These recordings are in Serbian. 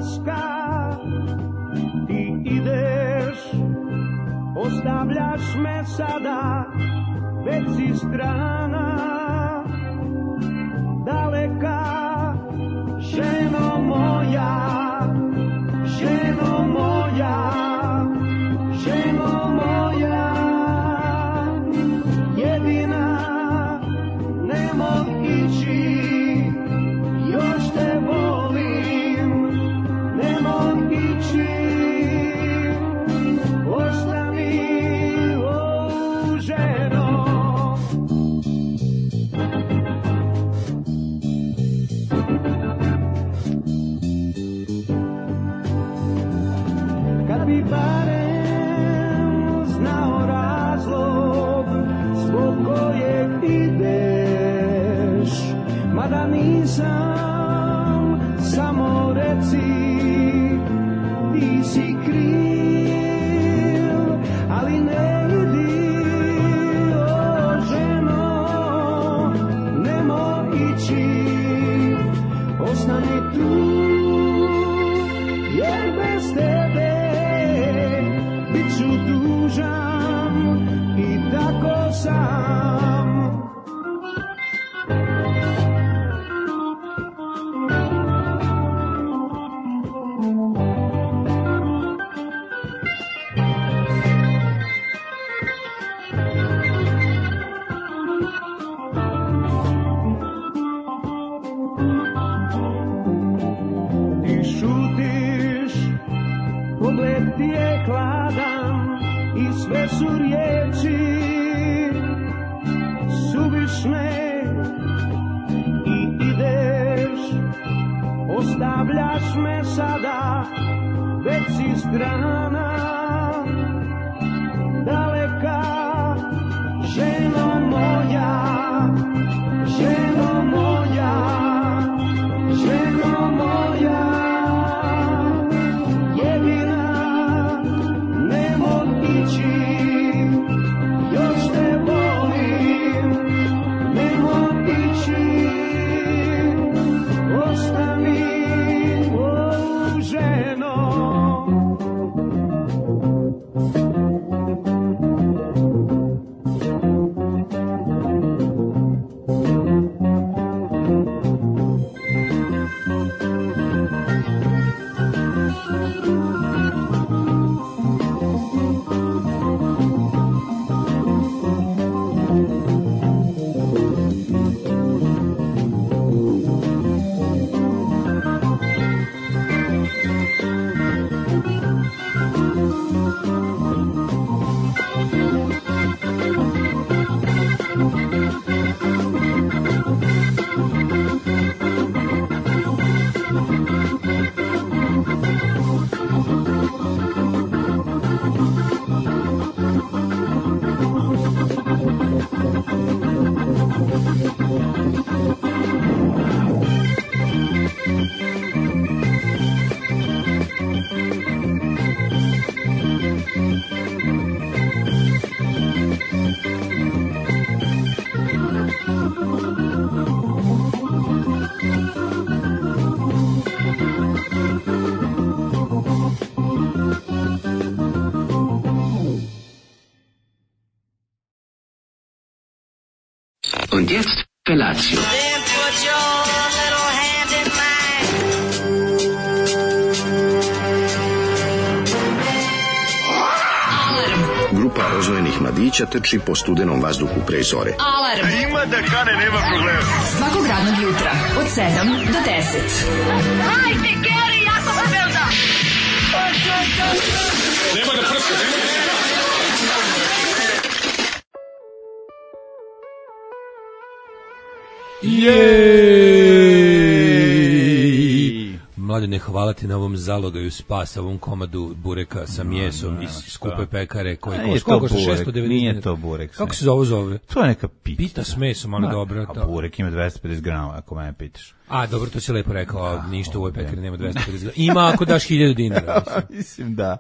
laska, ti ideš, ostavljaš me sada, već si strana, daleka, ženo moja, ženo moja, ženo moja, jedina, nemoj ići, još te volim, nemoj ići, ostani, o ženo. Kad bi barem znao razlog zbog kojeg ideš, mada nisam, samo reci, ti si kriv, ali ne idi, o ženo, nemoj ići, ostani tu, jer bez tebe bit ću dužan i tako sam. Pogled ti je hladan i sve su riječi suvišne i ideš, ostavljaš me sada, već si strana, daleka, ženo moja, ženo moja, ženo moja, još te volim, nemoj ići, ostani, o ženo. Und jetzt Felatio. Then put your little hand in mine. Grupa rozvojenih mladića trči po studenom vazduhu pre zore. Alarm! Ima da kane, nema problema. Svakog radnog jutra, od 7 do 10. Hajde, Geri, jako se velda! Nema da prska, nema da prska. Jej! Mladene, hvala ti na ovom zalogaju spasa, ovom komadu bureka sa mjesom iz skupe pekare koji košta 690. Nije to burek. Kako se zove? To je neka pita. Pita s mesom, ali dobra. A burek ima 250 grama, ako mene pitaš. A, dobro, to si lepo rekao, ništa u ovoj pekari nema 250. Ima ako daš 1000 dinara. Mislim da.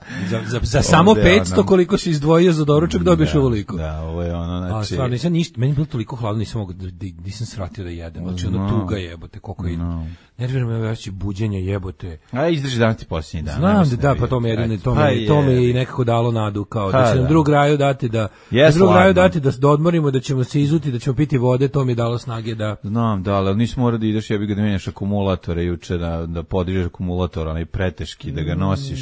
Za samo 500 koliko si izdvojio za doručak dobiješ ovoliko. Da, ovo je ono, znači. A stvarno, nisam ništa, meni je bilo toliko hladno, nisam svratio da jedem. Znači, ono tuga jebote, koliko je. Nervira me veći buđenje jebote. A izdrži dan ti posljednji dan. Znam da, pa to me jedino, to me i nekako dalo nadu, kao da će nam drug raju dati da odmorimo, da ćemo se izuti, da ćemo piti vode, to mi je dalo snage da... Znam, da, ali nisi morao da ideš, jebi ga da menjaš akumulatore juče, da podižeš akumulator, onaj preteški, da ga nosiš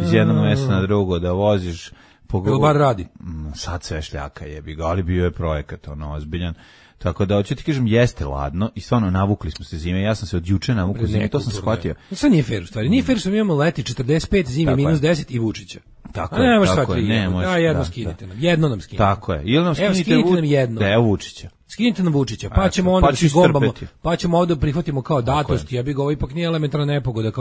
iz jednog mesta na drugo, da voziš... Ili bar radi? Sad sve šljaka jebi ga, ali bio je projekat, ono, ozbiljan. Tako da, hoću ti kažem, jeste ladno i stvarno navukli smo se zime. Ja sam se od juče navukao zime, to sam shvatio. Sad nije fair u stvari. Nije fair što mi imamo leti 45, zime minus 10 i Vučića. Tako je. Ne može sva tri. Jedno skinite nam. Jedno nam skinite. Tako je. Ili nam skinite nam jedno. Da, evo Vučića. Skinite nam Vučića, pa ćemo onda da gombamo, pa ćemo ovdje prihvatimo kao datost, ja bih ga ovo ipak nije elementarna nepogoda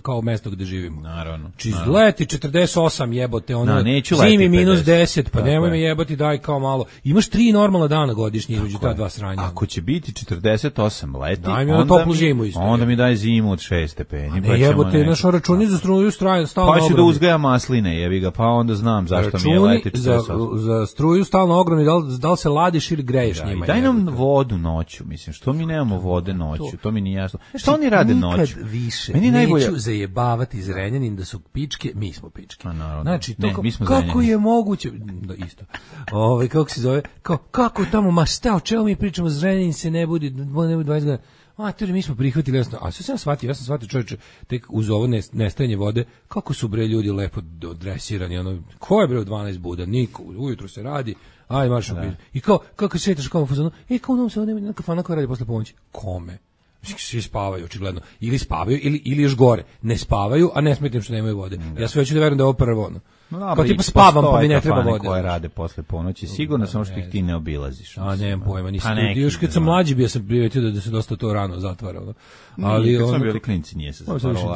kao mesto gde živimo. Naravno. Leti 48 jebote, ono, zimi minus 10, pa nemoj me jebati, daj kao malo. Imaš 3 normalna dana godišnje između ta dva sranja. Ako će biti 48 leti, daj mi toplu zimu isto. Onda mi daj zimu od 6 stepeni. Ne jebote, naš računi za struju stalno ogromni. Pa ću da uzgaja masline, jebi ga, pa onda znam zašto mi je leti 48. Za struju stalno ogromni, da li se ladiš ili greješ njima. Daj nam vodu noću, mislim, što mi nemamo vode noću, to mi nije jasno. Što oni rade noću? Nikad više neću zajebavati Zrenjanin da su pičke, mi smo pičke. Znači, to kako je moguće, da isto, kako se zove, kako tamo, ma šta, o čemu mi pričamo, Zrenjanin se ne budi 20 godina, mi smo prihvatili, jasno, a sve ja sam shvatio čovječe, tek uz ovo nestajanje vode, kako su bre ljudi lepo odresirani, ono, ko je bre u 12 buda, niko, ujutro se radi, aj marš i kako se šetaš kao u fazonu, kao nam se ovdje nema kafana koja radi posle pomoći. Kome? Svi spavaju, očigledno. Ili spavaju, ili još gore. Ne spavaju, a ne smetim što nemaju vode. Ja sve hoću da verujem da je ovo prvo ono. Kao tipa spavam, pa mi ne treba vode. Koje rade posle ponoći, sigurno samo što ih ti ne obilaziš. A nemam pojma, nisam. Još kad sam mlađi bio sam primetio da se dosta to rano zatvara. Ali kad smo bili klinci nije se zatvaralo.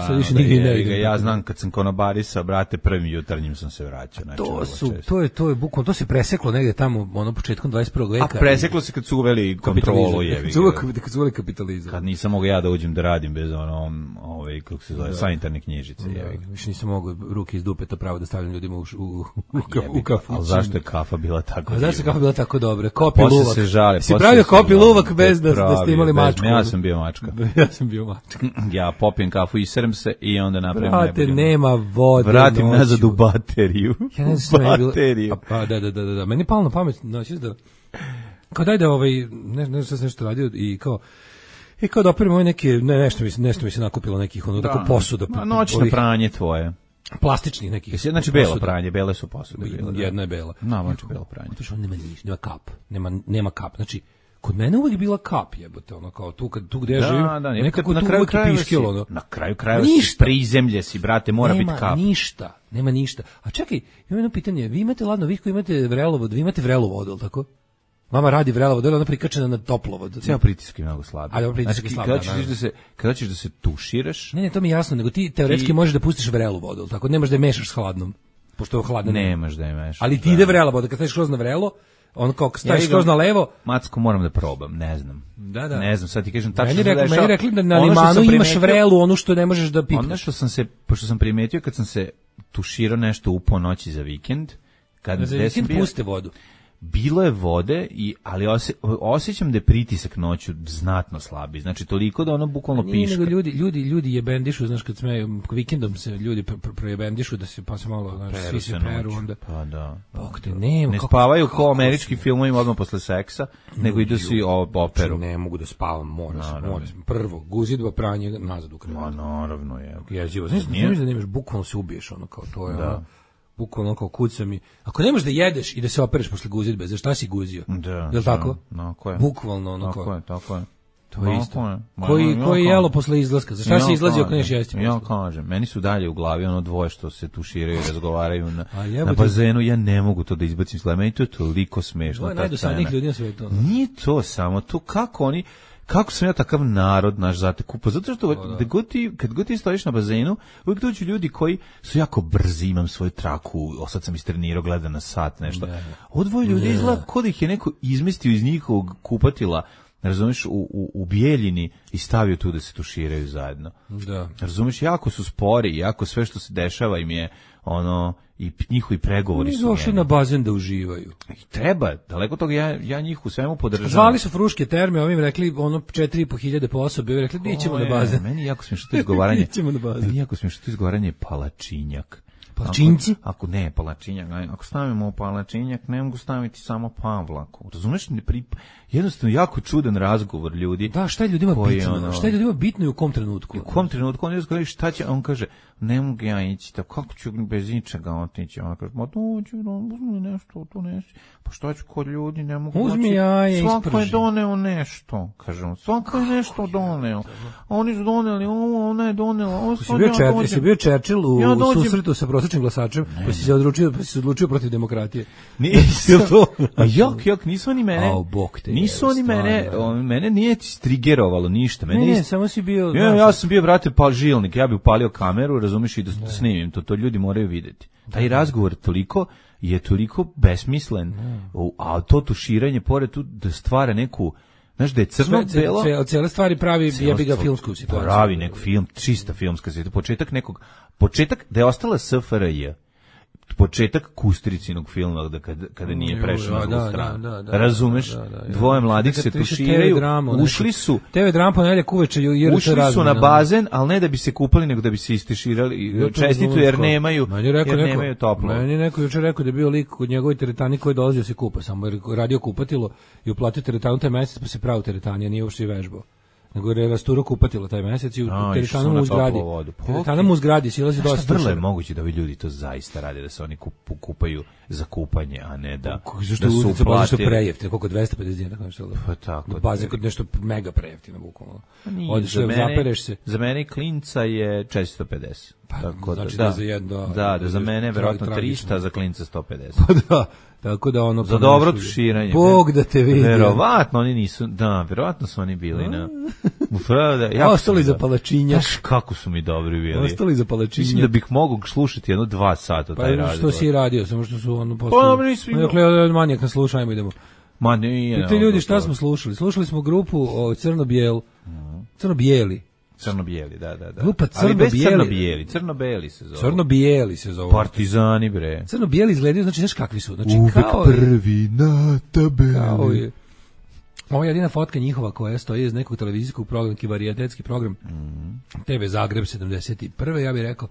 Ja znam kad sam konobarisa, brate, prvim jutarnjim sam se vraćao. To je bukvalno, to se preseklo negde tamo, ono početkom 21. veka. A preseklo se kad su uveli kontrolu, jevi. Kad su uveli kapitalizam. Kad nisam mogao ja da uđem da radim bez kako se zove, sanitarne knjižice, jevi. Više nisam mogao ruke iz dupeta pravo da stavljam ljudima u kafu. Ali zašto je kafa bila tako dobra? Zašto je kafa bila tako dobra? Kopi luvak. Se žale. Si pravio kopi luvak bez da ste imali mačku. Ja sam bio mačka. Ja popijem kafu i srem se i onda napravim najbolje. Brate, nema vode. Vratim nazad u bateriju. Ja ne znam bateriju. Pa da. Meni je palo na pamet, da kao daj da ne znam nešto radio i kao da operimo nešto mi se nakupilo nekih tako posuda. Noćno pranje tvoje. Plastičnih nekih. Znači belo pranje, bele su posude. Jedna je bela. Znači belo pranje. To što nema kap. Nema kap. Znači kod mene uvek bila kap, jebote, ono kao tu gde ja živim. Nekako na kraju piškilo, ono. Na kraju si prizemlje si, brate, mora biti kap. Nema ništa. A čekaj, imam jedno pitanje. Vi imate ladno, vi koji imate vrelovod, vi imate vrelu vodu, al tako? Mama radi vrelovod, ona prikačena na toplovod. Cijel pritisak je mnogo slab. Ali pritisak je slab. Kada ćeš da se tuširaš? Ne, to mi je jasno, nego ti teoretski možeš da pustiš vrelu vodu, tako nemaš da je mešaš s hladnom. Pošto je hladno. Nemaš da je mešaš. Ali ti ide vrela voda, kad staviš kroz na vrelo, on kao staviš kroz na levo. Macko, moram da probam, ne znam. Da. Ne znam, sad ti kažem tačno. Meni rekli da na limanu imaš vrelu, ono što ne možeš da pipneš. Ono što pošto sam primetio kad sam se tuširao nešto u ponoći za vikend, za vikend puste vodu. Bilo je vode, ali osjećam da je pritisak noću znatno slabi. Znači, toliko da ono bukvalno piška. Nego ljudi jebendišu, znaš, kad smeju, vikendom se ljudi projebendišu, da se pa se malo, znaš, svi se peru, onda... Pa da. Ne spavaju kao američki filmovi odmah posle seksa, nego idu svi operu. Ne mogu da spavam, moram. Prvo, guzidba, pranje, nazad u krevet. Ma, naravno je. Jezivo. Znaš da nemaš, bukvalno se ubiješ, ono, kao to je, ono... Bukvalno kao kucam i... Ako nemaš da jedeš i da se opereš posle guzidbe, za šta si guzio? Da. Jel' tako? Tako je. Bukvalno ono kao... Tako je. To je isto. Koji jelo posle izlaska? Za šta si izlazio ako neš jesti? Ja kažem, meni su dalje u glavi ono dvoje što se tuširaju i razgovaraju na bazenu, ja ne mogu to da izbacim slava. Meni to je toliko smešno. To je najdosadnijih ljudi na svijetu. Nije to samo, to kako sam ja takav narod naš zatekupo, zato što kad god ti stojiš na bazenu, uvijek dođu ljudi koji su jako brzi, imam svoju traku, sad sam istrenirao, gledam na sat, nešto. Ovo dvoje ljudi izgleda kod ih je neko izmestio iz njihovog kupatila razumeš, u Bijeljini i stavio tu da se tuširaju zajedno. Da. Razumeš, jako su spori, jako sve što se dešava im je ono, i njihovi pregovori su došli na bazen da uživaju. I treba, daleko toga, ja njih u svemu podržavam. Zvali su Fruške terme, ovim rekli ono 4.500 po osobi, ovim rekli nećemo na bazen. Meni jako smiješno to izgovaranje. Nećemo na bazen. Meni jako smiješno to izgovaranje palačinjak. Palačinci? Ako ne, palačinjak, ako stavimo palačinjak, ne mogu staviti samo Pavlaku. Razumeš, jednostavno jako čudan razgovor ljudi. Da, šta je ljudima bitno? Šta je ljudima bitno i u kom trenutku? U kom trenutku on kaže šta će, on kaže ne mogu ja ići, kako ću bez ničega otići? On kaže, ma dođi, uzmi nešto, to nesi. Pa šta ću kod ljudi, ne mogu uzmi doći. jaje, svako je doneo nešto, kaže on, svako je nešto doneo. Oni su doneli ovo, ona je donela. Jesi bio Churchill u susretu sa prosječnim glasačem, pa si se odlučio protiv demokratije? Nisam to. A jok, nisu oni mene. Bog te. Nisu oni mene nije trigerovalo ništa. Ne, samo si bio. Ja sam bio, brate, žilnik, ja bih upalio kameru, razumiješ, i da snimim to ljudi moraju vidjeti. Taj razgovor je toliko besmislen, a to tuširanje pored tu da stvara neku, znaš, da je crno-belo. Od cijele stvari pravi jebiga filmsku situaciju. Pravi neku čista filmska situacija. Početak da je ostala SFRJ. Početak Kustricinog filma kada nije prešao na drugu stranu. Razumeš? Dvoje mladih se tuširaju, ušli su TV drama ponedjeljak uveče, ušli su na bazen, ali ne da bi se kupali, nego da bi se istiširali čestitu, jer nemaju toplo. Meni neko jučer rekao da je bio lik kod njegovoj teretani koji dolazio se kupa, samo jer radio kupatilo i uplatio teretanu taj mesec, pa se pravi teretani, a nije uopšte i vežbao. Nego je rasturo kupatilo taj mesec i u teretanu mu uzgradi. Teretana mu uzgradi, silazi dosta. Šta vrlo je moguće da ovi ljudi to zaista rade, da se oni kupaju za kupanje, a ne da su uplatili. Zašto prejeftino, koliko 250 dinara, kako što pa tako. Baze kod nešto mega prejeftino, bukvalno. Odeš, zapereš se. Za mene klinca je 450. Pa, tako znači da za jedno. Da, za mene verovatno 300, za klinca 150. Pa da. Tako da ono za dobro tuširanje. Bog da te vidi. Verovatno oni nisu, verovatno su oni bili na. Ostali za palačinjak. Kako su mi dobri bili. Ostali za palačinjak. Mislim da bih mogao slušati 2 sata taj razgovor. Pa što si radio, samo što su ono posle. Dakle, manijak nas sluša, ajmo idemo. Ma nije. Ti ljudi šta smo slušali? Slušali smo grupu Crno-bijel. Crno-bijeli. Crno-bijeli, da. Grupa Crno-bijeli se zove. Crno-bijeli se zove. Partizani, bre. Crno-bijeli izgledaju, znači, znaš kakvi su? Znači, uvek kao prvi na tabeli. Ovo je jedina fotka njihova koja stoji iz nekog televizijskog programa, varijetetski program TV Zagreb 71. Ja bih rekao,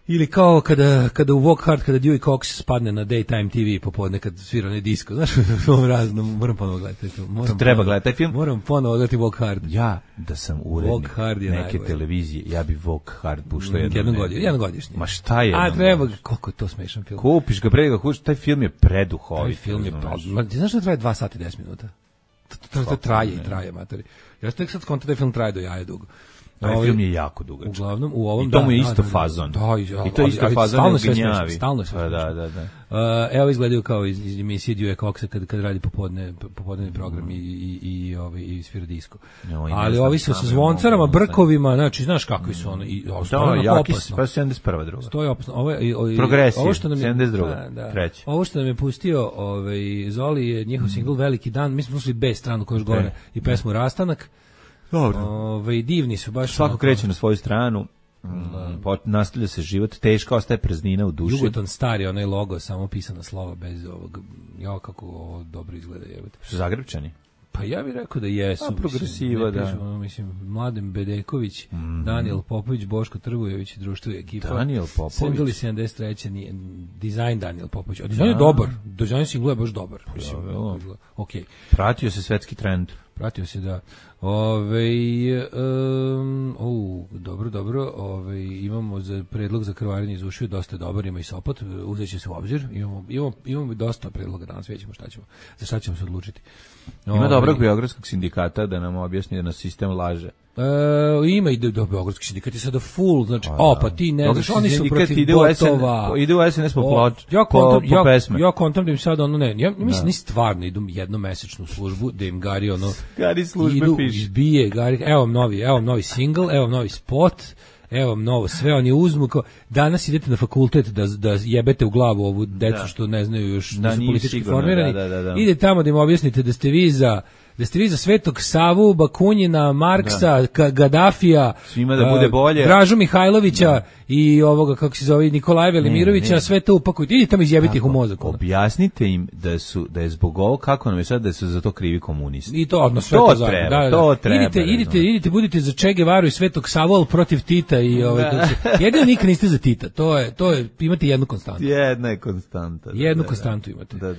ili kao kada u Walk Hard, kada Dewey Cox spadne na Daytime TV popodne kad svira onaj disko, znaš, moram ponovo gledati. Treba gledati taj film. Moram ponovo gledati Walk Hard. Ja, da sam urednik neke televizije, ja bi Walk Hard puštao jednogodišnji. Ma šta je? A treba, koliko je to smešan film. Kupiš ga pre ga kupiš, taj film je preduhovit. Taj film je, ti znaš da traje 2 sata i 10 minuta? To traje, materi. Ja tek sad skontam da je film traje do jaja dugo. Taj film je jako dugačak. Uglavnom, u ovom i to mu je isto fazon. I to je isto fazon gnjavi. Stalno sve Da. Evo izgledaju kao iz emisije Dewey Coxa kad radi popodnevni program i svira disko. Ali ovi su sa zvoncarama, brkovima, znači, znaš kakvi su ono. Pa 71. druga. Stoji opasno. Progresija, 72. Treća. Ovo što nam je pustio Zoli je njihov singl Veliki dan. Mi smo slušali B stranu koja još gore i pesmu Rastanak. Dobro. Divni su baš. Svako kreće na svoju stranu. Nastavlja se život, teška ostaje praznina u duši. Jugoton stari, onaj logo, samo pisana slova bez ovog. Ja, kako ovo dobro izgleda. Su Zagrebčani? Pa ja bih rekao da jesu. Progresiva, da. Mislim, Mladen Bedeković, Daniel Popović, Boško Trbujević, društvo i ekipa. Daniel Popović. Singli 73. Dizajn Daniel Popović. A dizajn je dobar. Dizajn singla je baš dobar. Okay. Pratio se svetski trend. Pratio se, da. Dobro. Imamo za predlog za krvarenje iz ušiju dosta dobar, ima i Sopot, uzet će se u obzir. Imamo dosta predloga danas, vidjet ćemo za šta ćemo se odlučiti. Ima dobrog beogradskog sindikata da nam objasni da nas sistem laže. Ima i do beogradski sindikat je sada full, znači, pa ti ne znaš, oni su protiv botova. Ide u SNS po pesme. Ja kontam da im sada ono ne, ja mislim, ni stvarno idu jednomesečnu službu, da im Gari ono, Gari službe piše. Izbije Gari, evo novi single, evo novi spot, evo novo, sve oni uzmu, danas idete na fakultet da jebete u glavu ovu decu što ne znaju još, da su politički formirani, ide tamo da im objasnite da ste vi za da ste vi za Svetog Savu, Bakunjina, Marksa, Gadafija, svima da bude bolje, Dražu Mihajlovića i ovoga, kako se zove, Nikolaja Velimirovića, sve to upakujte, idite tamo izjebiti ih u mozak. Objasnite im da je zbog ovo, kako nam je sad, da su za to krivi komunisti. I to, odnosno sve to zajedno. To treba. Idite, budite za Che Guevaru i Svetog Savu, ali protiv Tita i jedino nikad niste za Tita. To je, imate jednu konstantu. Jedna je konstanta. Jednu konstantu imate. Da.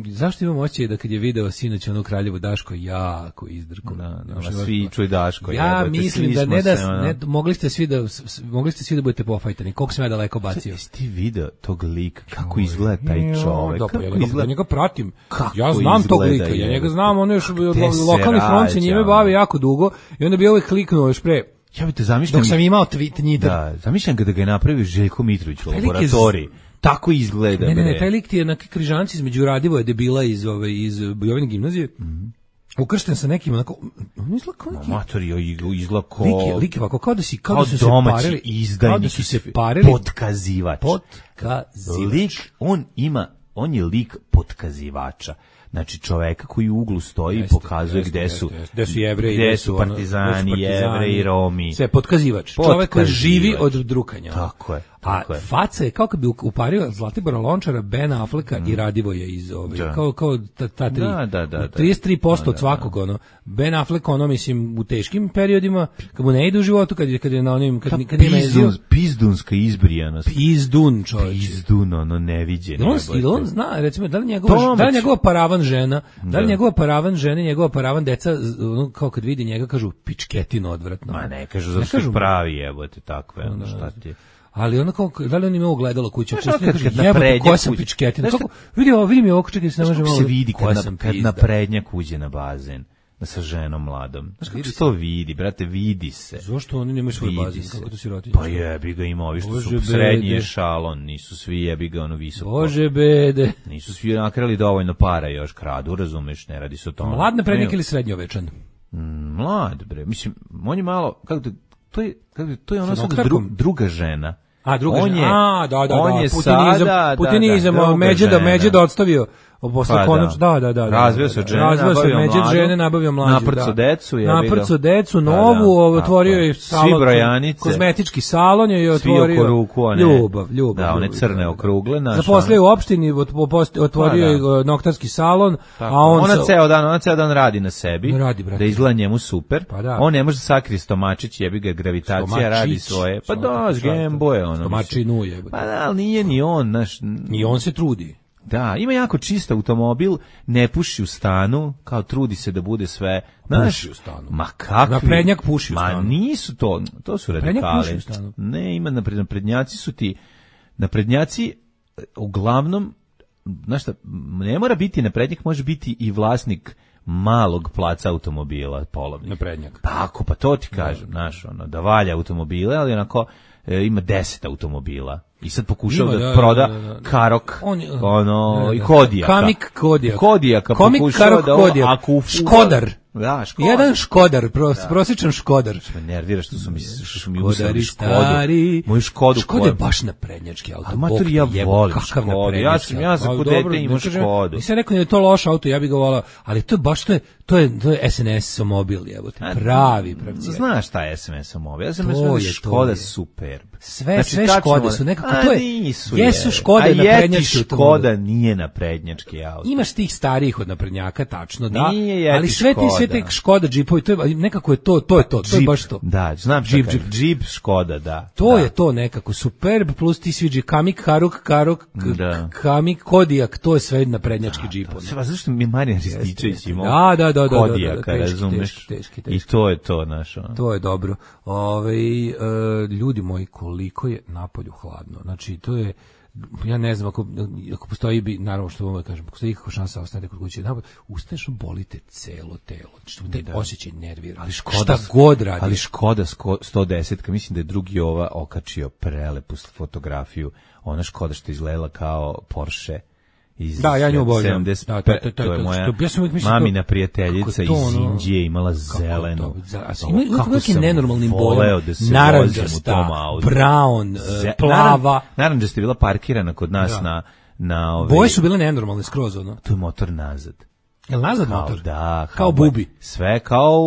Zašto imam osjećaj da kad je video sinoć ono Kraljevo Daško jako izdrko. Svi čuj Daško. Ja mislim da mogli ste svi da budete pofajtani. Koliko sam ja daleko bacio. Ti video tog lika, kako izgleda taj čovek. Ja njega pratim. Ja znam tog lika. Ja njega znam, ono još lokalni front se njime bavi jako dugo i onda bi ovaj kliknuo još pre. Ja bi te zamišljam. Dok sam imao tweet. Da, zamišljam da ga je napravio Željko Mitrović u laboratoriji. Tako izgleda. Ne, taj lik ti je na križanci između Radivoja debila iz Bujovine gimnazije. Ukršten sa nekim onako, on izgleda kao neki... Matori, izgleda kao... Lik ovako, kao da su se parili... Potkazivač. Lik, on je lik potkazivača. Znači čoveka koji u uglu stoji i pokazuje gde su Jevreji, gde su partizani, Jevreji, Romi. Sve potkazivač. Čovek koji živi od drukanja. Tako je. A faca je kao kad bi upario Zlatibora Lončara, Ben Afflecka i Radivoja iz kao ta tri. 33% od svakog, ono. Ben Affleck, ono, mislim, u teškim periodima, kad mu ne ide u životu, kad je na onim, kad nije mezio. Pizdunska izbrijanost. Pizdun, čovječe. Pizdun, ono, neviđen. Ili on zna, recimo, da li njegova paravan žena, njegova paravan deca, ono, kao kad vidi njega, kažu, pičketino odvratno. Ma ne kažu, zato što je pravi, jebote, takve, ono, šta ti je. Ali ono kao, da li on ima ogledalo kuće? Jebote, koja sam pičketina? Vidi mi ovo, čekaj, se ne može malo... se vidi kad naprednjak uđe na bazen sa ženom mladom. Znaš kako se to vidi, brate, vidi se. Zašto oni nemaju svoj bazen? Kako to sirotinje? Pa jebi ga, ima ovi što su srednji ešalon, nisu svi jebi ga ono visoko. Bože bede. Nisu svi nakrali dovoljno para još kradu, razumeš, ne radi se o tome. Mlad naprednjak ili srednjovečan? Mlad, bre, mislim, on je malo, to je ono sad druga žena. A druga žena. On je putinizam, Međeda odstavio. Razvio se žene, nabavio mlađu. Naprco decu, novu, otvorio je salon, kozmetički salon je otvorio. Ljubav. Da, one crne okrugle. Zaposlio u opštini, otvorio je noktarski salon, a ona ceo dan radi na sebi, da izgleda njemu super. On ne može sakriti stomačić, jebi ga, gravitacija radi svoje. Pa da, Gembo je ono. Stomačinu je. Pa da, ali nije ni on. Ni on se trudi. Da, ima jako čist automobil, ne puši u stanu, kao trudi se da bude sve... Puši u stanu. Ma kakvi? Naprednjak puši u stanu. Ma nisu to su radikali. Ne, ima naprednjaci su ti... Naprednjaci, uglavnom, znaš šta, ne mora biti naprednjak, može biti i vlasnik malog placa automobila, polovnih. Naprednjak. Tako, pa to ti kažem, znaš, ono, da valja automobile, ali onako ima 10 automobila. I sad pokušao da proda Karok, i Kodijaka. Kamik Kodijak. Kodijaka pokušao da Škodar. Da, Škodar. Jedan Škodar, prosječan Škodar. Me nervira što su mi usali Škodu. Moju Škodu. Škoda je baš naprednjački auto. A mater, ja volim Škodu. Ja sam kod dete imao Škodu. Nisam rekao da je to loš auto, ja bih ga volao, ali to je baš, to je SNS mobil, jebote. Pravi. Znaš šta je SNS mobil? Ja sam mislim da je Škoda superb. Sve Škode su nekako, to je, jesu Škode naprednjački auto. Škoda nije naprednjački auto. Imaš tih starijih od naprednjaka, tačno, da, ali sve te Škoda džipovi, to je nekako to je baš to. Da, znam džip Škoda, da. To je to nekako, superb, plus ti sviđi Kamik, Karok, Kamik, Kodijak, to je sve naprednjački džipovi. Zašto mi je Marijan Rističević imao Kodijaka, razumeš? I to je to, znaš. To je dobro. Ljudi moji, koliko je napolju hladno. Znači, to je, ja ne znam, ako postoji, naravno što vam kažem, ako postoji ikakva šansa ostanete kod kuće, ustaneš, bolite celo telo. Znači, taj osjećaj nervira. Ali šta god radi. Ali Škoda 110, mislim da je drugi okačio prelepu fotografiju. Ona Škoda što izgledala kao Porsche. Da, ja nju obožavam. To je moja mamina prijateljica iz Indije, imala zeleno. Ima neki nenormalnim bojom. Naranđasta, brown, plava. Naranđasta je bila parkirana kod nas na boje su bile nenormalne skroz, ono. To je motor nazad. Jel nazad motor? Da, kao bubi. Sve kao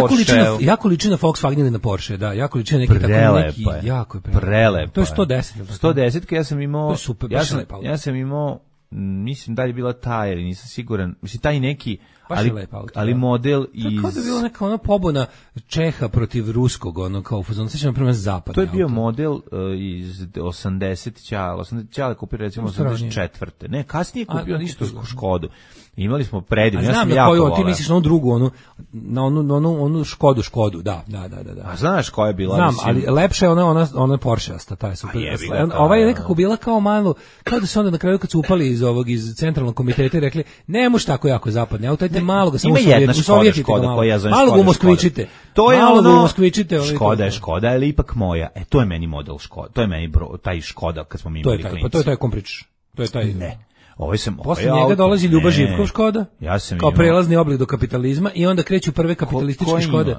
Porsche. Jako liči na Volkswagen ili na Porsche, da. Jako liči na neki tako neki, jako je prelepo. To je 110. 110 ja sam imao. To je super, ja sam imao, mislim da je bila ta, jer nisam siguran. Mislim taj neki, ali model iz... Kao da je bila neka ona pobuna Čeha protiv ruskog, ono kao fazon, sećam prema zapadne. To je bio model iz 80 Ćale kupio recimo 84. Ne, kasnije kupio isto Škodu. Imali smo predivno, ja sam jako volao. Ti misliš na onu drugu, onu Škodu, da. A znaš koja je bila? Znam, ali lepša je ona Porsche-asta, ta je super. Ova je nekako bila kao malo, kao da se onda na kraju kad su upali iz centralnog komiteta i rekli, ne može tako jako zapadne auto, ajte malo ga samo Sovjetite ga malo. Malo ga umoskvičite. To je ono, Škoda, ali ipak moja. To je meni model Škoda, to je meni taj Škoda kad smo mi imali klinci. Pa to je taj kom pričaš. To je taj. Ne. Posle njega dolazi Ljuba Živkov Škoda, kao prelazni oblik do kapitalizma i onda kreću prve kapitalističke Škode.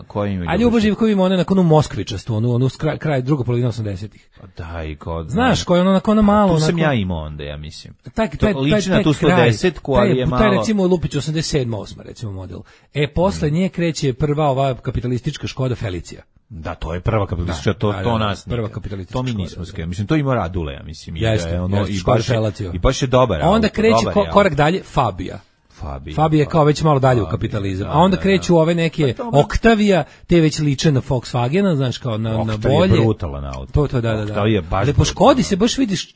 A Ljuba Živkov ima one nakon Moskvičastu, onu kraj druga polovina 80-ih. Da, i kod... Znaš, koja je ono nakon malo... Tu sam ja imao onda, ja mislim. Liči na tu 110-ku, ali je malo... Taj recimo Lupić 87-8, recimo model. Posle nje kreće prva ova kapitalistička Škoda Felicia. Da, to je prva kapitalistička, to nas prva kapitalistička. To mi nismo skrenuli. Mislim, to ima Radule, ja mislim. I baš je dobar. Onda kreće korak dalje Fabija. Fabija je kao već malo dalje u kapitalizam. A onda kreću ove neke Octavia, te već liče na Volkswagena, znaš, kao na bolje. Octavia je brutalan auto. To, da. Ali po Škodi se baš vidiš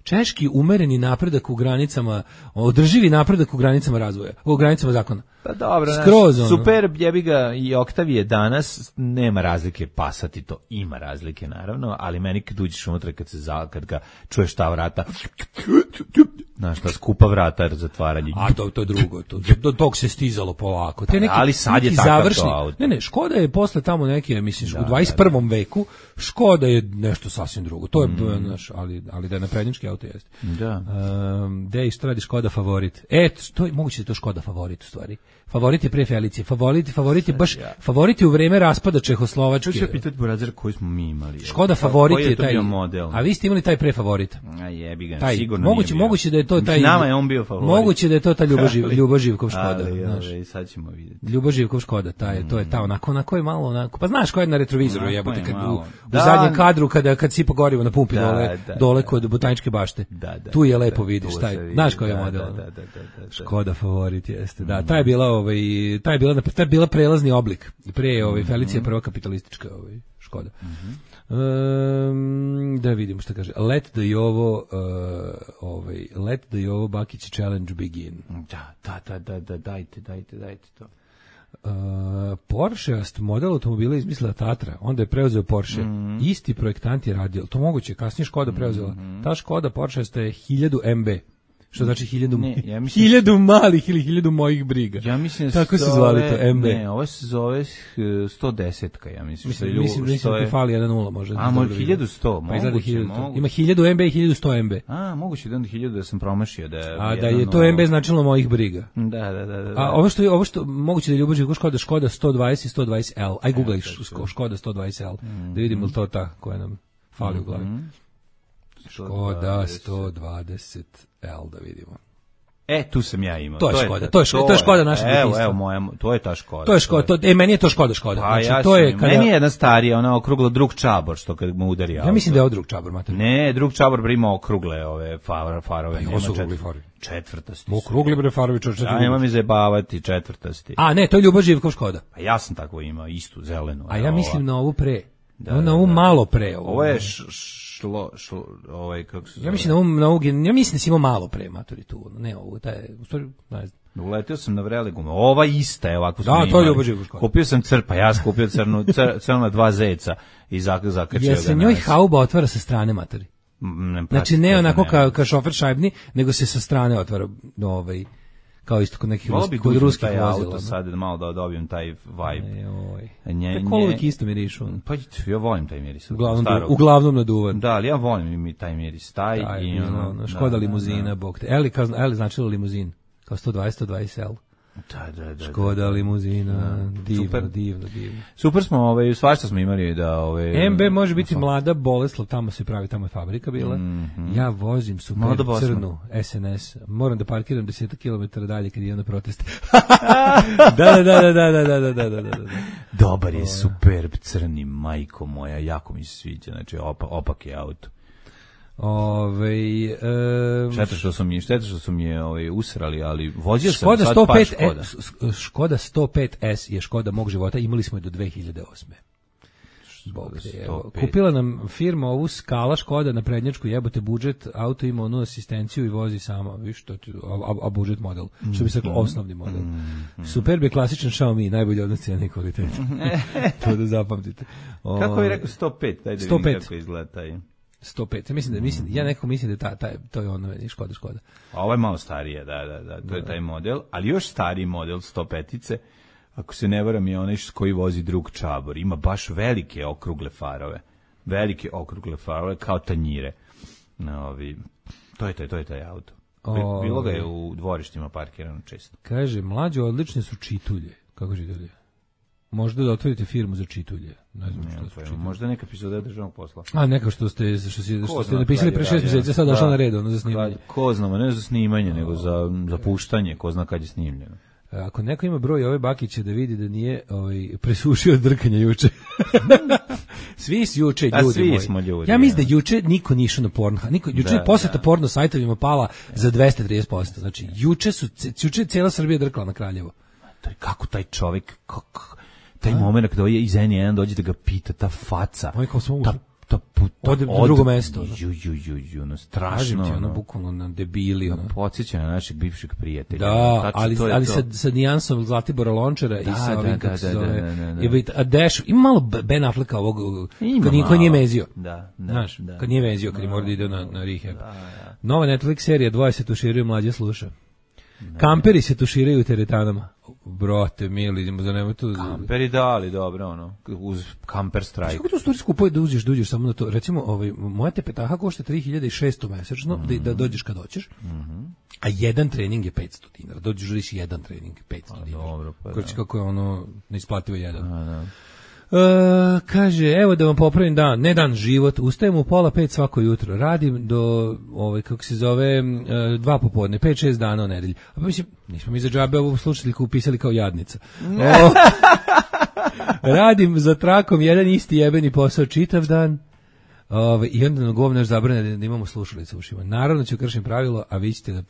češki umereni napredak u granicama, održivi napredak u granicama razvoja, u granicama zakona. Pa dobro, super, jebi ga i Octavia danas, nema razlike, Passat i to ima razlike naravno, ali meni kad uđeš unutra, kad ga čuješ ta vrata, znaš, ta skupa vrata zatvaranje. A to je drugo, dok se stizalo polako. Ali sad je takav to auto. Ne, Škoda je posle tamo neke, misliš, u 21. veku, Škoda je nešto sasvim drugo. To je, ali da je naprednjački auto jeste. Da. Gde što radi Škoda Favorit? To je moguće da je to Škoda Favorit u stvari. Favorit je pre Felicije. Favorit je u vreme raspada Čehoslovačke. Ču se pitati Burazer koji smo mi imali. Škoda Favorit je taj model. A vi ste imali taj pre Favorit. A jebi ga, sigurno moguće da je to taj. Nama je on bio Favorit. Moguće da je to ta Ljuba Živkov Škoda, znaš. Sad ćemo vidjeti. Ljuba Živkov Škoda, to je ta onako je malo onako. Pa znaš ko je na retrovizoru jebote kad u zadnjem kadru kad sipa gorivo na pumpi dole kod Botaničke bašte. Tu je lepo vidiš taj. Znaš koji je model. Škoda Favorit jeste. Da, taj je bila prelazni oblik. Pre Felicija prva kapitalistička Škoda. Da vidimo šta kaže. Let the Jovo Bakić challenge begin. Da, dajte to. Porsche-ast model automobila izmislila Tatra, onda je preuzeo Porsche. Isti projektant je radio. To moguće, kasnije Škoda preuzela. Ta Škoda Porsche-ast je 1000 MB. Što znači 1000 malih ili 1000 mojih briga. Ja mislim tako se zvali to MB. Ne, ovo se zove 110-ka, ja mislim. Mislim da ti fali 1.0 možda. A, može 1100, moguće. Ima 1000 MB i 1100 MB. A, moguće da je 1000 da sam promašio. A da je to MB značilo mojih briga. Da. A ovo što moguće da je Ljubav Škoda 120 i 120L. Aj googlaj Škoda 120L. Da vidimo li to ta koja nam fali u glavi. Škoda 120L, da vidimo. Tu sam ja imao. To je Škoda, to je Škoda naša detinjstva. Evo moja, to je ta Škoda. To je Škoda, meni je to Škoda. Znači, to je meni je jedna starija, ona okrugla drug čabor, što kad mu udari auto. Ja mislim da je ovo drug čabor, mater. Ne, drug čabor ima okrugle ove farove. Ovo su okrugli farovi. Četvrtasti. Okrugli bre farovi, četvrtasti. Ja nemam mi zajebavati, četvrtasti. A ne, to je Ljubav Živkov Škoda. Pa ja sam tako imao, istu, zelenu. A ja mislim na ovu pre. Na ovu malo pre. Ovo je kako se zove? Ja mislim da si imao malo pre maturitu. Ne ovo, taj u stvari, ne znam. Uletio sam na vrele gume. Ova ista je ovako. Da, to je Ljubav Živkov Škoda. Kupio sam ja sam kupio crna 2 zeca i zakačio ga. Jel se njoj hauba otvara sa strane, maturi? Znači ne onako kao šofer šajbni, nego se sa strane otvara kao isto kod nekih ruskih vozila. Sad malo da dobijem taj vibe. Te kolovik isto mirišu. Pa ja volim taj miris. Uglavnom naduvan. Da, ali ja volim mi taj miris. Škoda limuzina, bog te. Eli značilo limuzin. Kao 120L. Da. Škoda limuzina, divno. Super smo, svašta smo imali da... MB može biti mlada Boleslav, tamo se pravi, tamo je fabrika bila. Ja vozim super crnu SNS, moram da parkiram 10 km dalje kad idem na proteste. Da. Dobar je Superb crni, majko moja, jako mi se sviđa, znači opak je auto. Šteta što su mi je usrali, ali vozio sam sad par Škoda. Škoda 105S je Škoda mog života, imali smo je do 2008. Kupila nam firma ovu Skala Škoda na prednjačku, jebote budžet, auto ima onu asistenciju i vozi sama, viš, a budžet model, što bi se rekao osnovni model. Superb je klasičan Xiaomi, najbolji odnos cijene i kvalitete. To da zapamtite. Kako je rekao 105? Daj da vidim kako izgleda taj. 105. Ja nekako mislim da to je ono, Škoda. A ovo je malo starije, da, to je taj model, ali još stariji model 105-ice, ako se ne varam, je onaj koji vozi drug Čabor. Ima baš velike okrugle farove, kao tanjire. To je taj auto. Bilo ga je u dvorištima parkirano često. Kaže, mlađe odlične su čitulje. Kako čitulje? Možda da otvorite firmu za čitulje. Ne znam što su čitulje. Možda neka epizoda državnog posla. A neka što ste napisali pre 6 mjeseci, sad došla na red, ono za snimanje. Ko znamo, ne za snimanje, nego za puštanje, ko zna kad je snimljeno. Ako neko ima broj ove bakiće da vidi da nije presušio drkanja juče. Svi su juče ljudi svi moji. Smo ljudi. Ja mislim da juče niko nije išao na Pornhub. Juče je poseta porno sajtovima pala za 230%. Znači juče je cijela Srbija drkala na Kraljevo. Kako taj čovjek, taj moment kada je iz N1 dođe da ga pita, ta faca, ode na drugo mesto. Strašno. Ti, bukvalno na debili. Podsjeća na našeg bivšeg prijatelja. Da, ali sa nijansom Zlatibora Lončara i sa ovim, kako se zove, ima malo Ben Afflecka ovog, kad nije vezio. Znaš, kad nije vezio, kad je mora da ide na rehab. Nova Netflix serija, dvoje se tuširaju, mlađe sluša. Kamperi se tuširaju u teretanama. Brote, mili, idemo za nema tu. Kamperi da, ali dobro, uz Camper Strike. Kako to stvari skupuje da uđeš samo na to? Recimo, moja tepetaha košta 3600 mesečno, da dođeš kad hoćeš, a jedan trening je 500 dinara. Dođeš jedan trening, 500 dinara. Dobro, pa da. Kako je ono neisplativo jedan. Kaže, evo da vam popravim život, ustajem u 4:30 svako jutro, radim do, kako se zove, 2 popodne, 5-6 dana u nedelji. A pa mislim, nismo mi za džabe ovu slušateljku upisali kao jadnica. Radim za trakom jedan isti jebeni posao čitav dan, i onda na govnaš zabrane da imamo slušalice u ušima. Naravno ću kršim pravilo, a vi ćete da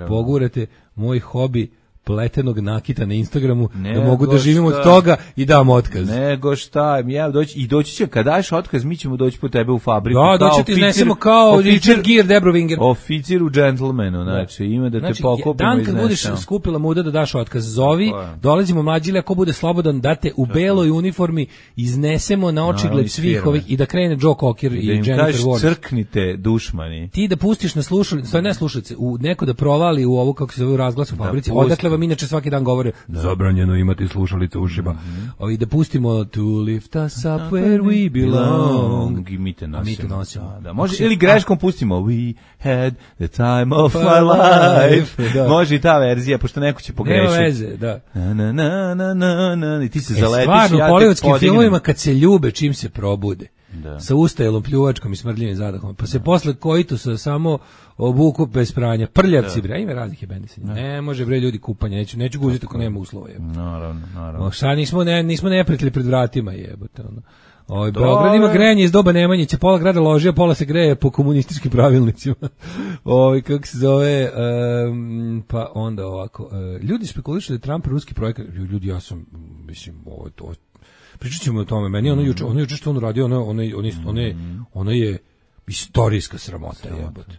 pogurate moj hobi pletenog nakita na Instagramu, da mogu da živim od toga i dam otkaz. Nego šta, doći će, kad daš otkaz, mi ćemo doći po tebe u fabriku. Da, doći ti iznesemo kao Richard Gere, Debrovinger. Oficir u džentlmenu, znači, ima da te pokupimo i iznesemo. Dan kad budeš skupila muda da daš otkaz, zovi, dolazimo mlađili, ako bude slobodan, da te u beloj uniformi iznesemo na očigled svih ovih i da krene Joe Cocker i Jennifer Warnes. Crknite dušmani. Ti da pustiš na slušalice, ne slušalice, neko da provali u ovo, kako se zove, razglas u fabrici, odakle vam inače svaki dan govore zabranjeno imati slušalice u ušima. Ovi da pustimo To lift us up where we belong. I mi te nosimo. Da. Može, ili greškom pustimo We had the time of my life. Može i ta verzija, pošto neko će pogrešiti. Nema veze, da. I ti se zaletiš. Stvarno, u hollywoodskim filmovima kad se ljube, čim se probude. Sa ustajelom, pljuvačkom i smrdljivim zadahom. Pa se posle koitusa samo obuku bez pranja. Prljavci, bre, ima raznih jebenisanja. Ne može, bre, ljudi kupanja, neću guziti ako nema uslova. Naravno. Šta nismo neprijatelji pred vratima, jebote, ono. Beograd ima grejanje iz doba Nemanjića, pola grada loži, a pola se greje po komunističkim pravilnicima. Kako se zove, pa onda ovako, ljudi spekulišu da je Trump ruski projekat, ljudi, ja sam, mislim, pričat ćemo o tome, meni ono juče što on uradio, ono je istorijska sramota, jebote.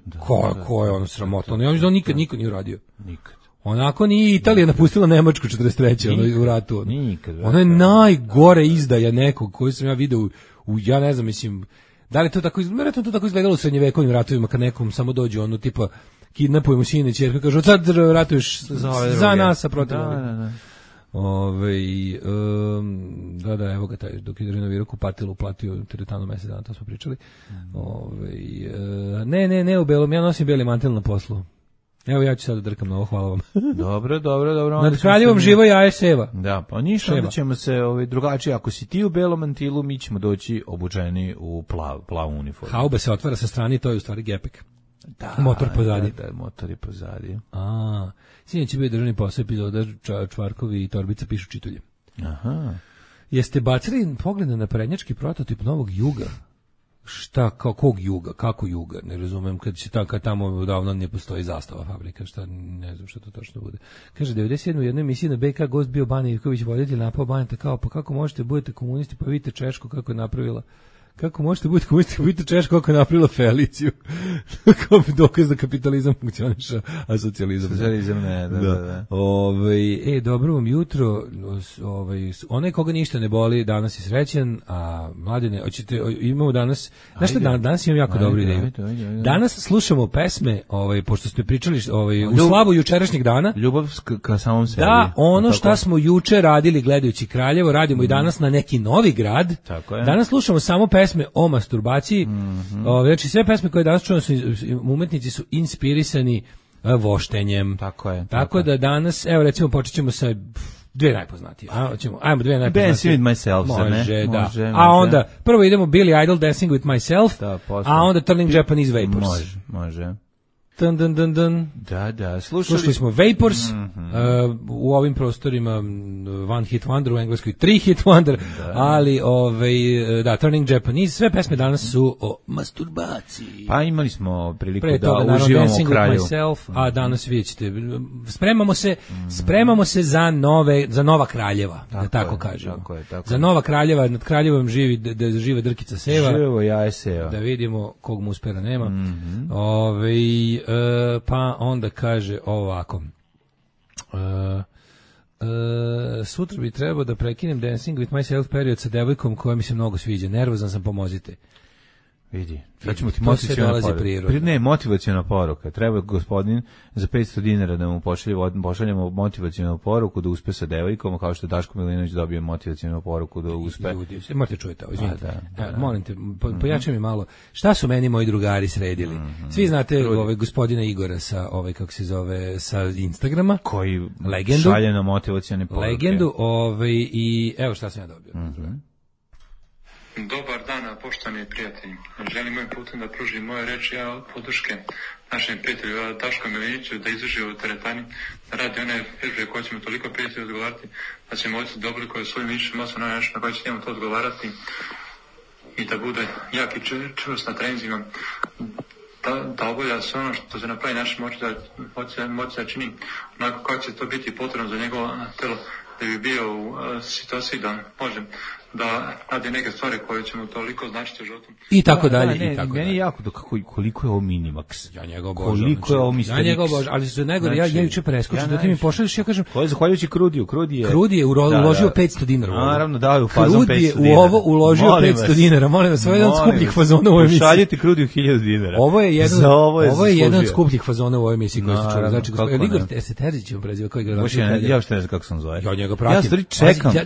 Ko je ono sramota? On nikad niko nije uradio. Nikad. Onako nije Italija napustila Nemačku 43. u ratu. Nikad. Ono je najgore izdaja nekog koju sam ja video ja ne znam, mislim, da li to tako izgledalo u srednjevekovnim ratovima kad nekom samo dođe ono tipa kidnapujemo sine i ćerku, kažu sad ratuješ za nas, a protiv da. Evo ga taj, dok je renovirao kupatilo, uplatio teretanu mesec dana, to smo pričali. Ne, u belom, ja nosim beli mantel na poslu. Evo ja ću sad drkam na ovo, hvala vam. Dobro. Nad kraljevom živo jaje seva. Da, pa ništa, onda ćemo se drugačije. Ako si ti u belom mantilu, mi ćemo doći obučeni u plavu uniformu. Haube se otvara sa strane, to je u stvari gepek. Da, motor pozadi. Da, motor je pozadi. Sinoć će biti državni posao epizoda Čvarkovi i Torbica pišu čitulje. Aha. Jeste bacili pogled na prednjački prototip novog Juga? Šta, kog Juga, kako Juga, ne razumem, kad tamo davno ne postoji zastava fabrika, šta, ne znam šta to točno bude. Kaže, 97. u jednoj emisiji na BK gost bio Bane Ivković, voditelj napao Baneta, kao, pa kako možete budete komunisti, pa vidite Češku kako je napravila, kako možete budete komunisti, pa vidite Češku kako je napravila Feliciju, kao dokaz da kapitalizam funkcioniša, a socijalizam ne, da. Dobro vam jutro, onaj koga ništa ne boli, danas je srećan, a mladine, imamo danas, znaš šta, danas imam jako dobru ideju. Danas slušamo pesme, pošto smo pričali u slavu jučerašnjeg dana. Ljubav ka samom sebi. Da, ono šta smo juče radili gledajući Kraljevo, radimo i danas na neki novi grad. Tako je. Danas slušamo samo pesme o masturbaciji. Znači sve pesme koje danas čujemo, umetnici su inspirisani voštenjem. Tako je. Tako da danas, evo recimo počet ćemo sa dve najpoznatije. Ajmo dve najpoznatije. Dancing with myself. Može. A onda prvo idemo Billy Idol, Dancing with myself, a onda Turning Japanese Vapors. Može. Dun. Da, slušali smo Vapors, u ovim prostorima One Hit Wonder, u Engleskoj 3 Hit Wonder, ali Turning Japanese, sve pesme danas su o masturbaciji. Pa imali smo priliku da uživamo u Kraljevu. A danas vidjet ćete, spremamo se za nova Kraljeva, da tako kažemo. Za nova Kraljeva, nad Kraljevom žive Drkica Seva. Živo jaje Seva. Da vidimo kog mu uspera nema. Pa onda kaže ovako, sutra bi trebao da prekinem Dancing with myself period sa devojkom koja mi se mnogo sviđa, nervozan sam, pomozite. Vidi, sad ćemo ti motivaciona poruka. Ne, motivaciona poruka. Treba gospodin za 500 dinara da mu pošaljemo motivacionu poruku da uspe sa devojkom, kao što je Daško Milinović dobio motivacionu poruku da uspe. Ljudi, morate čujete, izvinite. Molim te, pojačaj mi malo. Šta su meni moji drugari sredili? Svi znate gospodina Igora sa kako se zove, sa Instagrama, koji legendu, šalje na motivacione poruke. Legendu, i evo šta sam ja dobio. Dobar dan, poštovani prijatelji. Želim ovim putem da pružim moje reči podrške našem prijatelju Daško Miliniću da izdrži u teretani, da radi one vježbe koje ćemo toliko prijatelji odgovarati, da ćemo ovdje da oblikuje svojim mišljom masom na koje će njemu to odgovarati i da bude jak i čvrst na treninzima, da obavlja sve ono što se na pravi način moći da čini onako kako će to biti potrebno za njegovo telo, da bi bio u situaciji da može da radi neke stvari koje će mu toliko značiti u životu. I tako dalje. Meni je jako koliko je ovo Minimax. Ja njega obožavam. Koliko je ovo Mr. Ja njega obožavam, ali su najgore, ja juče preskočim, da ti mi pošalješ, ja kažem... To je zahvaljujući Krudiju. Krudi je uložio 500 dinara. Naravno, da, u fazom 500 dinara. Krudi je u ovo uložio 500 dinara. Molim vas, ovo je jedan od skupljih fazona u ovoj emisiji. Pošaljite Krudiju 1000 dinara. Ovo je jedan od skupljih fazona u ovoj emisiji koji se čuo. Znači, Igor Terzić je preziva, koji igra. Ja što ne znam kako sam zove. Ja njega pratim.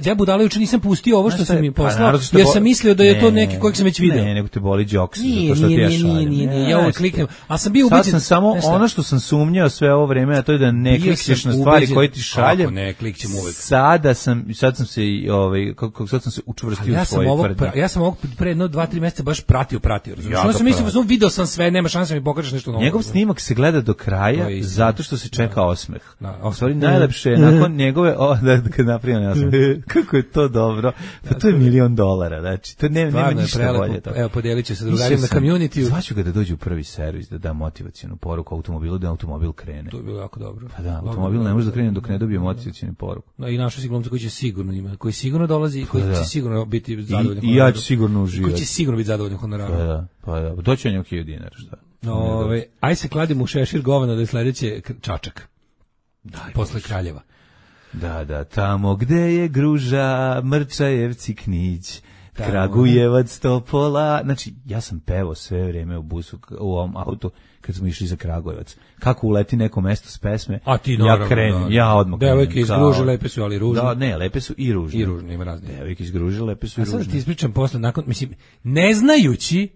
Ja budalo juče nisam pustio ovo što sam im poslao. Jer sam mislio da je to neki kojeg sam već video. Ne, nego te boli džoks. Nije, ja ovo kliknem. A sam bio ubeđen. Sad sam samo ono što sam sumnjao sve ovo vreme, a to je da ne klikćeš na stvari koje ti šaljem. Kako ne, klikćem uvek. Sad sam se učvrstio u svoje tvrdnje. Ja sam ovog pre 2-3 mjeseca baš pratio. Ono sam mislio, video sam sve, nema šanse mi pokažeš nešto novo. Njegov snimak se gleda do kraja zato što se čeka osmeh. U stvari najlepše je nakon njegove, kad napravim ja sam, kako je to dobro. Pa to je $1.000.000. Znači, to nema ništa bolje. Evo, podijelit će se drugarima na community. Zvaću ga da dođe u prvi servis, da da motivacijonu poruku automobilu, da automobil krene. To je bilo jako dobro. Pa da, automobil ne može da krene dok ne dobije motivacijonu poruku. No, i našo si glumca koji će sigurno ima, koji sigurno dolazi, koji će sigurno biti zadovoljan. I ja ću sigurno uživati. Koji će sigurno biti zadovoljan honorarom. Pa da, doći on je $1.000 dinara, šta? Aj se kladimo u šešir govana da je sledeće Čačak. Posle Kraljeva. Da, tamo gde je Gruža, Mrčajevci, Knić, Kragujevac, Topola. Znači, ja sam pevao sve vrijeme u busu, u ovom autu, kad smo išli za Kragujevac. Kako uleti neko mesto s pesme, a ti naravno, ja krenem, ja odmah krenem. Devojke iz Gruže lepe su, ali ružne. Da, ne, lepe su i ružne. I ružne, ima razne. Devojke iz Gruže lepe su i ružne. A sad ti ispričam posle, nakon, mislim, ne znajući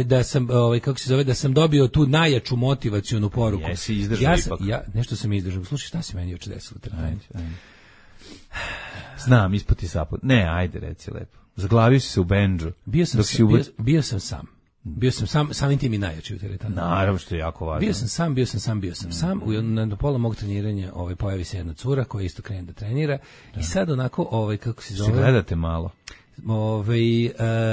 da sam kako se zove, da sam dobio tu najjaču motivacionu poruku. Jesi izdržao ipak. Ja nešto sam izdržao. Slušaj, šta se meni juče desilo? Znam, isputi saput. Ne, ajde, reci lepo. Zaglavio si se u bendžu. Bio sam sam. Bio sam samim tim i najjači u teretani. Naravno, što je jako važno. Bio sam sam. Na pola mog treniranja pojavi se jedna cura koja isto krene da trenira. I sad onako, kako se zove... Se gledate malo.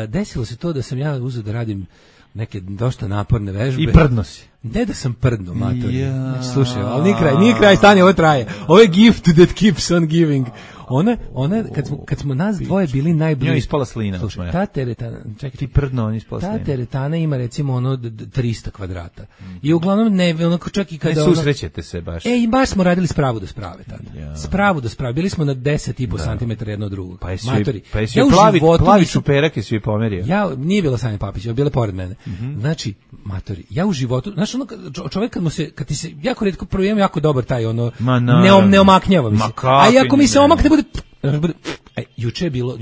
Desilo se to da sam ja uzeo da radim neke dosta naporne vežbe. I prdno si. Ne da sam prdno, matori. Znači, slušaj, ali nije kraj, stanje, ovo traje. Ovo je gift that keeps on giving. Ona kad smo nas dvoje bili najbliži. Njoj ispala slina. Slušaj, ta teretana, čekaj. Ti prdno, on ispala slina. Ta teretana ima recimo 300 kvadrata. I uglavnom onako čak i kada... Ne susrećete se baš. I baš smo radili spravu do sprave tada. Spravu do sprave. Bili smo na 10,5 cm jedno od drugog. Pa jesi plavi čuperak jesi joj pomerio. Nije bila Sanja Papić, bila pored mene. Znači, matori, ja u životu, znaš čovjek kad ti se jako retko provijem jako dobar taj ne omaknjava mi se. A i ako mi se omakne bude juče je bilo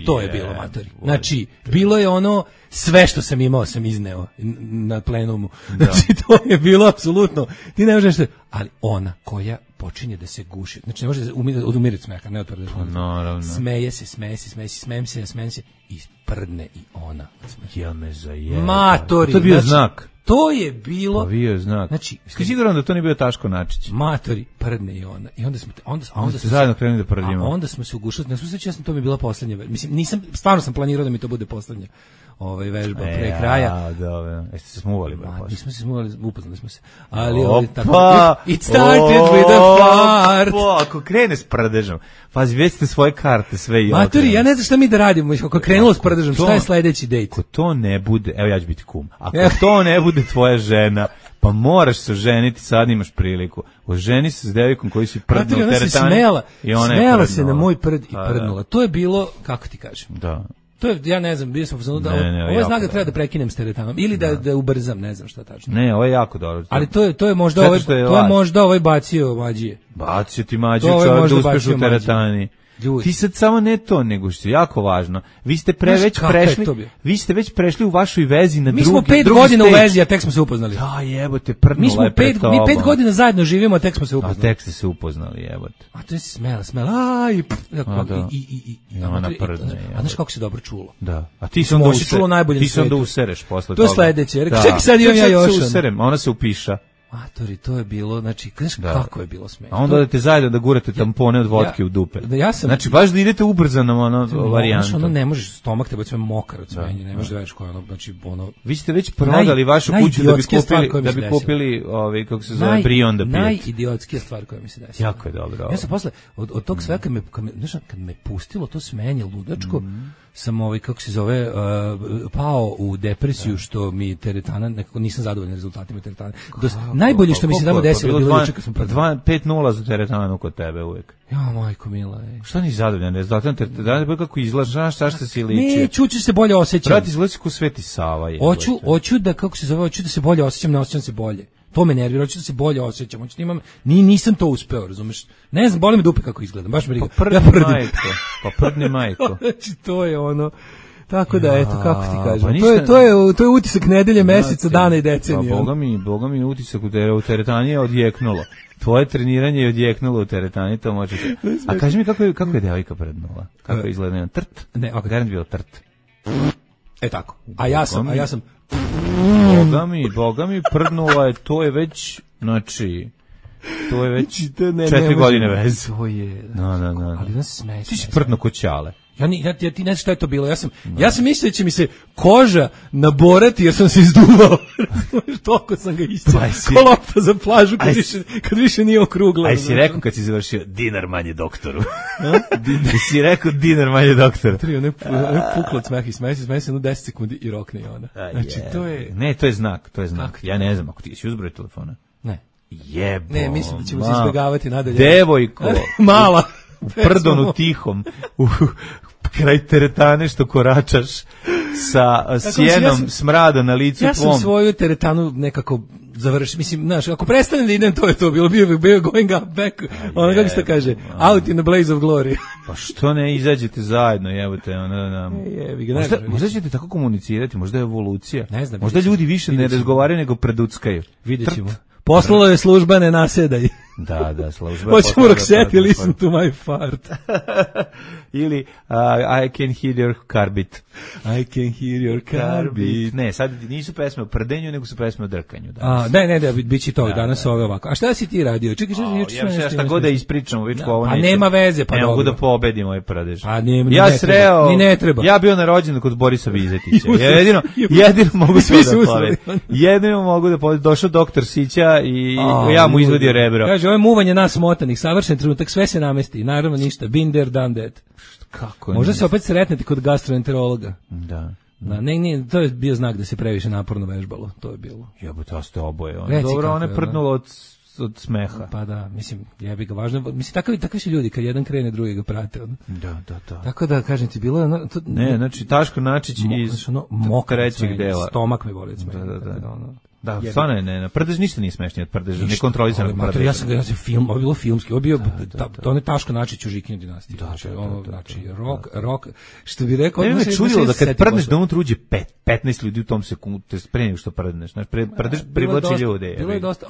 to je bilo, matori. Znači, bilo je sve što sam imao sam izneo na plenumu. Znači, to je bilo apsolutno. Ti ne možeš ali ona koja počinje da se guši. Znači, ne može odumiriti smeha, ne otvrde. Smeje se i prdne i ona. Ja me zajeba. Matori. To je bio znak. To je bilo... Pa bio znak. Znači, siguran da to nije bio Taško Načić. Matori, prdne i ona. I onda smo zajedno krenuli da prdimo. A onda smo se ugušali. Ne slušaj, to mi je bila poslednja. Mislim, stvarno sam planirao da mi to bude poslednja vežba pre kraja. Dobro. Jeste se smuvali? Nismo se smuvali, upoznali smo se. Ali tako... It started with a fart. Ako krene s prdežom, pazi, već ste svoje karte sve i Matori, ja ne znam šta mi da radimo. Ako krenulo s prdežom, šta je sledeći dejt? Ako to ne bude, evo ja ću biti kum, ako to ne bude tvoja žena, pa moraš se oženiti, sad imaš priliku. Oženi se s devojkom koji si prdnuo u teretani. Smela se na moj prd i prdnula. To je bilo, kako ti kažem? Da. To je, ja ne znam, bio sam ovo je znak da treba da prekinem s teretanom ili da ubrzam, ne znam šta tačno. Ne, ovo je jako dobro. Ali to je možda ovaj bacio mađije. Bacio ti mađiju, čovjek da uspeš u teretani. Ljudi. Ti sad samo ne to, nego što je jako važno. Vi ste već prešli u vašoj vezi na drugi. Mi smo 5 godina u vezi, a tek smo se upoznali. Da, jebote, prdnula je pred tobom. Mi 5 godina zajedno živimo, a tek smo se upoznali. A tek ste se upoznali, jebote. A to je smela. Ona prdne. A znaš kako se dobro čulo? Da. A ti se onda usereš posle toga. To sledeće. Čekaj, sad imam ja još. Ona se upiša. Matori, to je bilo, znači, znaš kako je bilo smešno. A onda odete zajedno da gurate tampone od vodke u dupe. Znači, baš da idete ubrzanom varijantom. Znaš, ne možeš, stomak te sve mokar od smenja, ne možeš da veš koja znači, Vi ste već prodali vašu kuću da bi kupili, kako se zove, brion da pijete. Najidiotskija stvar koja mi se desila. Jako je dobro. Ja sam posle, od tog svega, kad me pustilo to smenje ludačko, sam kako se zove, pao u depresiju što mi teretana, nekako nisam zadovoljan rezultatima teretana. Najbolje što mi se tamo desilo bilo juče kad sam prodao. 5-0 za teretanu kod tebe uvek. Ja, majko mila. Šta nisi zadovoljan rezultatom teretana? Kako izlažeš, šta se liči? Ne, čuću se bolje osjećam. Brati, izlazi ko Sveti Sava. Hoću da, kako se zove, hoću da se bolje osjećam, ne osjećam se bolje. To me nervira, hoću da se bolje osjećam. Nisam to uspeo, razumeš? Ne znam, boli me dupe kako izgledam, baš me briga. Pa prdni majko. Znači, to je ono... Tako da, eto, kako ti kažem. To je utisak nedelje, meseca, dana i decenije. Boga mi utisak u teretani je odjeknulo. Tvoje treniranje je odjeknulo u teretani, to možete. A kaži mi kako je devojka prdnula? Kako je izgledala? Trt? Ne, garant bilo trt. Tako. A ja sam... Boga mi prdnula je, to je već, znači... To je već 4 godine veze. To je... No. Ali da se smeje. Ti si prdno ko Ćale. Ja ti ne znam šta je to bilo. Ja sam mislio da će mi se koža naborati jer sam se izduvao. Toliko sam ga isćao. Ko lopta za plažu kad više nije okrugla. Aj si rekao kad si završio dinar manje doktoru. Si rekao dinar manje doktoru. Ne puklo od smeha i smeje se 10 sekundi i rokne i ona. Znači to je... Ne, to je znak. Ja ne znam, ako ti si uzbroj telefona. Ne. Jebo. Ne, mislim da ćemo se izbjegavati nadalje. Devojko. Mala. U prdonu tihom. U kraj teretane što koračaš sa sjenom smrada na licu tvom. Ja sam svoju teretanu nekako završi, mislim, znaš, ako prestanem da idem, to je to, bio going up back, ono kako se kaže, out in the blaze of glory. Pa što ne izađete zajedno, jebote, možda ćete tako komunicirati, možda je evolucija, ne znam, možda ljudi više ne razgovaraju nego preduckaju. Vidjet ćemo. Poslalo je služba, ne nasedaj. Da, služba. Hoćemo Roxette, listen to my fart. Ili I can hear your carbit. I can hear your carbit. Ne, sad nisu pesme o prdenju, nego su pesme o drkanju. Ne, bit će to danas ove ovako. A šta si ti radio? Čekaj, šta god da ispričamo, već ovo neće. A nema veze, pa ne dobro. mogu da pobedim ovaj pradež. Ja sreo, ni ne treba. Ja bio na rođendan kod Borisa Vizetića. Jedino mogu da pobedim. Jedino mogu da pobedim. Došao doktor Sića i ja mu izvadio rebro. Kaže, ovo je muvanje nas motanih, savršen trenutak, sve se namesti, naravno ništa, been there, done that. Kako možda se opet sretnete kod gastroenterologa. Da. Ne, to je bio znak da se previše naporno vežbalo, to je bilo. Jebote, ste oboje. Dobro, one prdnulo od smeha. Pa da, mislim, jebi ga važno. Mislim, takvi su ljudi, kad jedan krene, drugi ga prate. Da. Tako da, kažem ti, bilo je... Ne, znači, Taško Načić iz trećeg dela. Stomak me boli od smeha. Da, stvarno ne, prdež ništa nije smešnije od prdeža, ne kontrolisano prdež. Ja sam film, ovo je bilo filmski, ovo je bio, to ne Taško Načić u Žikinoj dinastiji. Znači, rock, što bi rekao... Ne me čudilo da kad prdneš da unutra uđe 15 ljudi u tom sekundu, pre nego što prdneš, znači, prdež privlači ljude. Bilo je dosta,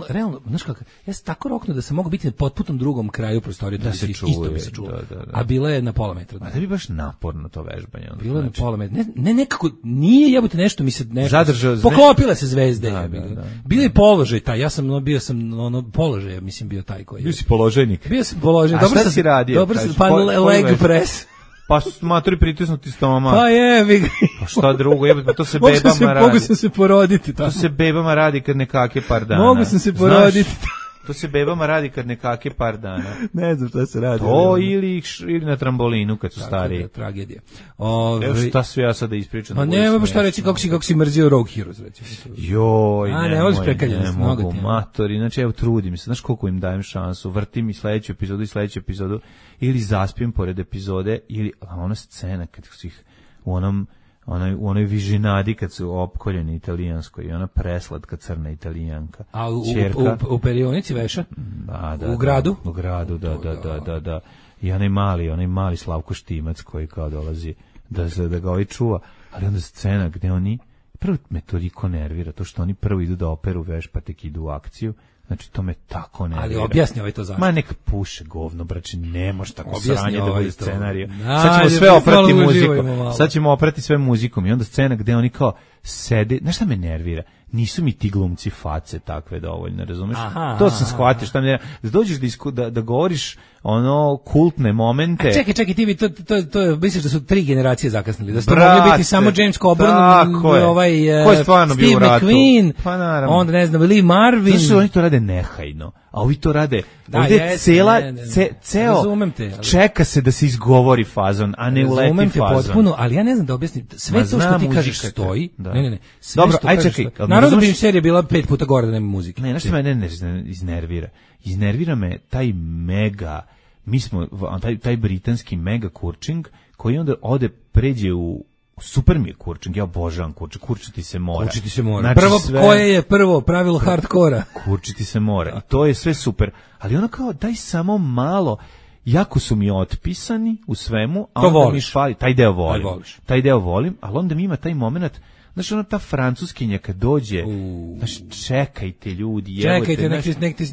realno, znaš kako, ja sam tako roknuo da sam mogao biti na potpunom drugom kraju prostorije, da se isto bi se čulo, a bila je na pola metra. A da bi baš naporno to vežbanje. Bilo je na pola metra, ne nekako, nije jebote nešto mi se nešto, poklopile se zvezde. Bio je položaj taj, bio sam položaj, mislim bio taj koji je. Bio si položajnik. Bio sam položajnik. A šta si radio? Dobro sam, pa leg press. Pa su maturi pritisnuti stomak. Pa jebi ga. Pa šta drugo, pa to se bebama radi. Mogu sam se poroditi. To se bebama radi kad nekake par dana. Mogu sam se poroditi. To se bebama radi kad nekake par dana. Ne znam šta se radi. To ili na trambolinu kad su stariji. Tragedija. Evo šta sve ja sada ispričam. Pa nema šta reći kako si mrzio Rogue Heroes, recimo. Joj, ne mogu, matori. Znači, evo, trudim se. Znaš koliko im dajem šansu? Vrtim i sledeću epizodu, ili zaspijem pored epizode, ili ona scena kad su ih u onoj vižinadi kad su opkoljeni italijanskoj i ona preslatka crna italijanka. A u perionici veša? U gradu? U gradu, da. I onaj mali Slavko Štimac koji kao dolazi da ga ovaj čuva, ali onda scena gde oni, prvo me toliko nervira, to što oni prvo idu da operu veš pa tek idu u akciju. Znači, to me tako nervira. Ali objasni ovaj to zašto. Ma neka puše govno, braće, ne može tako sranje da bude scenarij. Sad ćemo sve oprati muzikom. Sad ćemo oprati sve muzikom i onda scena gde oni kao sede. Znaš šta me nervira? Nisu mi ti glumci face takve dovoljno, razumeš? To sam shvatio, šta me nervira. Da dođeš da govoriš kultne momente. Čekaj, ti to misliš da su 3 generacije zakasnili, da ste mogli biti samo James Coburn, Steve McQueen, onda ne znam, Lee Marvin. Zašto oni to rade nehajno, a ovi to rade, ovdje ceo čeka se da se izgovori fazon, a ne uleti fazon. Razumem te potpuno, ali ja ne znam da objasnim, sve to što ti kažeš stoji, ne, dobro, aj čekaj. Naravno bi im serija bila 5 puta gore da nema muzike. Ne, nešto me ne iznervira. Iznervira me taj mega, taj britanski mega kurčing, koji onda pređe u super mi je kurčing, ja obožavam kurčing, kurčiti se mora. Znači, koje je prvo pravilo hardkora? Kurčiti se mora i to je sve super, ali ono kao daj samo malo, jako su mi otpisani u svemu, a onda mi fali, taj deo volim, ali onda mi ima taj moment. Znaš, ta francuskinja kad dođe, znaš, čekajte ljudi, čekajte,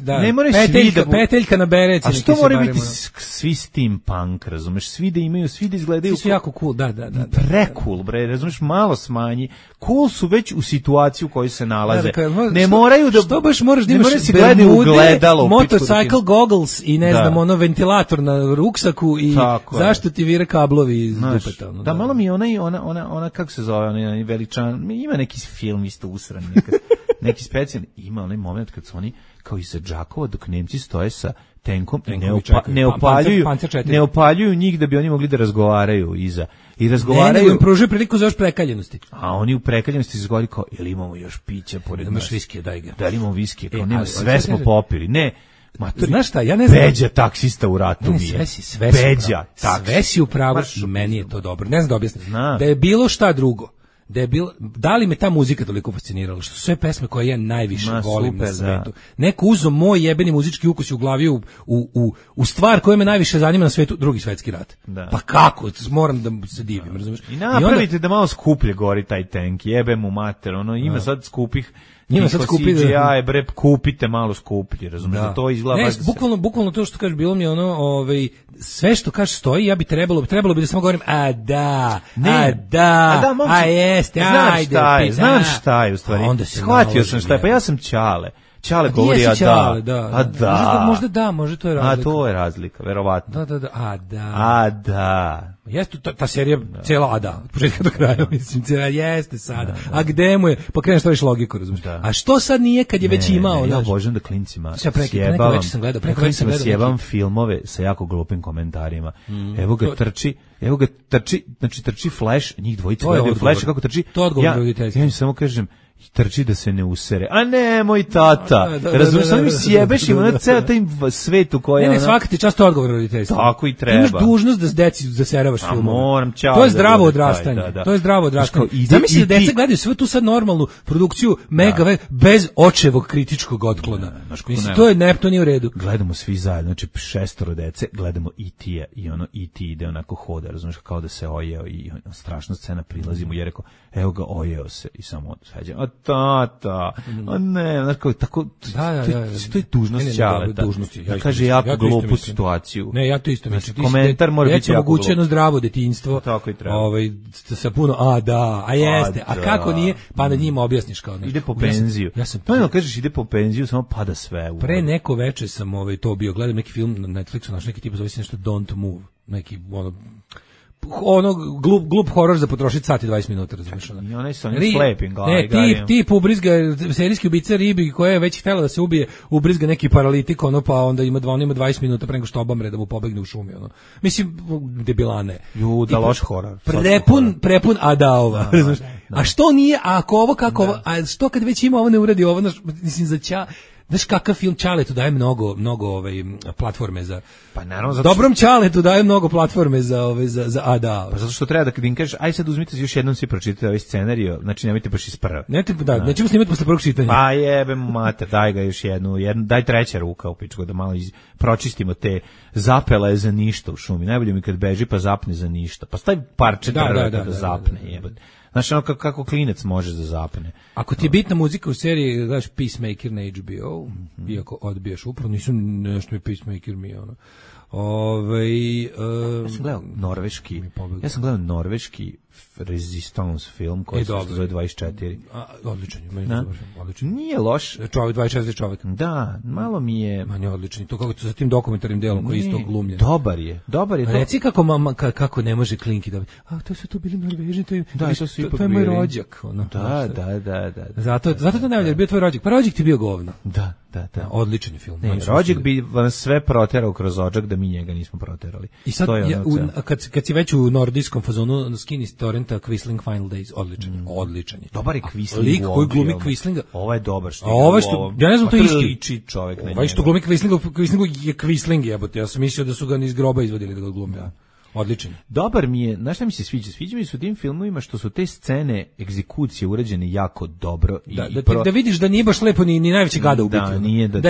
ne moraju svi da... Peteljka na bereci. A što moraju biti svi steampunk, razumeš, svi da izgledaju... Svi su jako cool, da. Pre-cool, bre, razumeš, malo smanji. Cool su već u situaciji u kojoj se nalaze. Ne moraju da... Što baš moraš da imaš bermude, motorcycle goggles i ne znam, ventilator na ruksaku i zašto ti vire kablovi iz dupeta. Da, malo mi je ona, kako se zove, onaj veličan, ima neki film isto usran, neki specijalni, ima onaj moment kad su oni kao iza džakova dok Nemci stoje sa tenkom i ne opaljuju njih da bi oni mogli da razgovaraju iza. I razgovaraju. Ne, im pružaju priliku za još prekaljenosti. A oni u prekaljenosti izgovori kao, ili imamo još pića pored nas? Imaš viskije, daj ga. Da li imamo viskije? Kao nema, sve smo popili. Ne. Znaš šta, ja ne znam. Beđa taksista u ratu mi je. Sve si u pravu i meni je to dobro. Ne znam da objasnim. Da je bilo šta drugo. da li me ta muzika toliko fascinirala, što su sve pesme koje ja najviše volim na svetu. Neko uzo moj jebeni muzički ukus u glavi u stvar koja me najviše zanima na svetu, Drugi svetski rat. Da. Pa kako? Moram da se divim, razumiješ? I napravite da malo skuplje gori taj tank, jebe mu mater, ima sad skupih. Njima sad skupi CGI, bre, kupite malo skuplji, razumiješ, da to izgleda. Ne, bukvalno to što kažeš, bilo mi ono, sve što kažeš stoji, ja bi trebalo bi da samo govorim, jeste, ajde. Znam šta je u stvari, shvatio sam šta je, pa ja sam Ćale govori možda to je razlika. A to je razlika, verovatno. Da. Jeste ta serija cijela od početka do kraja, mislim, jeste sada. A gde mu je? Pa kreneš to više logiku, razumiješ. A što sad nije kad je već imao? Ja obožavam da klincima sjebavam filmove sa jako glupim komentarima. Evo ga trči Flash, njih dvojica gledaju Flash kako trči. To odgovor roditeljstva. Ja im samo kažem, trči da se ne usere. A ne, moj tata. Razumiješ, samo mi sjebeš, ima na ceo taj svet u kojoj... Ne, svaka ti čast odgovor roditeljstva. Tako i treba. Imaš dužnost da deci zaseravaš filmove. Moram, to je zdravo odrastanje. To je zdravo odrastanje. Zamisli da deca gledaju sve tu sad normalnu produkciju megave bez očevog kritičkog otklona. Mislim, to nije u redu. Gledamo svi zajedno, znači 6 dece, gledamo E.T. i ono E.T. ide onako hoda, razumiješ, kao da se ojeo i strašna scena, prilazimo i je rekao, evo ga, ojeo se i samo svađa. Tata, ne, znaš kao, tako, to je dužnost Ćaleta. Da kaže jako glupu situaciju. Ne, ja to isto mislim. Komentar mora biti jako glup. Jedno zdravo detinjstvo. Tako i treba. Sa puno, jeste, a kako nije, pa da njima objasniš kao nešto. Ide po penziju. Pa kažeš ide po penziju, samo pada sve. Pre neko veče sam to bio, gledam neki film na Netflixu, naš neki tip zove se nešto Don't Move, neki glup horor za potrošiti sat i 20 minuta, razumiješ? I onaj sa onim slepim. Tip ubrizga, serijski ubica ribi koja je već htjela da se ubije, ubrizga neki paralitik, pa onda ima 20 minuta pre nego što obamre da mu pobegne u šumi. Mislim, debilane. Da loš horor. Prepun adaova. A što nije, a ako ovo, kako ovo, a što kad već ima ovo ne uradi ovo, mislim za znaš kakav film Ćaletu daje mnogo platforme za... Pa naravno, dobrom Ćaletu daje mnogo platforme za ADA. Pa zato što treba da im kažeš, aj sad uzmite još jednom svi pročitajte ovaj scenario, znači nemojte baš iz prve. Nećemo snimati posle prvog čitanja. Pa jebem mater, daj ga još jednu, daj treća ruka u pičku da malo pročistimo te zapele za ništa u šumi. Najbolje mi kad beži pa zapne za ništa. Pa stavi parče da zapne, jebate. Znači ono kako klinec može da zapne. Ako ti je bitna muzika u seriji, gledaš Peacemaker na HBO, iako odbijaš upravo, nisu nešto mi Peacemaker mi ono. Ja sam gledao norveški Resistance film koji se zove 24. Odličan je, Nije loš. 24 čovjek. Da, malo mi je... Manje odličan. To kako sa tim dokumentarnim delom koji je isto glumljen. Dobar je. Reci kako ne može Klinki da... to su tu bili Norvežani, to je moj rođak. Da. Zato to ne valja, bio tvoj rođak. Pa rođak ti bio govno. Da. Odličan je film. Rođak bi vam sve proterao kroz odžak da mi njega nismo proterali. I sad, kad si već u nordijskom fazonu, skini torrenta Quisling Final Days, odličan je. Dobar je Quisling. Lik koji glumi Quislinga. Ovo je dobar što. Ja ne znam, to isti. Liči čovjek na njega. Ovaj što glumi Quislingu je Quisling, jebote. Ja sam mislio da su ga iz groba izvadili da ga glumi. Odličan. Dobar mi je, znaš šta mi se sviđa? Sviđa mi se u tim filmovima što su te scene egzekucije urađene jako dobro. Da vidiš da nije baš lepo ni najveći gada ubiti. Da, nije da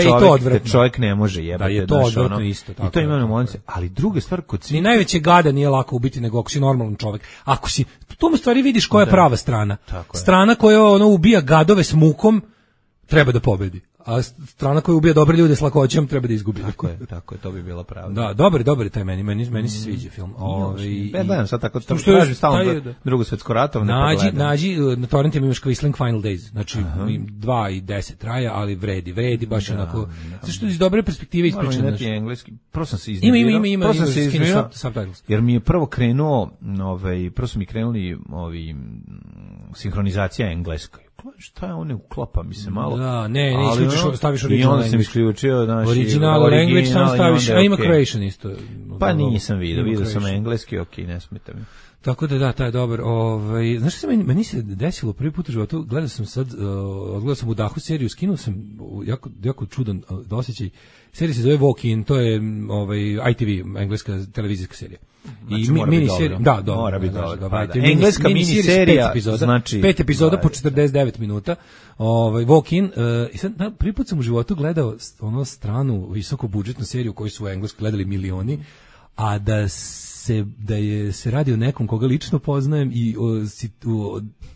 čovjek ne može jebati. Da je to odvratno isto. I to ima momenti. Ali druga stvar, ni najveće gada nije lako ubiti nego ako si normalan čovjek. Ako si, tu u stvari vidiš koja je prava strana. Strana koja ubija gadove s mukom treba da pobedi. A strana koja ubija dobre ljude s lakoćem treba da izgubi. Tako je, to bi bila pravda. Da, dobar taj meni se sviđa film. Gledam sad tako, tražim stalno Drugo svjetsko rato. Nađi, na torrentima imaš Quisling Final Days, znači 2 i 10 traja, ali vredi baš onako, što iz dobre perspektive ispričan. Engleski, prvo sam se iznervirao. Ima, jer mi je prvo krenuo, prvo su mi krenuli sinhronizacija engleskoj. Šta je one uklapa mi se malo. Da, ne staviš original language. I onda sam isključio original language, sam staviš, a ima Croatian isto. Pa nisam vidio sam engleski, ne smeta mi. Tako da taj je dobar. Znaš što meni se desilo prvi put u životu, gledao sam u Dahu seriju, skinuo sam jako čudan osjećaj. Serija se zove Walk In, to je ITV, engleska televizijska serija. Znači, miniserija, da, mora biti dobro. Engleska miniserija, znači 5 epizoda po 49 minuta. Walk in, i sad prvi put sam u životu gledao ono stranu visokobudžetnu seriju koju su u Engleskoj gledali milioni, a da se radi o nekom koga lično poznajem i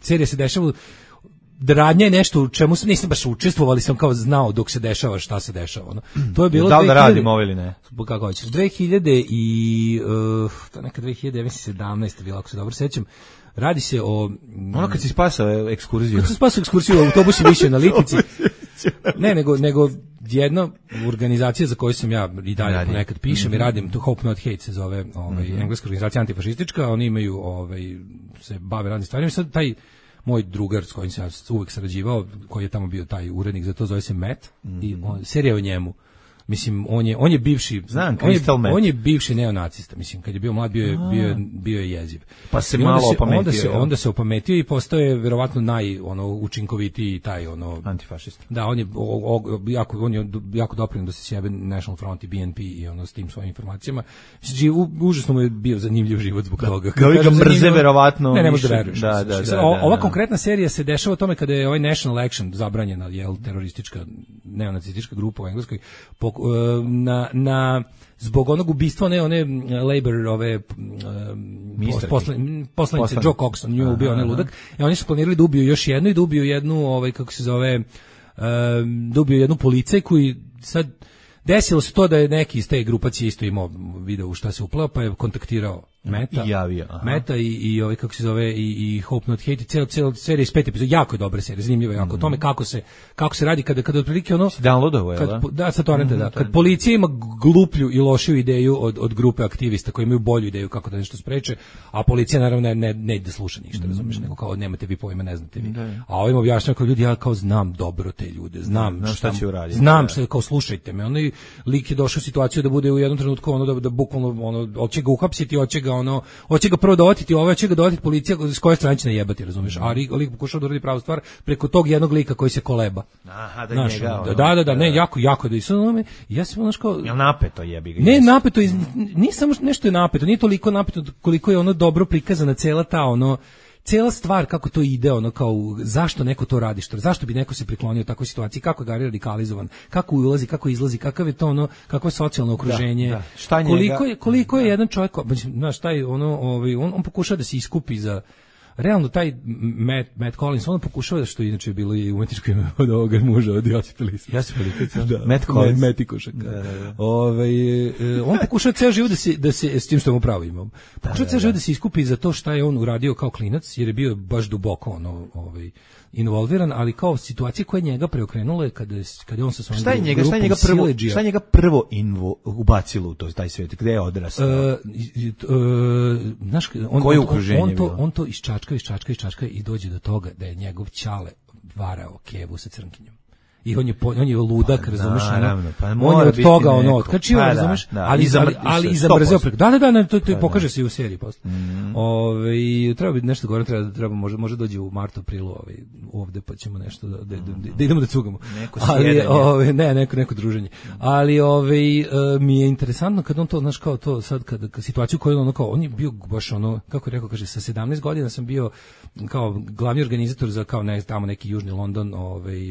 serija se dešava da radnja je nešto u čemu nisam baš učestvovao, ali sam kao znao dok se dešava šta se dešava. No. To je bilo da li da radimo ovo ili ne? Kako hoćeš. 2000 i neka 2017 bila, ako se dobro sećam. Radi se o ono kad si spasao ekskurziju. Kad si spasao ekskurziju u autobusu više na Lipici. Ne, nego jedna organizacija za koju sam ja i dalje ponekad pišem i radim, to Hope Not Hate se zove, engleska organizacija antifašistička, oni imaju se bave raznim stvarima. Sad taj moj drugar s kojim sam uvek sarađivao, koji je tamo bio taj urednik, za to zove se Matt, i serija o njemu. Mislim, on je bivši, on je bivši neonacista, mislim, kad je bio mlad bio je jeziv. Pa se malo opametio. Onda se opametio i postao je verovatno učinkovitiji taj antifašista. Da, on je jako doprinio da se sjebe National Front i BNP i s tim svojim informacijama. Mislim, užasno mu je bio zanimljiv život zbog toga. Kao ga mrze verovatno. Ne možeš da veruješ. Ova konkretna serija se dešava o tome kada je National Action zabranjena, teroristička neonacistička grupa u Engleskoj zbog onog ubistva one Labour poslanice Joe Coxon, nju je ubio onaj ludak, i oni su planirali da ubiju još jednu i da ubiju jednu kako se zove da ubiju jednu policajku i sad desilo se to da je neki iz te grupacije isto imao video u šta se uplao, pa je kontaktirao Meta i kako se zove i Hope Not Hate, cijela serija iz 5 epizoda, jako je dobra serija, zanimljiva jako o tome kako se radi kada otprilike kad policija ima gluplju i lošiju ideju od grupe aktivista koji imaju bolju ideju kako da nešto spreče, a policija naravno ne ide da sluša ništa, razumeš, nego kao nemate vi pojma, ne znate vi. A ovim objašnjava kao ljudi, ja kao znam dobro te ljude, znam šta će uraditi. Znam šta, kao slušajte me. Onaj lik je došao u situaciju da bude u jednom trenutku da bukvalno hoće ga uhapsiti, hoće ga prvo dovatiti, hoće ga dovatiti policija, s koje strane će najebati, razumiješ? A lik pokušao da uradi pravu stvar preko tog jednog lika koji se koleba. Aha, ne, jako da isonome. Ja sam jel napeto jebi ga? Ne, napeto, nije samo nešto je napeto, nije toliko napeto koliko je dobro prikazana cela ta cijela stvar kako to ide, kao zašto neko to radi, zašto bi neko se priklonio u takvoj situaciji, kako ga je radikalizovan, kako ulazi, kako izlazi, kakav je to kakvo je socijalno okruženje, koliko je jedan čovjek, znaš, taj on pokušava da se iskupi za realno taj Matt Collins, on pokušava, što inače je bilo i umetničko ime od ovoga muža od Josipa Lisa. Matt Collins. Matt Ikušak. On pokušava ceo život da se s tim što mu pravo imam. Pokušava ceo život da se iskupi za to šta je on uradio kao klinac, jer je bio baš duboko involviran, ali kao situacije koje njega preokrenule kada je on sa svojom grupom siledžija. Šta je njega prvo ubacilo u taj svijet? Gde je odrastao? Znaš, koje okruženje on to iščačka i dođe do toga da je njegov ćale varao kevu sa crnkinjom. I on je ludak, razumeš? On je od toga otkačio, razumeš? Ali izabrzeo preko. Da, to pokaže se i u seriji posle. Treba biti nešto gore, treba može dođe u martu, aprilu ovde, pa ćemo nešto da idemo da cugamo. Neko druženje. Ali mi je interesantno kad on to, znaš, kao to sad, kad situaciju koju on je bio baš kako je rekao, kaže, sa 17 godina sam bio kao glavni organizator za tamo neki Južni London,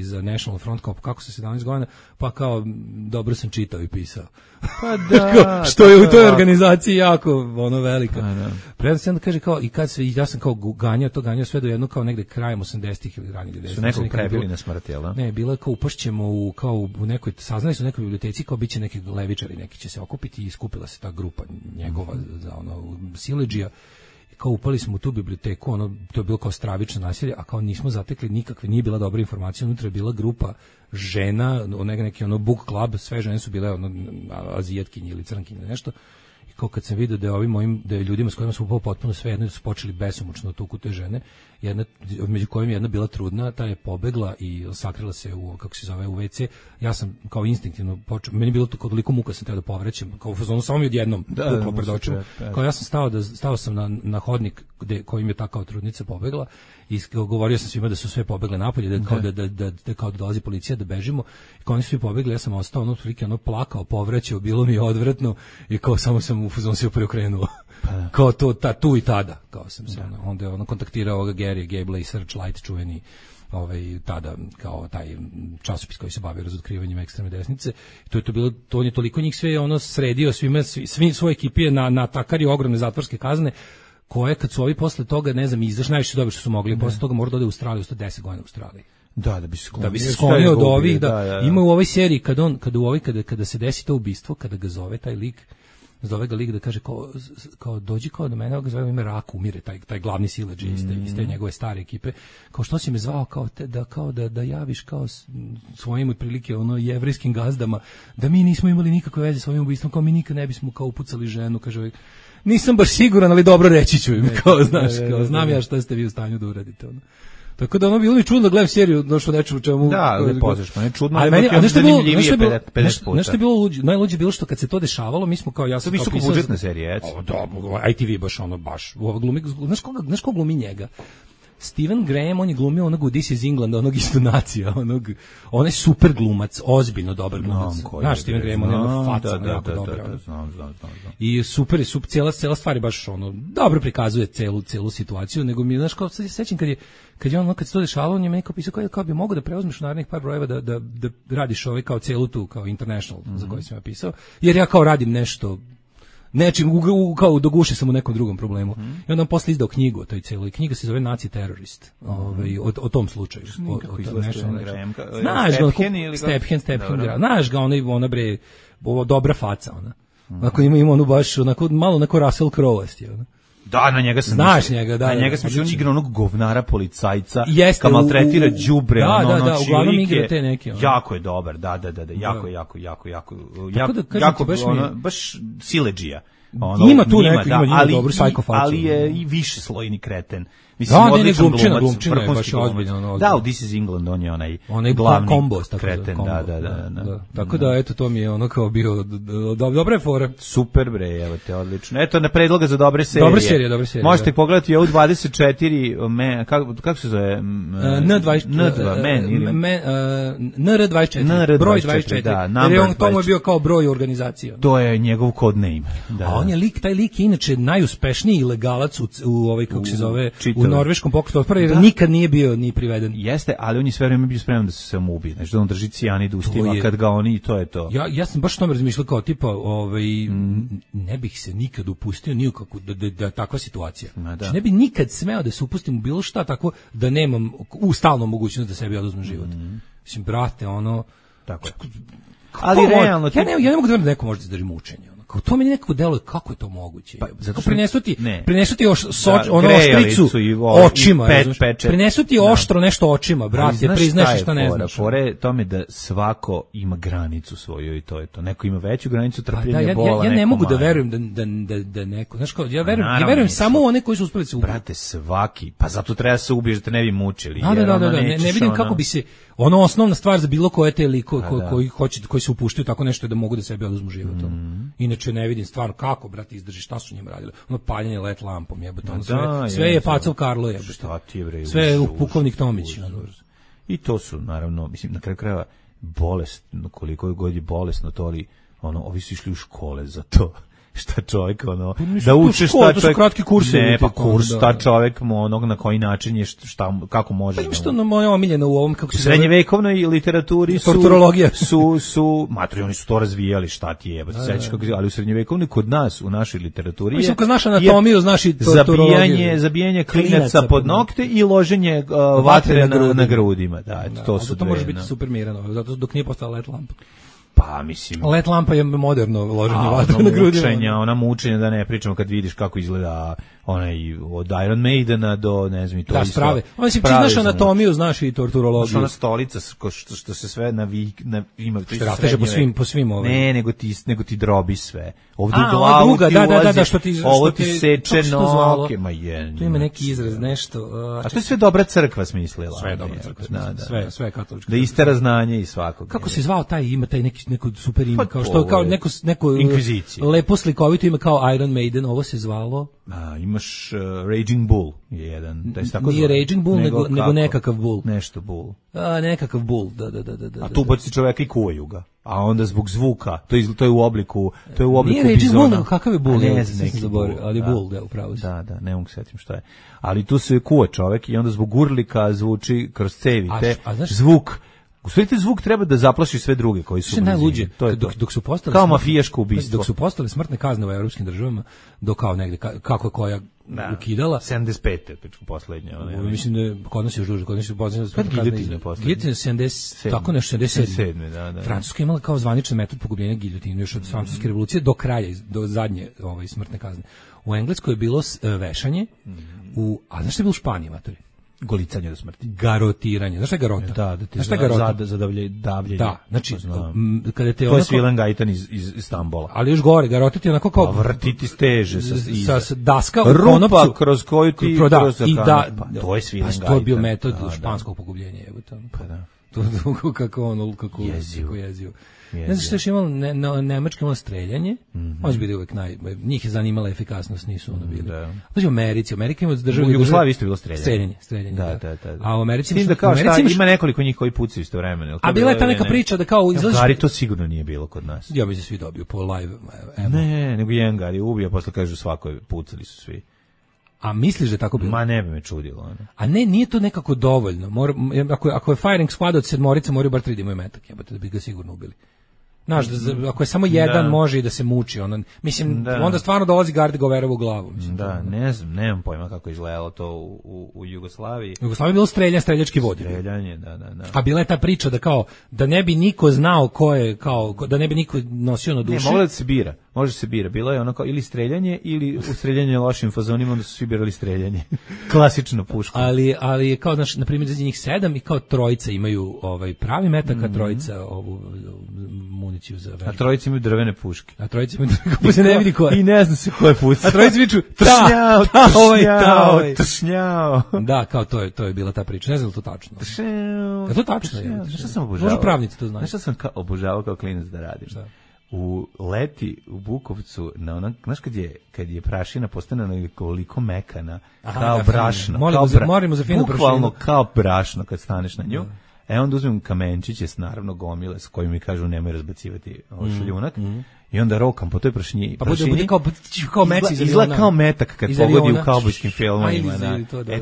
za National Front, kao kako sa 17 godina, pa kao dobro sam čitao i pisao. Pa da. Što je u toj organizaciji jako velika. Predno se onda kaže kao, i kad se, ja sam kao ganjao sve do jedno kao negde krajem 80-ih ili ranije 90-ih. Su nekog prebili na smrt, jel da? Ne, bilo je kao upašćemo u nekoj, saznali su u nekoj biblioteci kao biće neki levičari, neki će se okupiti i skupila se ta grupa njegova za siledžija. Kao upali smo u tu biblioteku, to je bilo kao stravično nasilje, a kao nismo zatekli nikakve, nije bila dobra informacija, unutra je bila grupa žena, neki book club, sve žene su bile azijatkinje ili crnkinje, nešto. I kao kad sam vidio da je ljudima s kojima smo potpuno sve jedno su počeli besomučno tuku te žene, među kojim jedna bila trudna, ta je pobegla i sakrila se u WC. Ja sam kao instinktivno počeo, meni je bilo toliko muka, sam teo da povraćam, kao u fazonu samo mi odjednom puklo pred očima. Kao ja sam stao sam na hodnik kojim je ta kao trudnica pobegla i govorio sam svima da su sve pobegle napolje, da kao da dolazi policija, da bežimo. I kao oni su svi pobegli, ja sam ostao plakao, povraćao, bilo mi je odvratno i kao samo sam sam u fazonu se preokrenuo. Kao to, tu i tada, kao sam se, onda je kontaktirao ovoga Gary Gable i Searchlight, čuveni tada kao taj časopis koji se bavio razotkrivanjem ekstremne desnice. To je to bilo, to on je toliko njih sve sredio, svi svoje ekipe na takari ogromne zatvorske kazne, koje kad su ovi posle toga, ne znam, izašli najviše dobro što su mogli, posle toga mora da ode u Australiju, 110 godina u Australiji. Da bi se sklonio od ovih, da. Ima u ovoj seriji kada se desi to ubistvo, kada ga zove taj lik, zove ga lik da kaže kao dođi kao do mene, ga zove ime Rak, umire taj glavni siledži iz te njegove stare ekipe, kao što si me zvao da javiš kao svojim otprilike jevrejskim gazdama da mi nismo imali nikakve veze s ovim ubistvom, kao mi nikad ne bismo kao upucali ženu, kaže nisam baš siguran, ali dobro reći ću im, kao znaš, kao znam ja šta ste vi u stanju da uradite, Tako da bilo mi čudno da gledam seriju, došlo nečemu u čemu... Da, pozdrašno, ne čudno, ali meni zanimljivije 50 puta. Nešto je bilo najluđe bilo što kad se to dešavalo, mi smo kao ja sam... Visoko budžetna serija, eto. Da, ITV baš. Znaš ko glumi njega? Steven Graham, on je glumio onog u This is England, onog isto nacija, onaj super glumac, ozbiljno dobar glumac. Znaš, Steven Graham, on je faca, jako dobra. Znam. I super, cijela stvar je baš dobro prikazuje celu situaciju, nego mi, znaš, kao sad se sećam kad se to dešavalo, on je meni kao pisao kao bi mogao da preuzmeš u narednih par brojeva da radiš kao celu tu, kao International, za koji sam ja pisao, jer ja kao radim nešto nečim, kao do guše sam u nekom drugom problemu. I onda on posle izdao knjigu o toj celoj. Knjiga se zove Naci terorist. O tom slučaju. Znaš ga, Stephen, znaš ga, ona bre, dobra faca, ona. Ako ima onu baš, malo neko Russell Crowe-asti, ona. Da, na njega sam znaš njega, da. Na njega sam on igra onog govnara policajca, kao maltretira đubre, uglavnom igra te neke. Jako je dobar, da, jako baš siledžija. Ima tu neko, ima dobru psihofaciju. Ali je i više slojni kreten. Mislim, glumčina je baš ozbiljno. Da, u This is England on je onaj glavni kombos, kreten, da. Tako da, eto, to mi je kao bio dobre fore. Super bre, evo te, odlično. Eto, na predloga za dobre serije. Dobre serije. Možete pogledati ovu 24, kako se zove? NR24, broj 24. Da, jer on tomu je bio kao broj organizacija. To je njegov code name. A on je taj lik je inače najuspešniji ilegalac u kako se zove, u norveškom pokretu otpora, jer nikad nije bio ni priveden. Jeste, ali on je sve vreme bio spreman da se samoubije, znači da on drži cijanid u ustima, kad ga oni, to je to. Ja sam baš o tome razmišljao kao tipa, ne bih se nikad upustio ni u kakvu, da takva situacija. Znači ne bih nikad smeo da se upustim u bilo šta tako da nemam u stalnu mogućnost da sebi oduzmem život. Mislim, brate, tako je. Ali realno... Ja ne mogu da verujem da neko može da izdrži mučenje. Kao to meni nekako deluje kako je to moguće. Pa zato prinesu ti oštricu očima, prinesu ti oštro nešto očima, brate, priznaš šta ne znaš. Fore tome da svako ima granicu svoju i to je to. Neko ima veću granicu trpljenja, bola, ja ne mogu da verujem da neko, znaš kao, ja verujem samo one koji su uspeli se ubiti. Brate, svaki, pa zato treba se ubiješ da te ne bi mučili. Da, ne vidim kako bi se osnovna stvar za bilo koje te liko koji se upuštaju tako nešto da mogu da sebi oduzmu život. Inače ne vidim stvarno kako, brate, izdrži, šta su njima radili. Paljenje LED lampom, jebote, sve je Pacov Karlo, jebote. Šta ti bre? Sve je pukovnik Tomić. I to su, naravno, mislim, na kraju krajeva bolest, koliko god je bolesno to, ali ovi su išli u škole za to. Šta čovjek, da uče šta čovjek, kratki kurs, ne, pa kurs, šta čovjek mu na koji način je, kako može. Pa što moja omiljena u ovom, kako se zove, srednjevekovnoj literaturi su matri, oni su to razvijali, šta ti je, ali u srednjevekovnoj kod nas, u našoj literaturi je, kad znaš anatomiju, znaš i torturologiju, zabijanje klinaca pod nokte i loženje vatre na grudima, da, to su to može biti super mirano, zato dok nije postala LED lampa. Pa, mislim... LED lampa je moderno loženje vatre na grudima. Ona mučenja, da ne pričamo kad vidiš kako izgleda onaj od Iron Maidena do, ne znam, i to isto. Sprave. Ono si znaš anatomiju, znaš i torturologiju. Ona stolica što se sve ima... Rasteže po svim ovim. Ne, nego ti drobi sve. Ovdje u glavu ti ulazi, ovo ti seče noke. Tu ima neki izraz, nešto... A to je sve dobra crkva smislila. Sve je dobra crkva, sve je katolička. Da istera znanje i svakog. Kako se zvao taj, ima taj neki neko super ime, kao što kao neko lepo slikovito ime kao Iron Maiden, ovo se zvalo. Imaš Raging Bull je jedan, to je tako. Nije Raging Bull, nego nekakav Bull. Nešto Bull. Nekakav Bull, da. A tu baci čoveka i kuvaju ga. A onda zbog zvuka, to je u obliku nije Raging Bull, nego kakav je Bull? Ne znam, neki Bull, ali Bull, da, upravo si. Da, ne mogu setim šta je. Ali tu se kuva čovek i onda zbog urlika zvuči kroz cevi, zvuk. U stvari zvuk treba da zaplaši sve druge koji su najluđe. Dok su postale kao mafijaško ubistvo. Dok su postale smrtne kazne u evropskim državama, do kao negde kako je koja ukidala 75. pečku poslednja, mislim da kod nas je još duže, kod nas je poslednja giljotina poslednja. Giljotina 70, tako nešto 77. Da. Francuska je imala kao zvaničan metod pogubljenja giljotine još od francuske revolucije do kraja, do zadnje smrtne kazne. U Engleskoj je bilo vešanje, a znaš šta je bilo u Španiji, matori? Golicanje do smrti. Garotiranje. Znaš šta je garota? Da ti zadavljenje. Da, znači, kada te to je Svilen Gajtan iz Stambola. Ali još gore, garotiti onako kao... vrtiti steže sa daska u konopcu. Rupa kroz koju ti... to je Svilen Gajtan. To je bio metod španskog pogubljenja. Pa da. Kako jezivo. Ne znaš što još imalo, Nemačka imala streljanje, može biti uvek njih je zanimala efikasnost, nisu ono bili. Znači u Amerika ima državu... U Jugoslaviji isto bilo streljanje. Streljanje, da. A u Americi... S tim da kao šta, ima nekoliko njih koji pucaju istovremeno. A bila je ta neka priča da kao... Gari to sigurno nije bilo kod nas. Ja bi se svi dobio po live. Ne, nego jedan Gari ubija, posle kažu svako pucali su svi. A misliš da je tako bilo? Ma ne bi me čudilo. Ne. A ne, nije to nekako dovoljno. Ako je firing squad od 7 moraju bar 3 da imaju metak, da bi ga sigurno ubili. Znaš, ako je samo jedan može i da se muči, onda stvarno dolazi Gardegoverovu glavu. Ne znam, nemam pojma kako izgledalo to u Jugoslaviji. U Jugoslaviji je bilo streljački vodi. Streljanje, da. A bila je ta priča da ne bi niko znao ko je, da ne bi niko nosio na duši. Ne, može se bira. Bilo je ono kao ili streljanje ili ustreljanje lošim fazonima, onda su svi birali streljanje. Klasično puško. Ali kao, znaš, na primjer, za njih 7 i kao trojica imaju pravi metak, a trojica ovu municiju za vežbu. A trojica imaju drvene puške. Pa se ne vidi ko je. I ne zna se ko je puca. A trojica viču tršnjao. Da, kao to je bila ta priča. Ne znam to tačno. A to tačno je. Šta sam obožavao? Može pravnici to znaju. Šta sam obožavao kao klinac da radim? U leti u Bukovcu, znaš kad je prašina postane nekoliko mekana, kao brašno. Moramo za finu prašinu. Bukvalno kao brašno kad staneš na nju. Onda uzmem kamenčiće s naravno gomile s kojim mi kažu nemoj razbacivati šljunak i onda rokam po toj prašini. Pa bude kao meci iz izgleda kao metak kad pogodi u kaubojskim filmovima.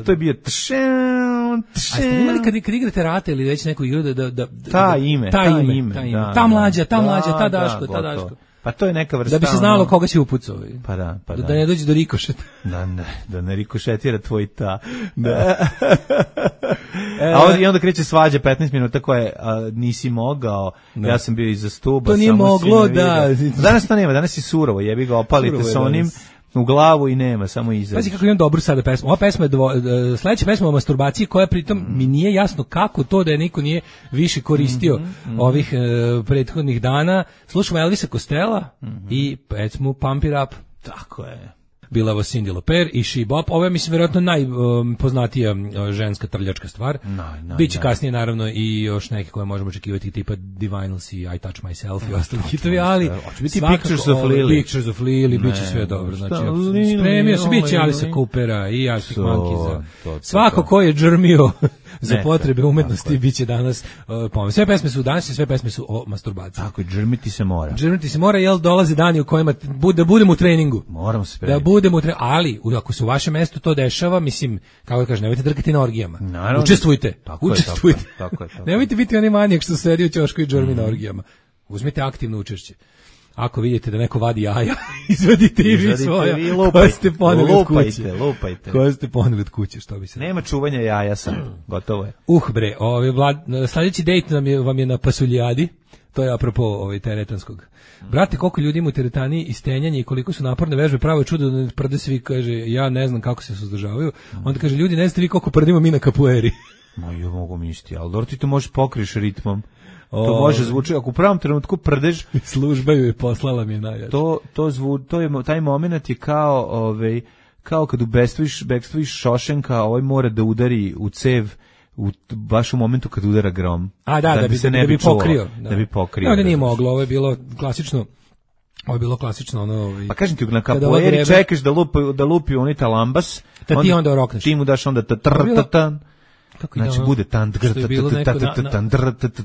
To je bio A ste imali kad igrate rate ili već neku igru da ta ime, ta mlađa, ta Daško. Pa to je neka vrsta. Da bi se znalo koga si upucao. Pa da. Da ne dođe do rikošeta. Da ne rikošetira tvoj ta. I onda kreće svađa 15 minuta koje nisi mogao. Ja sam bio iza stuba. To nije moglo, da. Danas to nema, danas je surovo. Jebi ga, opalite sa onim u glavu i nema, samo iza. Pazi kako imam dobru sada pesmu. Ova pesma je sledeća pesma o masturbaciji koja pritom mi nije jasno kako to da je niko nije više koristio ovih prethodnih dana. Slušamo Elvisa Costello i pesmu Pump It Up. Tako je. Bila ovo Cyndi Lauper i She Bop. Ovo je, mislim, vjerojatno najpoznatija ženska trljačka stvar. Biće kasnije, naravno, i još neke koje možemo očekivati, tipa Divinals i I Touch Myself i ostali hitovi, ali biti Pictures of Lily, bit će sve dobro. Znači, spremio se, bit će Alisa Coopera i Arctic Monkeys. Svako ko je džrmio za potrebe umetnosti bit će danas pomen. Sve pesme su danas i sve pesme su o masturbaciji. Tako, džrmiti se mora. Džrmiti se mora, jel dolaze dani u kojima da budemo u treningu. Moramo se spremiti. Da budemo ali ako se u vašem mestu to dešava, mislim, kako da kažem, nemojte drkati na orgijama. Naravno. Učestvujte. Učestvujte. Tako je. Nemojte biti onaj manijak što sedi u ćošku i džrmi na orgijama. Uzmite aktivno učešće. Ako vidite da neko vadi jaja, izvadite i vi svoja. Koje ste poneli od kuće. Lupajte. Koje ste poneli od kuće, što bi se... Nema čuvanja jaja sam. Gotovo je. Bre, sljedeći dejt vam je na Pasuljadi. To je apropo teretanskog. Brate, koliko ljudi ima u teretani i stenjanje i koliko su naporne vežbe, pravo je čudo da ne prde svi, kaže, ja ne znam kako se suzdržavaju. Onda kaže, ljudi, ne znate vi koliko prdimo mi na kapueri. Ja mogu misliti, ali dobro ti to možeš pokriš ritmom. To može zvuči, ako u pravom trenutku prdeš... Služba ju je poslala mi je najjače. Taj moment je kao kad ubekstviš Šošenka, mora da udari u cev baš u momentu kad udara grom. Da bi se ne bi pokrio. Da bi pokrio. Ne, nije moglo, ovo je bilo klasično. Ovo je bilo klasično ono. Pa kažem ti, na kapoeri čekaš da lupi onaj talambas, ti onda rokneš. Ti mu daš onda znači bude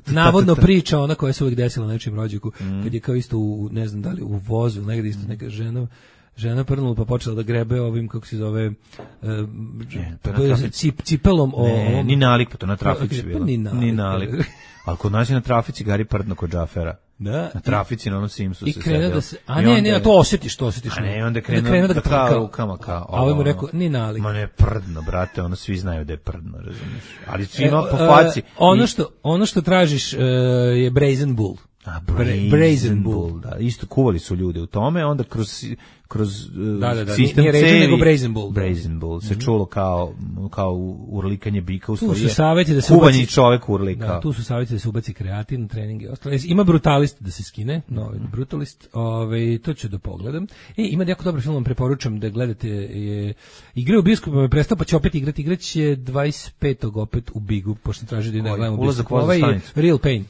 navodno priča ona koja se uvijek desila na nečijem rođaku, kad je kao isto ne znam da li u vozu, negdje isto neka žena prnula pa počela da grebe ovim, kako se zove, cipelom. Ni nalik, pa to na trafici bilo. Ni nalik. Ali kod nas je na trafici Gari prdno kod Džafera. Da. Na trafici na onom Simsu se sedio. Ne, to osjetiš. A ne, onda krenuo da kao rukama kao. A ovaj mu rekao, ni nalik. Ma ne, prdno, brate, ono svi znaju da je prdno, razumiješ. Ali svima po faci. Ono što tražiš je Brazen Bull. Brazen Bull, da. Isto kuvali su ljude u tome, onda kroz sistem nije Raisin, nego Brazen Bull. Brazen Bull se čulo kao urlikanje bika, u stvari je kuvanje čovek urlika. Da, tu su savjeti da se ubaci kreatin na treninge. Ima Brutalist da se skine, novi Brutalist, to ću da pogledam. Ima jako dobar film, vam preporučam da gledate, igra u bioskopu me prestao, pa će opet igrati, igraće 25. opet u Bigu, pošto traži da gledamo u bioskopu. Ovaj je Real Pain.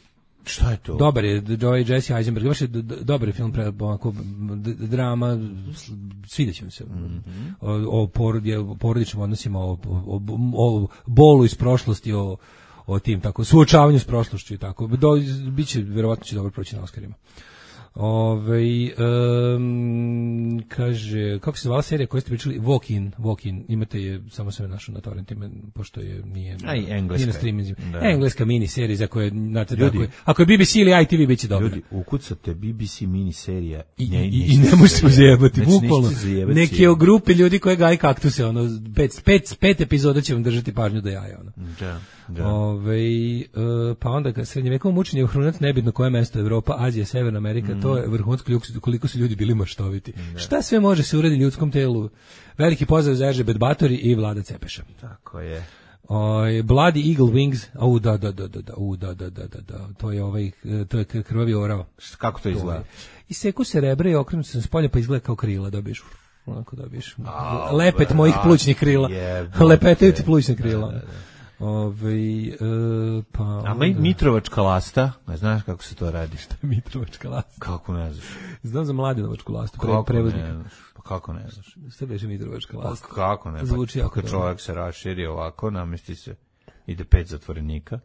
Šta je to? Dobar je, Jesse Eisenberg, baš je dobar je film, drama, svideće mi se, o porodičnim odnosima, o bolu iz prošlosti, o tim, tako, suočavanju s prošlošću i tako, biće, verovatno će dobro proći na Oscarima. Kaže, kako se zvala serija koju ste pričali? Walk in, imate je, samo sam je našao na torrentima, pošto je nije na streamingu. Engleska mini serija za koje, znate, ako je BBC ili ITV biće dobro. Ljudi, ukucate BBC mini serija i ne možete uzjebati, bukvalno. Neke o grupe ljudi koje gaji kaktuse, ono, pet epizoda će vam držati pažnju do jaja, ono. Pa onda srednjevekovo mučenje je vrhunac, nebitno koje mesto, Evropa, Azija, Severna Amerika, to je vrhunsko, koliko su ljudi bili maštoviti. Šta sve može se uraditi ljudskom telu? Veliki pozdrav za Eržebet Batori i Vlada Cepeša. Tako je. Bloody Eagle Wings, to je krvavi orao. Kako to izgleda? Iseku se rebra i okrenu se s polja, pa izgleda kao krila, dobiješ. Onako dobiješ. Lepet mojih plućnih krila. Lepetaju ti plućnih krila. A Mitrovačka lasta, ne znaš kako se to radi? Šta je Mitrovačka lasta? Kako ne znaš? Znam za Mladenovačku lastu, prevoznika. Pa kako ne znaš? Šta beše Mitrovačka lasta? Pa kako ne? Zvuči jako dobro. Čovjek se raširi ovako, namesti se, ide 5 zatvorenika.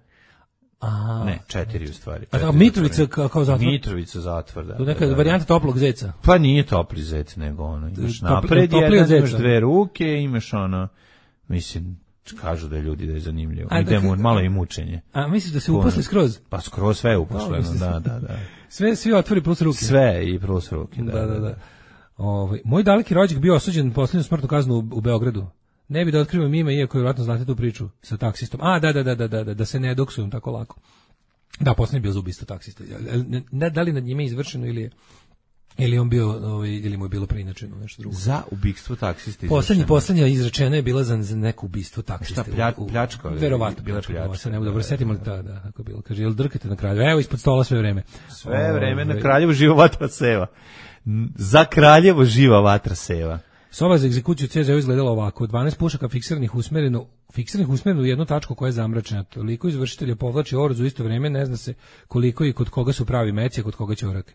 Ne, 4 u stvari. A Mitrovica kao zatvor? Mitrovica zatvor, da. To neka varijanta toplog zeca? Pa nije topli zec, nego ono, imaš napred jedan, imaš 2 ruke, imaš ono, mislim, kažu da je ljudi da je zanimljivo. Idemo malo i mučenje. A misliš da se uposli skroz? Pa skroz sve je uposleno, da. Svi otvori plus ruke. Sve i plus ruke, da. Moj daleki rođak bio osuđen posljednju smrtnu kaznu u Beogradu. Ne bi da otkrivam ime, iako je vjerojatno znate tu priču sa taksistom. Da se ne doksujem tako lako. Da, posljednji bio za ubistvo taksista. Da li nad njime izvršeno ili on bio, ili mu je bilo preinačeno nešto drugo. Za ubistvo taksista izvršeno. Poslednja izrečena je bila za neko ubistvo taksista. Šta, pljačka? Verovatno, pljačka. Se ne dobro setimo li da, tako bilo. Kaže, jel drkate na Kraljevo? Evo, ispod stola sve vreme. Sve vreme na Kraljevo živa vatra seva. Za Kraljevo živa vatra seva. Soba za egzekuciju CZ izgledala ovako. 12 pušaka fiksiranih usmereno u jednu tačku koja je zamračena. Toliko izvršitelja povlači oruz u isto vreme, ne zna se koliko i kod koga su pravi meci, a kod koga će orak.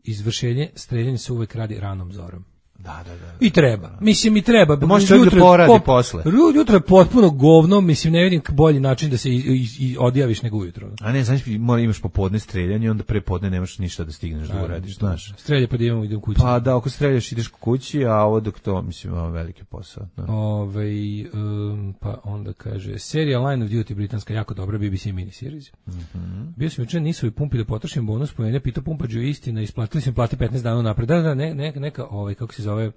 Izvršenje, streljanje se uvek radi ranom zorom. Da. I treba. Mislim, i treba. Može čovjek da poradi posle. Jutro je potpuno govno, mislim, ne vidim bolji način da se i odjaviš nego ujutro. A ne, znaš, imaš popodne streljanje, onda prepodne nemaš ništa da stigneš da uradiš, znaš. Strelja pa da idem kući. Pa da, ako streljaš ideš kući, a ovo dok to, mislim, ima veliki posao. Pa onda kaže, serija Line of Duty britanska, jako dobra, BBC miniseries. Bio sam jučer, nisu i pumpi da potrošim bonus, po mene pitao pumpađu istina, isplatili su mi plati 15 dana napred. Da, neka, kako se zove,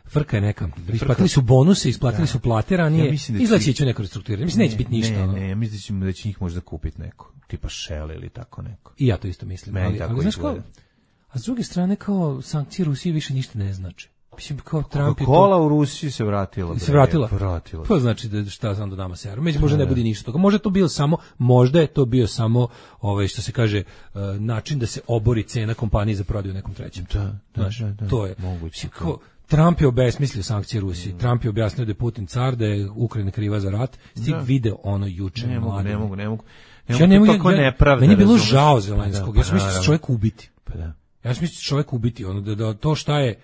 frka je neka. Isplatili su bonuse, isplatili su plate ranije. Izlaći će neko restrukturiranje. Mislim, neće biti ništa. Ne, mislim da će njih možda kupiti neko. Tipa Shell ili tako neko. I ja to isto mislim. Ali znaš kao, a s druge strane, kao sankcije Rusije više ništa ne znači. Mislim, kao Trump je Coca-Cola u Rusiji se vratila. Vratila. To znači da šta znam da nama se među možda ne bude ništa toga. Možda je to bio samo što se kaže način da se obori cena kompanije za prodaju nekom trećem. Da, to je moguće. Trump je obesmislio sankcije Rusiji. Trump je objasnio da je Putin car, da je Ukrajina kriva za rat. Stig video ono juče. Ne mogu. Meni je bilo žao Zelenskog. Ja sam mislio da će čovjek ubiti. Pa da. Ja sam mislio da će čovjek ubiti. Ono, da to šta je,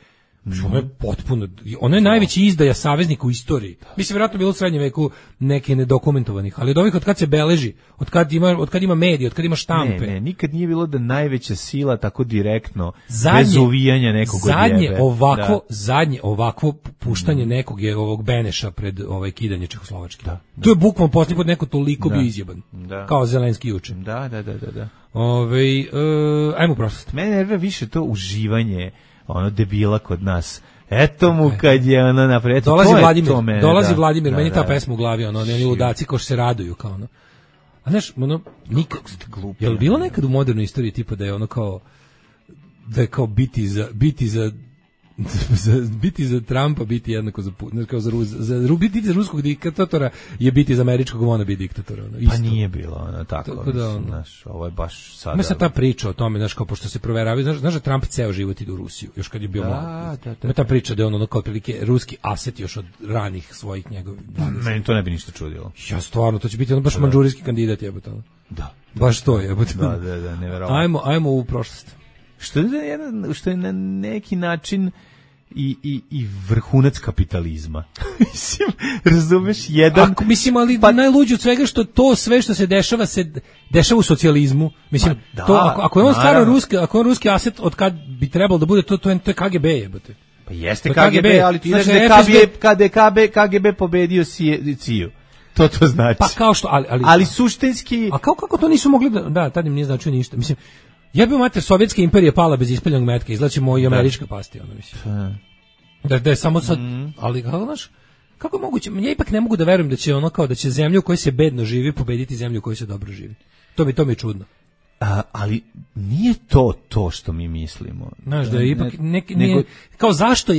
ono je potpuno, ono je najveći izdaja saveznika u istoriji. Mislim, vjerojatno bilo u srednjem veku neke nedokumentovanih, ali od ovih od kad se beleži, od kad ima medije, od kad ima štampe. Ne, nikad nije bilo da najveća sila tako direktno, bez uvijanja nekog odjebe. Zadnje ovakvo puštanje nekog je ovog Beneša pred kidanje Čehoslovačke. To je bukvalno posljednji put neko toliko bio izjeban. Kao Zelenski juče. Da. Ajmo u prošlost. Mene nervira više to uživanje ono debila kod nas. Eto mu kad je ono napred. Dolazi Vladimir, meni ta pesma u glavi, ono, oni ludaci ko što se raduju, kao ono. A znaš, ono, nikad, je li bilo nekad u modernoj istoriji tipa da je ono kao, da je kao biti za Trumpa, biti jednako biti za ruskog diktatora je biti za američkog wannabe diktatora. Ono, pa nije bilo ono tako da, ono, znaš, ovo je baš sada. Ima sad ta priča o tome, znaš, kao pošto se proveravaju, znaš da Trump ceo život ide u Rusiju, još kad je bio mlad. Ima ta priča da je ono kao otprilike ruski aset još od ranih svojih njegovih. Meni to ne bi ništa čudilo. Ja stvarno, to će biti ono baš mandžurijski kandidat, jebote. Da. Baš to jebote. Da, neverovatno. Ajmo u prošlost. Što je na neki način i vrhunac kapitalizma. Mislim, razumeš, jedan... Mislim, ali najluđe od svega što to sve što se dešava u socijalizmu. Mislim, ako je on staro ruski, ako je on ruski aset, od kad bi trebalo da bude, to je KGB jebote. Pa jeste KGB, ali ti znaš da je KGB pobedio CIA. To znači. Pa kao što, ali suštinski... A kako to nisu mogli da tad im nije značio ništa. Mislim, jebio mater, sovjetska imperija pala bez ispaljenog metka, izlačimo i američka pasti, ono mislim. Da je samo sad, ali kako, znaš, kako je moguće? Ja ipak ne mogu da verujem da će ono kao da će zemlju u kojoj se bedno živi pobediti zemlju u kojoj se dobro živi. To mi je čudno. Ali nije to što mi mislimo. Znaš, da je ipak nije, kao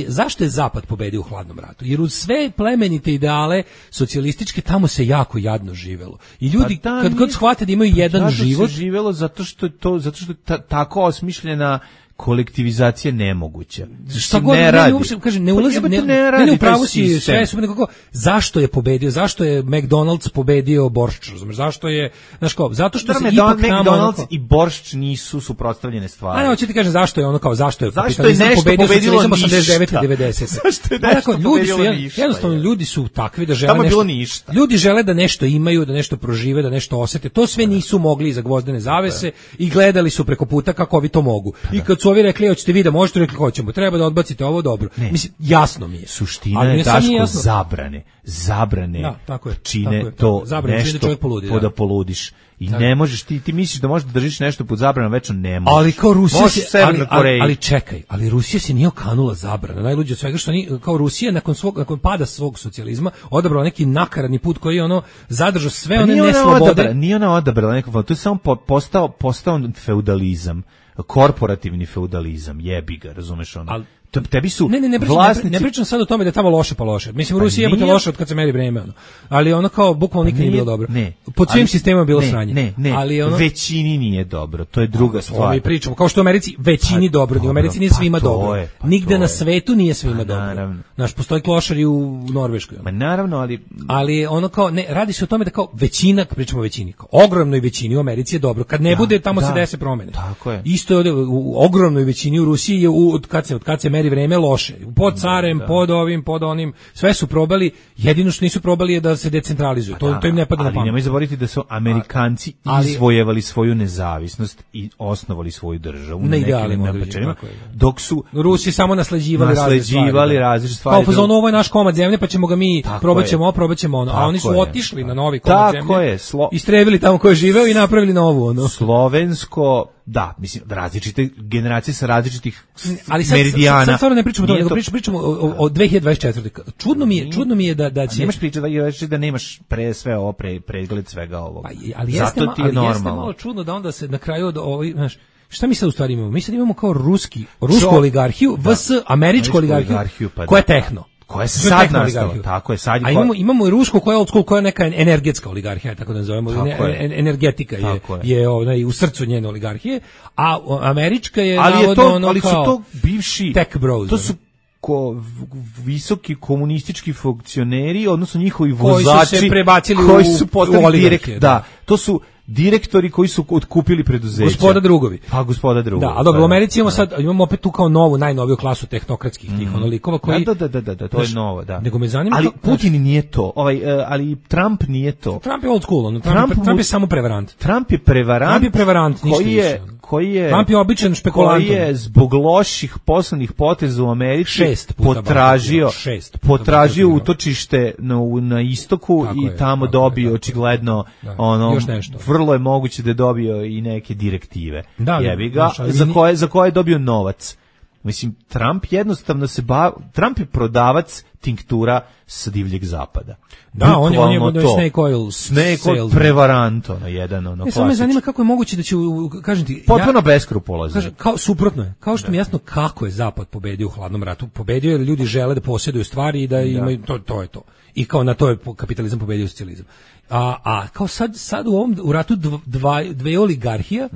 zašto je Zapad pobedio u hladnom ratu? Jer uz sve plemenite ideale socijalističke tamo se jako jadno živelo. I ljudi kad god shvate da imaju jedan život, se živelo zato što je tako osmišljena kolektivizacija nemoguća. Šta god ne radi. Ne ulazim, ne upravo si sve su nekako, zašto je pobedio, zašto je McDonald's pobedio Boršč, razumeš, zašto je, znaš kao, zato što se ipak McDonald's i Boršč nisu suprotstavljene stvari. A ne, hoću ti kažem zašto je ono kao, zašto je pobedio socijalizam 89 i 90. Zašto je nešto pobedilo ništa? Jednostavno, ljudi su takvi da žele nešto. Ljudi žele da nešto imaju, da nešto prožive, da nešto osete. To sve nisu mogli iza gvozdene zavese i gledali su preko puta kako ovi to mogu. I kad su ovi rekli, hoćete vi da možete, rekli hoćemo, treba da odbacite ovo, dobro. Mislim, jasno mi je. Suština je Daško zabrane čine to nešto da poludiš. I ne možeš, ti misliš da možeš da držiš nešto pod zabranom, večno ne možeš. Ali kao Rusija ali čekaj, ali Rusija se nije okanula zabrana. Najluđe od svega što kao Rusija nakon pada svog socijalizma odabrala neki nakaradni put koji je ono zadržao sve one neslobode. Nije ona odabrala neko, to je samo postao feudalizam. Korporativni feudalizam, jebi ga, razumeš ono. Tebi su vlasnici... Ne pričam sad o tome da je tamo loše pa loše. Mislim, u Rusiji jebote loše od kad se meri vreme, ono. Ali ono kao, bukvalno nikad nije bilo dobro. Pod svim sistemima bilo sranje. Ali ono... većini nije dobro, to je druga stvar. Mi pričamo, kao što u Americi većini dobro, u Americi nije svima dobro. Nigde na svetu nije svima dobro. Znaš, postoji klošari u Norveškoj. Ma naravno, ali ono kao, ne, radi se o tome da kao većina, pričamo o većini, kao ogromnoj većini u Americi je dobro. Kad ne bude, tamo se dese promene. Isto je u ogromnoj većini u Rusiji je od kad se meri vreme loše. Pod carem, pod ovim, pod onim, sve su probali, jedino što nisu probali je da se decentralizuju. To im ne pada na pamet. Ali nemoj zaboraviti da su Amerikanci izvojevali svoju nezavisnost i osnovali svoju državu na idealima, dok su Rusi samo nasleđivali različite stvari. Kao ovo je naš komad zemlje, pa ćemo ga mi probaćemo ono, a oni su otišli na novi komad zemlje. Istrevili tamo ko je živeo i napravili novu ono. Slovensko, da, mislim, različite generacije sa različitih meridijana. Sad stvarno ne pričamo o tome, nego pričamo o 2024. Čudno mi je da će... Nemaš pričati da nemaš sve ovo, pregled svega ovoga. Ali jeste malo čudno da onda se na kraju od ovih, znaš, šta mi sad u stvari imamo? Mi sad imamo kao rusku oligarhiju, vs. američku oligarhiju, koja je tehno. Koja je sad nastala, tako je sad. A imamo i rusku koja je old school, koja je neka energetska oligarhija, tako da nazovemo, energetika je u srcu njene oligarhije, a američka je ali su to bivši tech bros. visoki komunistički funkcioneri, odnosno njihovi vozači koji su se prebacili koji su postali oligarke. Da, to su direktori koji su otkupili preduzeća. Gospoda drugovi. Pa gospoda drugovi. Da, a dobro, u Americi imamo opet tu kao najnoviju klasu tehnokratskih tih onolikova koji... Da, to je novo, da. Nego me zanima... Ali Putin nije to, ali Trump nije to. Trump je old school, Trump je samo prevarant. Trump je prevarant ništa više. Trump je običan špekulant. Koji je zbog loših poslovnih poteza u Americi potražio utočište na istoku i tamo dobio očigledno vrlo je moguće da je dobio i neke direktive. Jebi ga, za koje je dobio novac. Mislim, Trump jednostavno Trump je prodavac tinktura sa divljeg zapada. Da, on je snake oil prevaranto na jedan klasičan. Samo me zanima kako je moguće da će, kažem ti, potpuno beskrupulozno. Suprotno je. Kao što mi jasno kako je zapad pobedio u hladnom ratu. Pobedio je da ljudi žele da posjeduju stvari i da imaju, to je to. I kao na to je kapitalizam pobedio socijalizam. A kao sad u ratu dve oligarhija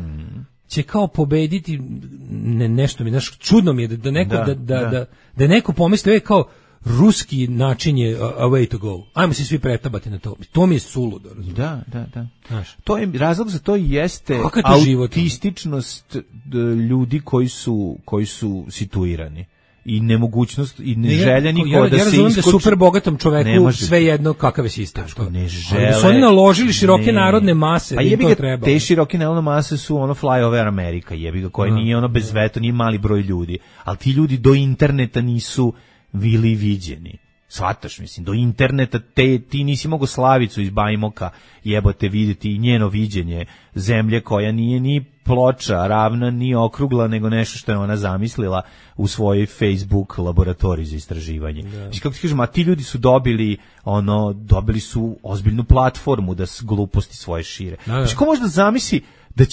će kao pobediti nešto mi, čudno mi je da neko da neko pomisli kao ruski način je a way to go. Ajmo se svi pretabati na to. To mi je suludo, razumiješ? Da. To je razlog za to jeste autističnost ljudi koji su situirani. I nemogućnost i neželja nikoga da se iskoči. Ja razumijem da super bogatom čoveku sve jedno kakav je sistem. Ne žele. Da su oni naložili široke narodne mase, da to treba. Te široke narodne mase su fly over Amerika, jebi ga, koja nije bez veta, nije mali broj ljudi. Ali ti ljudi do interneta nisu bili viđeni. Shvataš, mislim, do interneta ti nisi mogao Slavicu iz Bajmoka jebote vidjeti i njeno viđenje zemlje koja nije ni ploča ravna, ni okrugla, nego nešto što je ona zamislila u svojoj Facebook laboratoriji za istraživanje. Mislim, kako ti kažem, a ti ljudi su dobili su ozbiljnu platformu da gluposti svoje šire. Znači, ko može da zamisli da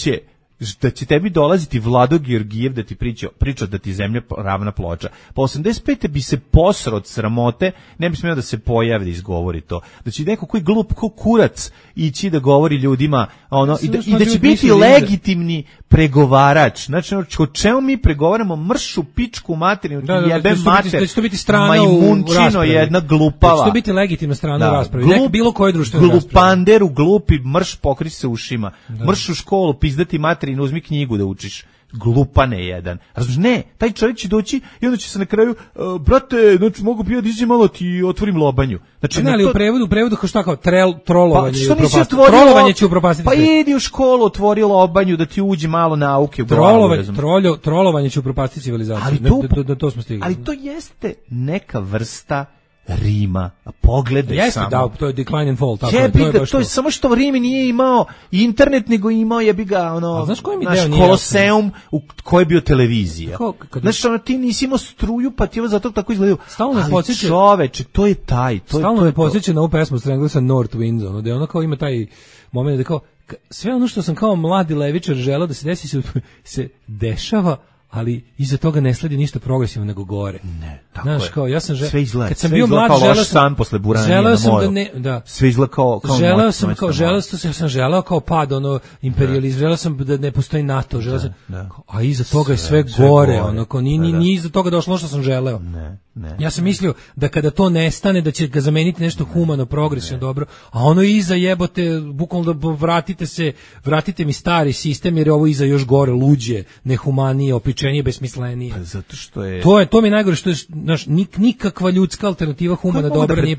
će tebi dolaziti Vlado Georgijev da ti priča da ti zemlja ravna ploča. Pa 85. bi se posro od sramote, ne bi smio da se pojavi da izgovori to. Da će neko koji glup ko kurac ići da govori ljudima i da će biti legitimni pregovarač. Znači, o čemu mi pregovaramo? Mršu, pičku, materinu, jebe mater, majmunčino, jedna glupava. Da će to biti legitimna strana u raspravi. Bilo koje društveno raspravi. Glupanderu, glupi, mrš, pokri se ušima. Mrš u školu, pizdati materinu, uzmi knjigu da učiš. Glupane jedan. Razumiješ, ne, taj čovjek će doći i onda će se na kraju, brate, znači mogu pijati, iđi malo ti otvorim lobanju. Znači, ali u prevodu kao šta kao trolovanje i upropastiti. Trolovanje će upropastiti. Pa idi u školu, otvori lobanju da ti uđi malo nauke u glavu. Trolovanje će upropastiti civilizaciju. To smo stigli. Ali to jeste neka vrsta Rima, a pogledaj samo. Jeste, da, to je decline and fall, tako to je samo što Rim nije imao internet, nego imao jebi ga, znaš Koloseum u kojoj je bio televizija. Znaš, ti nisi imao struju, pa ti zato tako izgledaju. Ali čoveče, to je taj. Stalno me podsjeća na ovu pesmu Stranglesa North Winds, da je ono kao ima taj moment da kao, sve ono što sam kao mladi levičar želeo da se desi se dešava, ali iza toga ne sledi ništa progresivno nego gore. Ne, tako je. Kao, ja sam sve izgleda, kad sam bio mlad, posle buranja na moru. Sve izgleda kao želeo kao pad imperializma, želeo sam da ne postoji NATO, a iza toga je sve gore, nije iza toga došlo što sam želeo. Ne. Ja sam mislio da kada to nestane da će ga zameniti nešto humano, progresivno, dobro, a ono iza jebote, bukvalno da vratite mi stari sistem jer je ovo iza još gore, luđe, nehumanije, opičenije, besmislenije. Pa zato što je to mi je najgore što je nikakva ljudska alternativa humana dobra nije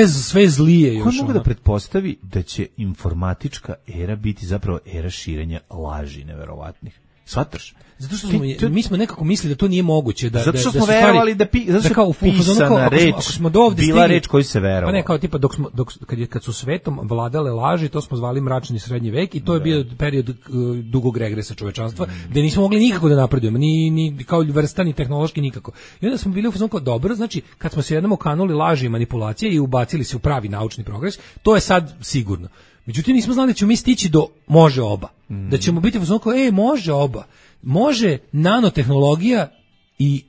sve zlije još. Ko mogu da pretpostavi da će informatička era biti zapravo era širenja laži neverovatnih? Shvataš? Zato što mi smo nekako mislili da to nije moguće, zato što smo verovali da kao pisana reč, bila reč koju se verovalo. Pa ne, kao tipa kad su svetom vladale laži, to smo zvali mračni srednji vek i to je bio period dugog regresa čovečanstva, gde nismo mogli nikako da napredujemo, ni kao vrsta, ni tehnološki, nikako. I onda smo bili u fazonu kao dobro, znači kad smo se jednom okanuli laži i manipulacije i ubacili se u pravi naučni progres, to je sad sigurno. Međutim, nismo znali da ćemo mi stići do može oba. Da ćemo biti u fazonu kao, može oba. Može nanotehnologija i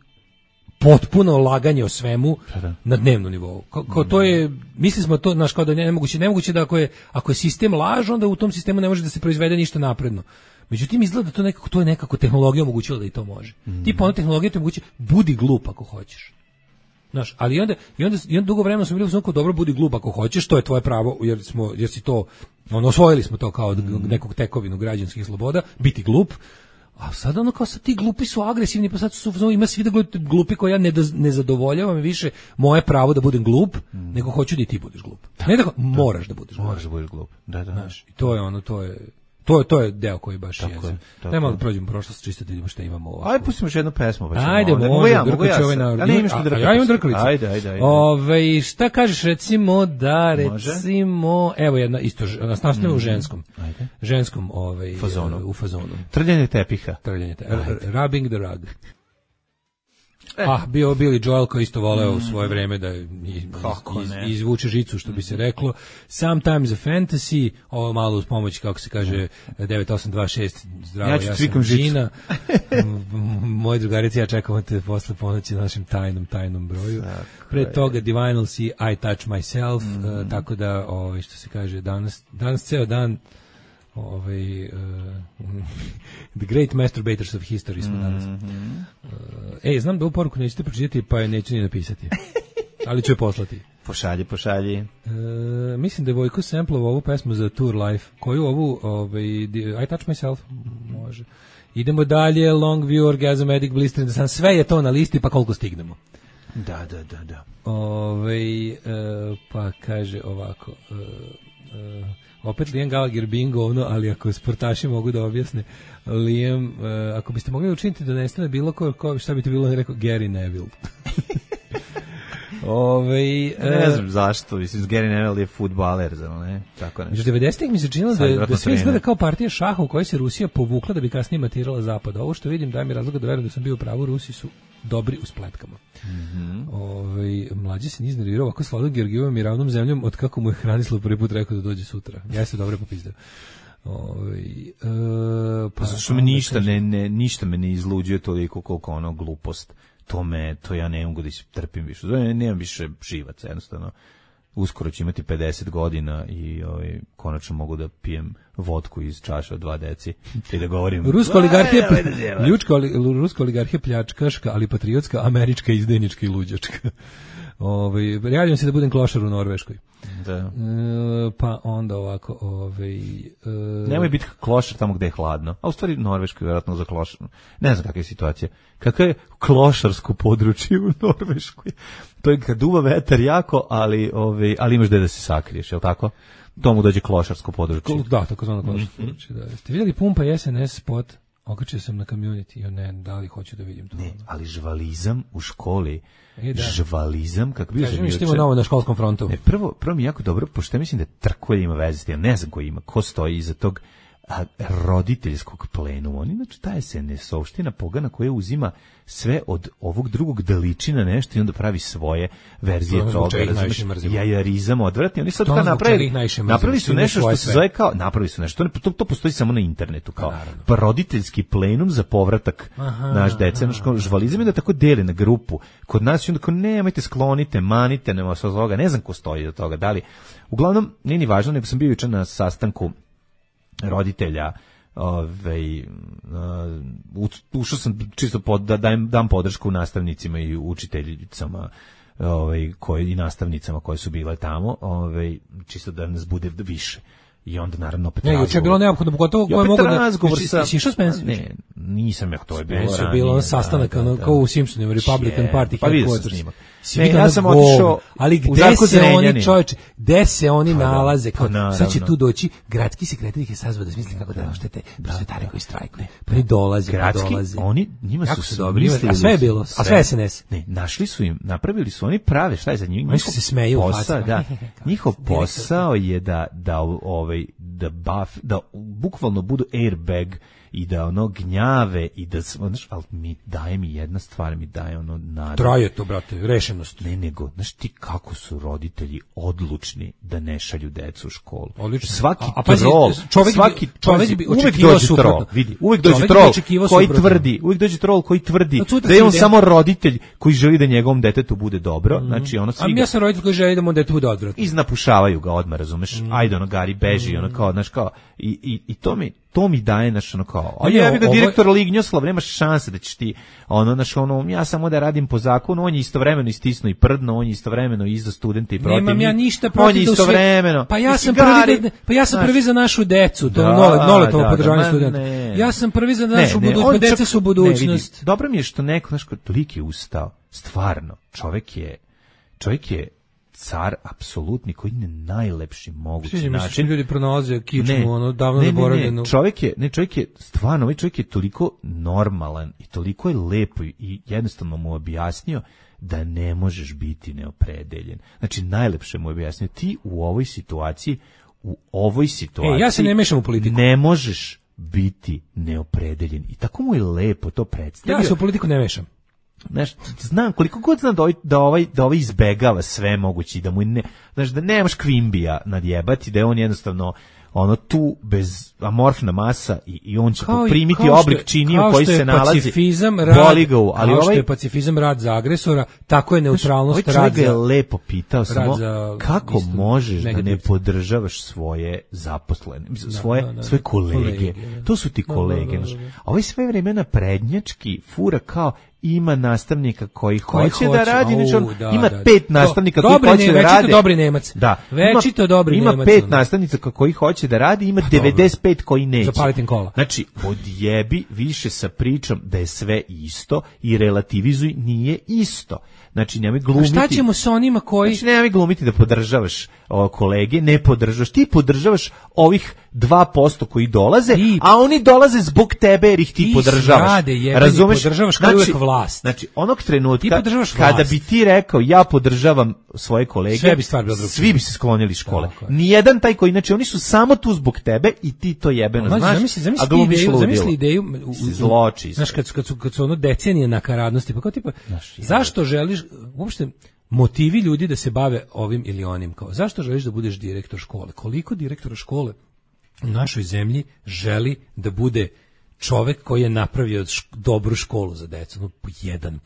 potpuno laganje o svemu na dnevnom nivou. Kao to je, mislili smo to, kao da je nemoguće da ako je sistem laž, onda u tom sistemu ne može da se proizvede ništa napredno. Međutim, izgleda da to je nekako tehnologija omogućila da i to može. Tipa, tehnologija ti omogući, budi glup ako hoćeš. Znaš, ali i onda dugo vremena smo bili u svom dobro, budi glup ako hoćeš, to je tvoje pravo, jer si to, osvojili smo to kao nekog tekovinu građanskih sloboda, biti glup. A sad kao sad ti glupi su agresivni, pa sad ima svi da glupi koji ja ne zadovoljavam više moje pravo da budem glup, nego hoću da i ti budeš glup. Ne da moraš da budeš glup. Moraš da budeš glup. Da. Znaš, i to je deo koji baš jezim. Nema da prođemo prošlost, čisto da vidimo šta imamo ovako. Ajde, pustimo još jednu pesmu. Ajde, mogu ja imam što drkaću. Ja imam drkalicu. Ajde. Šta kažeš recimo evo jedna isto, nastavljamo u ženskom u fazonu. Trljanje tepiha. Rubbing the rug. Bio Billy Joel koji isto voleo u svoje vreme da izvuče žicu, što bi se reklo. Sometimes a fantasy, ovo malo uz pomoć, kako se kaže, 9826, zdravo, ja sam Žina. Moji drugarici, ja čekamo te posle ponoći na našem tajnom broju. Pre toga Divinal Sea, I Touch Myself, tako da, što se kaže, danas ceo dan The Great Masturbators of History smo danas. Znam da ovu poruku nećete pročitati, pa je neću ni napisati. Ali ću je poslati. Pošalji. Mislim da je Vojko samplovao ovu pesmu za Tour Life. Koju ovu, I Touch Myself? Može. Idemo dalje, Long View, Orgasm, Addict, Blister in the Sun. Sve je to na listi, pa koliko stignemo. Da. Pa kaže ovako... opet Liam Gallagher bingo, ali ako sportaši mogu da objasne, Liam, ako biste mogli učiniti da nestane bilo ko, šta bi to bilo rekao? Gary Neville. Ne znam zašto, mislim, Gary Neville je fudbaler, ne? Tako ne. Među 90-ih mi se činilo da sve izgleda kao partija šaha u kojoj se Rusija povukla da bi kasnije matirala Zapad. Ovo što vidim daje mi razloga da verujem da sam bio u pravu, Rusi su dobri u spletkama. Mlađi se nije nervirao ovako sladom Georgijevom i ravnom zemljom od kako mu je Hranislav prvi put rekao da dođe sutra. Ja se dobro popizdao. Pa što me ništa me ne izluđuje toliko koliko glupost. To ja ne mogu da trpim više. Nemam više živaca, jednostavno. Uskoro ću imati 50 godina i konačno mogu da pijem vodku iz čaše od 2 deci i da govorim... Ruska oligarhija pljačkaška, ali patriotska, američka, izdajnička i luđačka. Javljam se da budem klošar u Norveškoj. Da. Pa onda ovako... Nemoj biti klošar tamo gde je hladno. A u stvari Norveškoj je vjerojatno za klošar. Ne znam kakva je situacija. Kakva je klošarsko područje u Norveškoj? To je kad duva vetar jako, ali imaš gde da se sakriješ, je li tako? Tomu dođe klošarsko područje. Da, tako zvano klošarsko područje. Da. Ste vidjeli Pumpa i SNS spot? Okačio sam na community, ne, da li hoću da vidim to. Ne, ali žvalizam u školi, žvalizam, kako bi kažem, što ima novo na školskom frontu. Prvo mi jako dobro, pošto ja mislim da Trkolje ima veze s tim, ne znam ko ima, ko stoji iza tog roditeljskog plenuma. Oni, znači, ta SNS-ovština pogana koja uzima sve od ovog drugog da liči na nešto i onda pravi svoje verzije toga. Jajarizam odvratni. Oni sad kao napravili su nešto što se zove kao, to postoji samo na internetu, kao roditeljski plenum za povratak naš dece. Žvalizam je da tako deli na grupu. Kod nas je onda kao, nemojte, sklonite, manite, nema sa toga. Ne znam ko stoji do toga. Da li, uglavnom, nije ni važno, nego sam bio jučer na sastanku roditelja, ušao sam čisto da dam podršku nastavnicima i učiteljicama i nastavnicama koje su bile tamo, čisto da nas bude više. I onda naravno opet razgovor. Je bilo neophodno, pogotovo koje mogu da... Jesi išao s Pensi? Ne, nisam ja, to je bilo ranije. Bilo sastanak kao u Simpsonima, Republican Party. Pa vidio sam snimak. Ja sam otišao ali gde se oni nalaze? Sad će tu doći gradski sekretar ih je sazvao da smisli kako da oštete prosvetare koji strajkuju. Pa ni dolaze. Oni, njima su mislili... A sve je bilo, a sve SNS. Ne, našli su im, napravili su, oni prave, šta je za njih? Oni se smeju u facu. Njihov posao je da bukvalno budu airbag i da gnjave i da, ali daje mi jedna stvar, mi daje nada. Traje to, brate, rešenost. Ne, nego, znaš ti kako su roditelji odlučni da ne šalju decu u školu. Odlično. Svaki trol, čovjek bi uvek dođe trol, vidi, uvek dođe trol koji tvrdi da je on samo roditelj koji želi da njegovom detetu bude dobro, znači ono svi. Ja sam roditelj koji želi da mu detetu bude odvratno. Iznapušavaju ga odmah, razumeš? Ajde, Gari beži, kao kao, znaš, kao, i to mi daje, znaš, ono kao, a jebi ga direktor Lignjoslav, nema šanse da ćeš ti, ono, znaš, ono, ja samo da radim po zakonu, on je istovremeno istisno i prdno, on je istovremeno i za studente i protiv. Nemam ja ništa protiv da istovremeno. Pa ja sam prvi za našu decu, to je Noletovo podržavanje studenta. Ja sam prvi za našu budućnost, deca su budućnost. Dobro mi je što neko, znaš, lik je ustao, stvarno, čovjek je car apsolutni koji na najlepši mogući način. Ljudi pronalaze kičmu, ono davno zaboravljeno. Čovjek je stvarno, ovaj čovjek je toliko normalan i toliko je lepo i jednostavno mu objasnio da ne možeš biti neopredeljen. Znači najlepše mu je objasnio, ti u ovoj situaciji ja se ne mešam u politiku. Ne možeš biti neopredeljen. I tako mu je lepo to predstavio. Ja se u politiku ne mešam. Znaš, znam, koliko god znam da ovaj izbegava sve mogući, da mu ne, znaš, da nemaš Kvimbija nadjebati, da je on jednostavno ono tu bez amorfna masa i on će poprimiti oblik čini u koji se nalazi. Boli ga, ali kao što je pacifizam rad za agresora, tako je neutralnost rad za... Ovaj čovjek je lepo pitao samo kako možeš da ne podržavaš svoje zaposlene, svoje kolege. To su ti kolege. Ovaj sve vremena prednjački fura kao ima nastavnika koji hoće da radi, ima 5 nastavnika koji hoće da radi. Večito dobri Nemac. Da. Večito dobri Nemac. Ima 5 nastavnica koji hoće da radi, ima 95 koji neće. Zapalitim kola. Znači, odjebi više sa pričom da je sve isto i relativizuj, nije isto. Znači, nemoj glumiti. A šta ćemo sa onima koji... Znači, nemoj glumiti da podržavaš kolege, ne podržavaš. Ti podržavaš ovih 2% koji dolaze, a oni dolaze zbog tebe jer ih ti podržavaš. Razumeš? Podržavaš kao uvek vlast. Znači, onog trenutka kada bi ti rekao ja podržavam svoje kolege, svi bi se sklonili škole. Nijedan taj koji, znači, oni su samo tu zbog tebe i ti to jebeno znaš, a glumiš ludilo. Zamisli ideju, zloči. Znaš, kad su ono decenije nakaradnosti, pa kao tipa, zašto želiš, uopšte, motivi ljudi da se bave ovim ili onim, kao, zašto želiš da budeš direktor škole? Koliko direktora škole u našoj zemlji želi da bude čovek koji je napravio dobru školu za decu? No, 1%.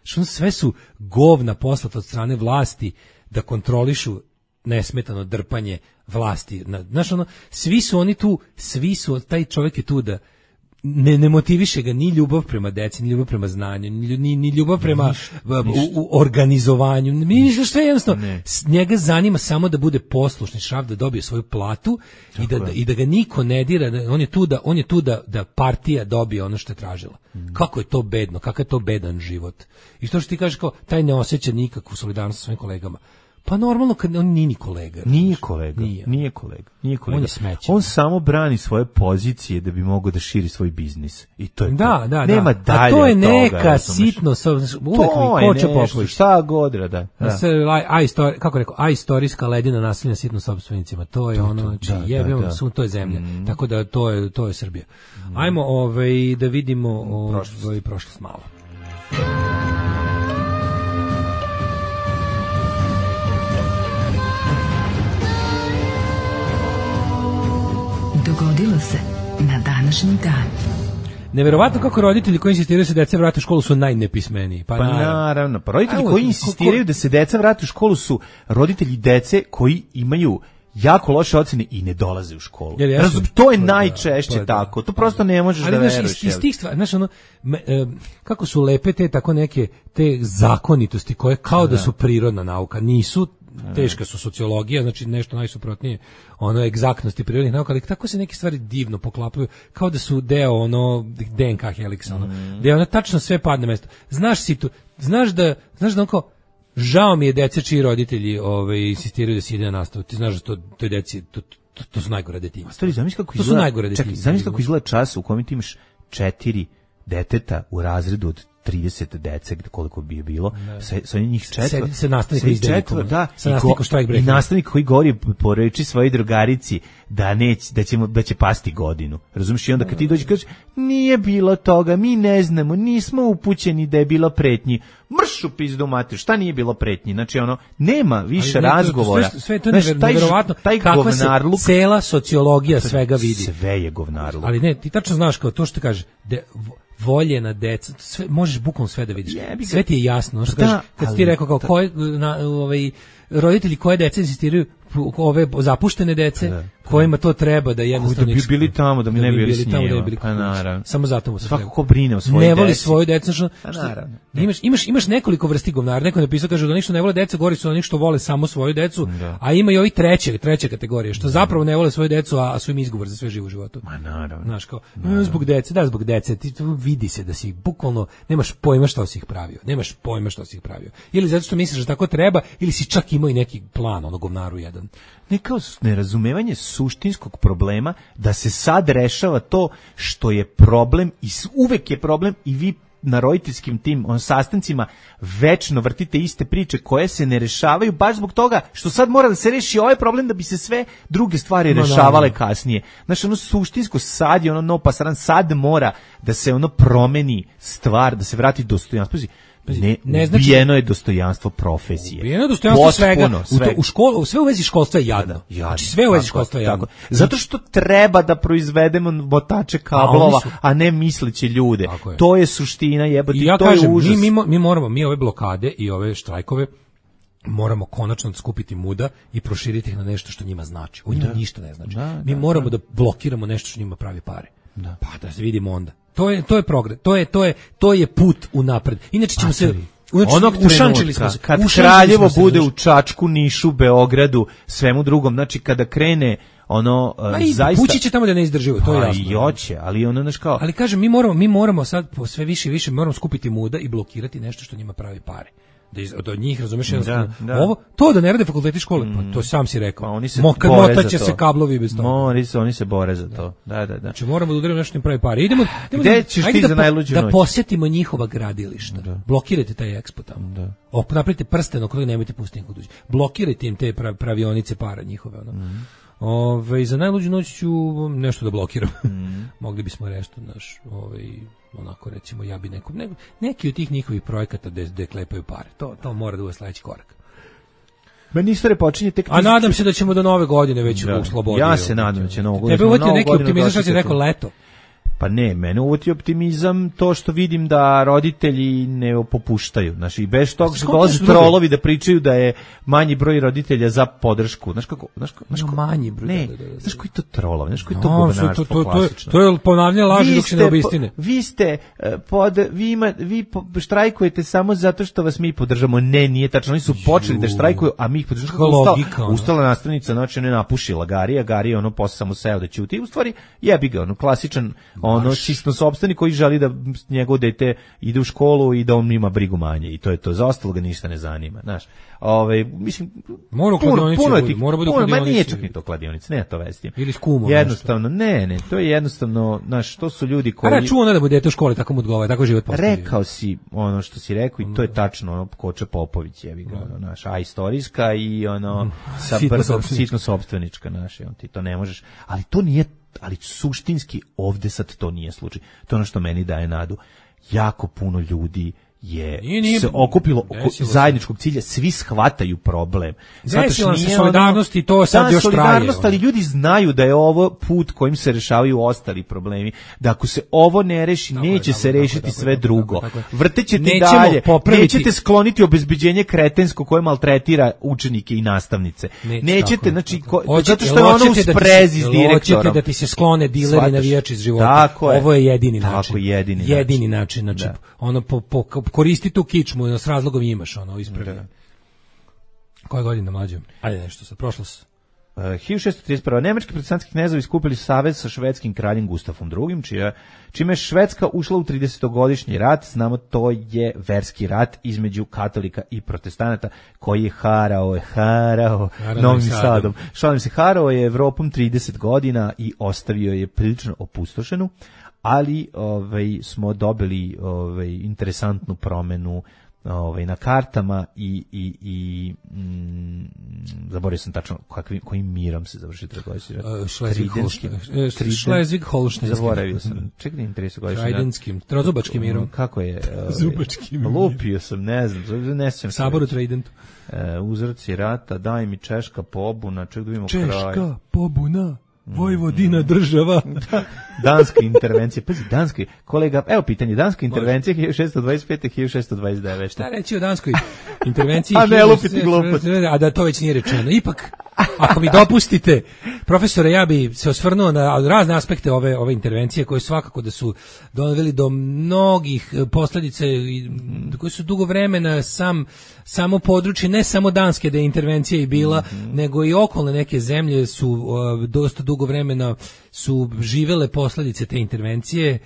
Što sve su govna poslata od strane vlasti da kontrolišu nesmetano drpanje vlasti. Znaš, ono, svi su oni tu, taj čovjek je tu da ne motiviše ga ni ljubav prema deci, ni ljubav prema znanju, ni ljubav prema organizovanju. Mislim, što je jednostavno, njega zanima samo da bude poslušni šraf, da dobije svoju platu i da ga niko ne dira, on je tu da partija dobije ono što je tražila. Kako je to bedno, kakav je to bedan život. I što ti kažeš, kao, taj ne osjeća nikakvu solidarnost sa svojim kolegama. Pa normalno kad on nije ni kolega. Nije kolega. On je smeće. On samo brani svoje pozicije da bi mogao da širi svoj biznis. I to je da. Nema dalje. A to je neka sitno, uvek mi koče popoviš. Šta god, da. Kako rekao, istorijska ledina nasilja sitno sopstvenicima. To je ono, znači jebemo, to je zemlja. Tako da to je Srbija. Ajmo da vidimo prošlost malo. Dogodilo se na današnji dan. Neverovatno kako roditelji koji insistiraju da se deca vrate u školu su najnepismeniji. Pa naravno. Pa roditelji koji insistiraju da se deca vrate u školu su roditelji dece koji imaju jako loše ocene i ne dolaze u školu. To je najčešće tako. To prosto ne možeš da veruješ. Ali iz tih stvari, znaš, ono, kako su lepe te tako neke te zakonitosti koje kao da su prirodna nauka, nisu. Teška su sociologija, znači nešto najsuprotnije ono egzaktnosti prirodnih nauka, ali tako se neke stvari divno poklapaju, kao da su deo ono DNK heliksa, ono, gde ono tačno sve padne na mesto. Znaš da onako, žao mi je dece čiji roditelji insistiraju da se ide na nastavu. Ti znaš da to je deci, to su najgore detinjstva. Stvari, zamisli kako izgleda čas u kojem ti imaš 4 deteta u razredu od 30 dece, koliko bi je bilo, sa njih 4. Se nastavnik iz delikoma. Da, i nastavnik koji govori po reči svojoj drugarici da će pasti godinu. Razumiješ? I onda kad ti dođi kažeš, nije bilo toga, mi ne znamo, nismo upućeni da je bilo pretnji. Mrš u pizdu mater, šta nije bilo pretnji? Znači, ono, nema više razgovora. Sve to je nevjerovatno. Kakva se cela sociologija svega vidi. Sve je govnarluk. Ali ne, ti tačno znaš kao to što kaže, voljena deca, možeš bukvalno sve da vidiš. Sve ti je jasno. Kad ti rekao kao roditelji koje dece insistiraju, ove zapuštene dece, kojima to treba da jednostavno da bi bili tamo, da mi ne bi bili s njima. Pa naravno. Samo zato mu se svako ko brine o svojoj deci. Ne voli svoju decu. Naravno. Imaš nekoliko vrsti govnara. Neko je napisao, kaže da oni što ne vole decu, gori su oni što vole samo svoju decu, a ima i ovi treće kategorije, što zapravo ne vole svoju decu, a su im izgovor za sve živo u životu. Ma naravno. Znaš, kao, zbog dece, ti tu vidi se da si bukvalno, nemaš pojma što si ih pravio. Ili zato što misliš da tako treba, ili si čak imao i neki plan, ono govnaru jedan. Kao nerazumevanje suštinskog problema da se sad rešava to što je problem i uvek je problem i vi na roditeljskim tim sastancima večno vrtite iste priče koje se ne rešavaju baš zbog toga što sad mora da se reši ovaj problem da bi se sve druge stvari rešavale kasnije. Znači ono suštinsko sad je ono no pasaran, sad mora da se ono promeni stvar, da se vrati dostojanstvo. Ne znači, ubijeno je dostojanstvo profesije. Ubijeno je dostojanstvo svega. U školu, sve u vezi školstva je jadno. Znači sve u vezi školstva je jadno. Zato što treba da proizvedemo motače kablova, a ne misleće ljude. To je suština, jebote, ja to kažem, je užas. Mi ove blokade i ove štrajkove moramo konačno skupiti muda i proširiti ih na nešto što njima znači. O njima ništa ne znači. Mi moramo da blokiramo nešto što njima pravi pare. Pa da se vidimo onda. To je progres. To je put unapred. Inače ćemo se ušančili smo se. Kad Kraljevo bude u Čačku, Nišu, Beogradu, svemu drugom, znači kada krene ono zaista Pući će tamo da ne izdrživo, to je jasno. I hoće, ali ono znaš kao. Ali kažem, mi moramo sad sve više i više moramo skupiti muda i blokirati nešto što njima pravi pare. Da njih, razumeš, ovo, to da ne rade fakulteti škole, pa to sam si rekao. Oni se motaće se kablovi bez toga. Oni se bore za to. Da. Znači moramo da udarimo nešto im pravi pare. Idemo da posjetimo njihova gradilišta. Blokirajte taj ekspo tamo. Napravite prsten oko toga, nemojte pustiti nikog dođe. Blokirajte im te pravionice para njihove. Za najluđu noć ću nešto da blokiram. Mogli bismo rešiti naš onako recimo ja bi neki od tih njihovih projekata gde klepaju pare. To mora da bude sledeći korak. Meni istorija počinje tek. A nadam se da ćemo do nove godine već u slobodi. Ja se nadam da će novu godinu. Tebe uvati neki optimizam što si rekao leto. Pa ne, mene uvoti optimizam to što vidim da roditelji ne popuštaju. Znači, i bez toga što dolaze trolovi da pričaju da je manji broj roditelja za podršku. Znaš kako manji broj. Ne, znaš koji to trolovi, znaš koji to govnarstvo klasično. To je ponavljanje laži dok se ne obistine. Vi ste, vi štrajkujete samo zato što vas mi podržamo. Ne, nije tačno. Oni su počeli da štrajkuju, a mi ih podržamo. Ustala nastavnica, znači ne napušila Gari je ono posle samo seo da ćuti. U stvari, jebi ga, ono klasičan čisto sopstveni koji želi da njegovo dete ide u školu i da on ima brigu manje i to je to, za ostalo ga ništa ne zanima, znaš. Mislim, mora bude kladionici. Nije čak ni to kladionici, ne to vesti. Ili s kumom. Jednostavno, ne, to je jednostavno, znaš, to su ljudi koji... Računa da bude dete u školi, tako mu odgovara, tako život postavlja. Rekao si ono što si rekao i to je tačno, ono, Koča Popović, jebi ga, naš, a istorijska i ono, sitno sopstvenička, naš, ti to ne možeš, ali to nije, ali suštinski ovde sad to nije slučaj. To je ono što meni daje nadu. Jako puno ljudi je se okupilo oko zajedničkog cilja, svi shvataju problem. Desila se solidarnost i to sad još traje. Ali ljudi znaju da je ovo put kojim se rešavaju ostali problemi. Da ako se ovo ne reši, neće se rešiti sve drugo. Vrtećete dalje, nećete skloniti obezbeđenje kretensko koje maltretira učenike i nastavnice. Nećete, znači, zato što je ono u sprezi s direktorom. Hoćete da ti se sklone dileri navijači iz života. Ovo je jedini način. Jedini način. Znači, ono koristi tu kičmu, s razlogom imaš ono ispravljeno. Koja godina mlađe? Ajde nešto sad, prošlost. 1631. Nemački protestantski knezovi skupili savez sa švedskim kraljem Gustafom II, čime je Švedska ušla u 30-godišnji rat. Znamo, to je verski rat između katolika i protestanata koji je harao Novim Sadom. Šalim se, harao je Evropom 30 godina i ostavio je prilično opustošenu, ali smo dobili interesantnu promenu na kartama i zaboravio sam tačno kojim mirom se završi trgovinski rat. Schleswig-Holstein. Zaboravio sam. Čekaj, 30 godišnji rat. Tridentskim, trozubačkim mirom. Kako je? Zubačkim mirom. Lupio sam, ne znam, ne sjećam se. Sabor u Tridentu. Uzroci rata, daj mi Češka pobuna, ček da vidimo kraj. Češka pobuna, Vojvodina država. Danska intervencija, pazi, danski, kolega, evo pitanje, danska intervencija 1625. 1629. Šta reći o danskoj intervenciji? A ne lupiti glupost. A da to već nije rečeno. Ipak, ako mi dopustite, profesore, ja bi se osvrnuo na razne aspekte ove intervencije, koje svakako da su doveli do mnogih posljedica koje su dugo vremena samo područje, ne samo Danske da je intervencija i bila, nego i okolne neke zemlje su dosta dugo vremena su živele posljedice te intervencije.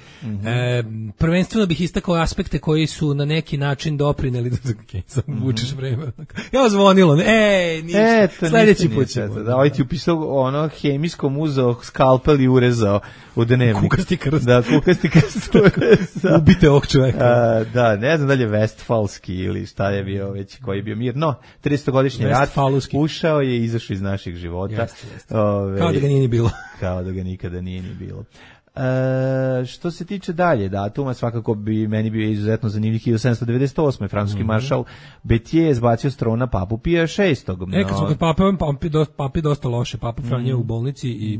Prvenstveno bih istakao aspekte koji su na neki način doprineli vučeš vreme. Ja zvonilo, ništa. Sledeći put ćemo. Da, ovaj ti upisao hemijskom uzeo skalpel i urezao u dnevnik. Kukasti krst. Da, kukasti krst. Ubite ovog čoveka. Da, ne znam dalje Vestfalski ili šta je bio već, koji je bio mir. No, 300-godišnji rat ušao je i izašao iz naših života. Kao da ga nije ni bilo. Kao da ga nikada nije ni bilo. Što se tiče dalje datuma, svakako bi meni bio izuzetno zanimljiv 1798. Francuski maršal Béthier je zbacio s trona papu Pija VI. Kad smo kod papi dosta loše, papa Franje u bolnici i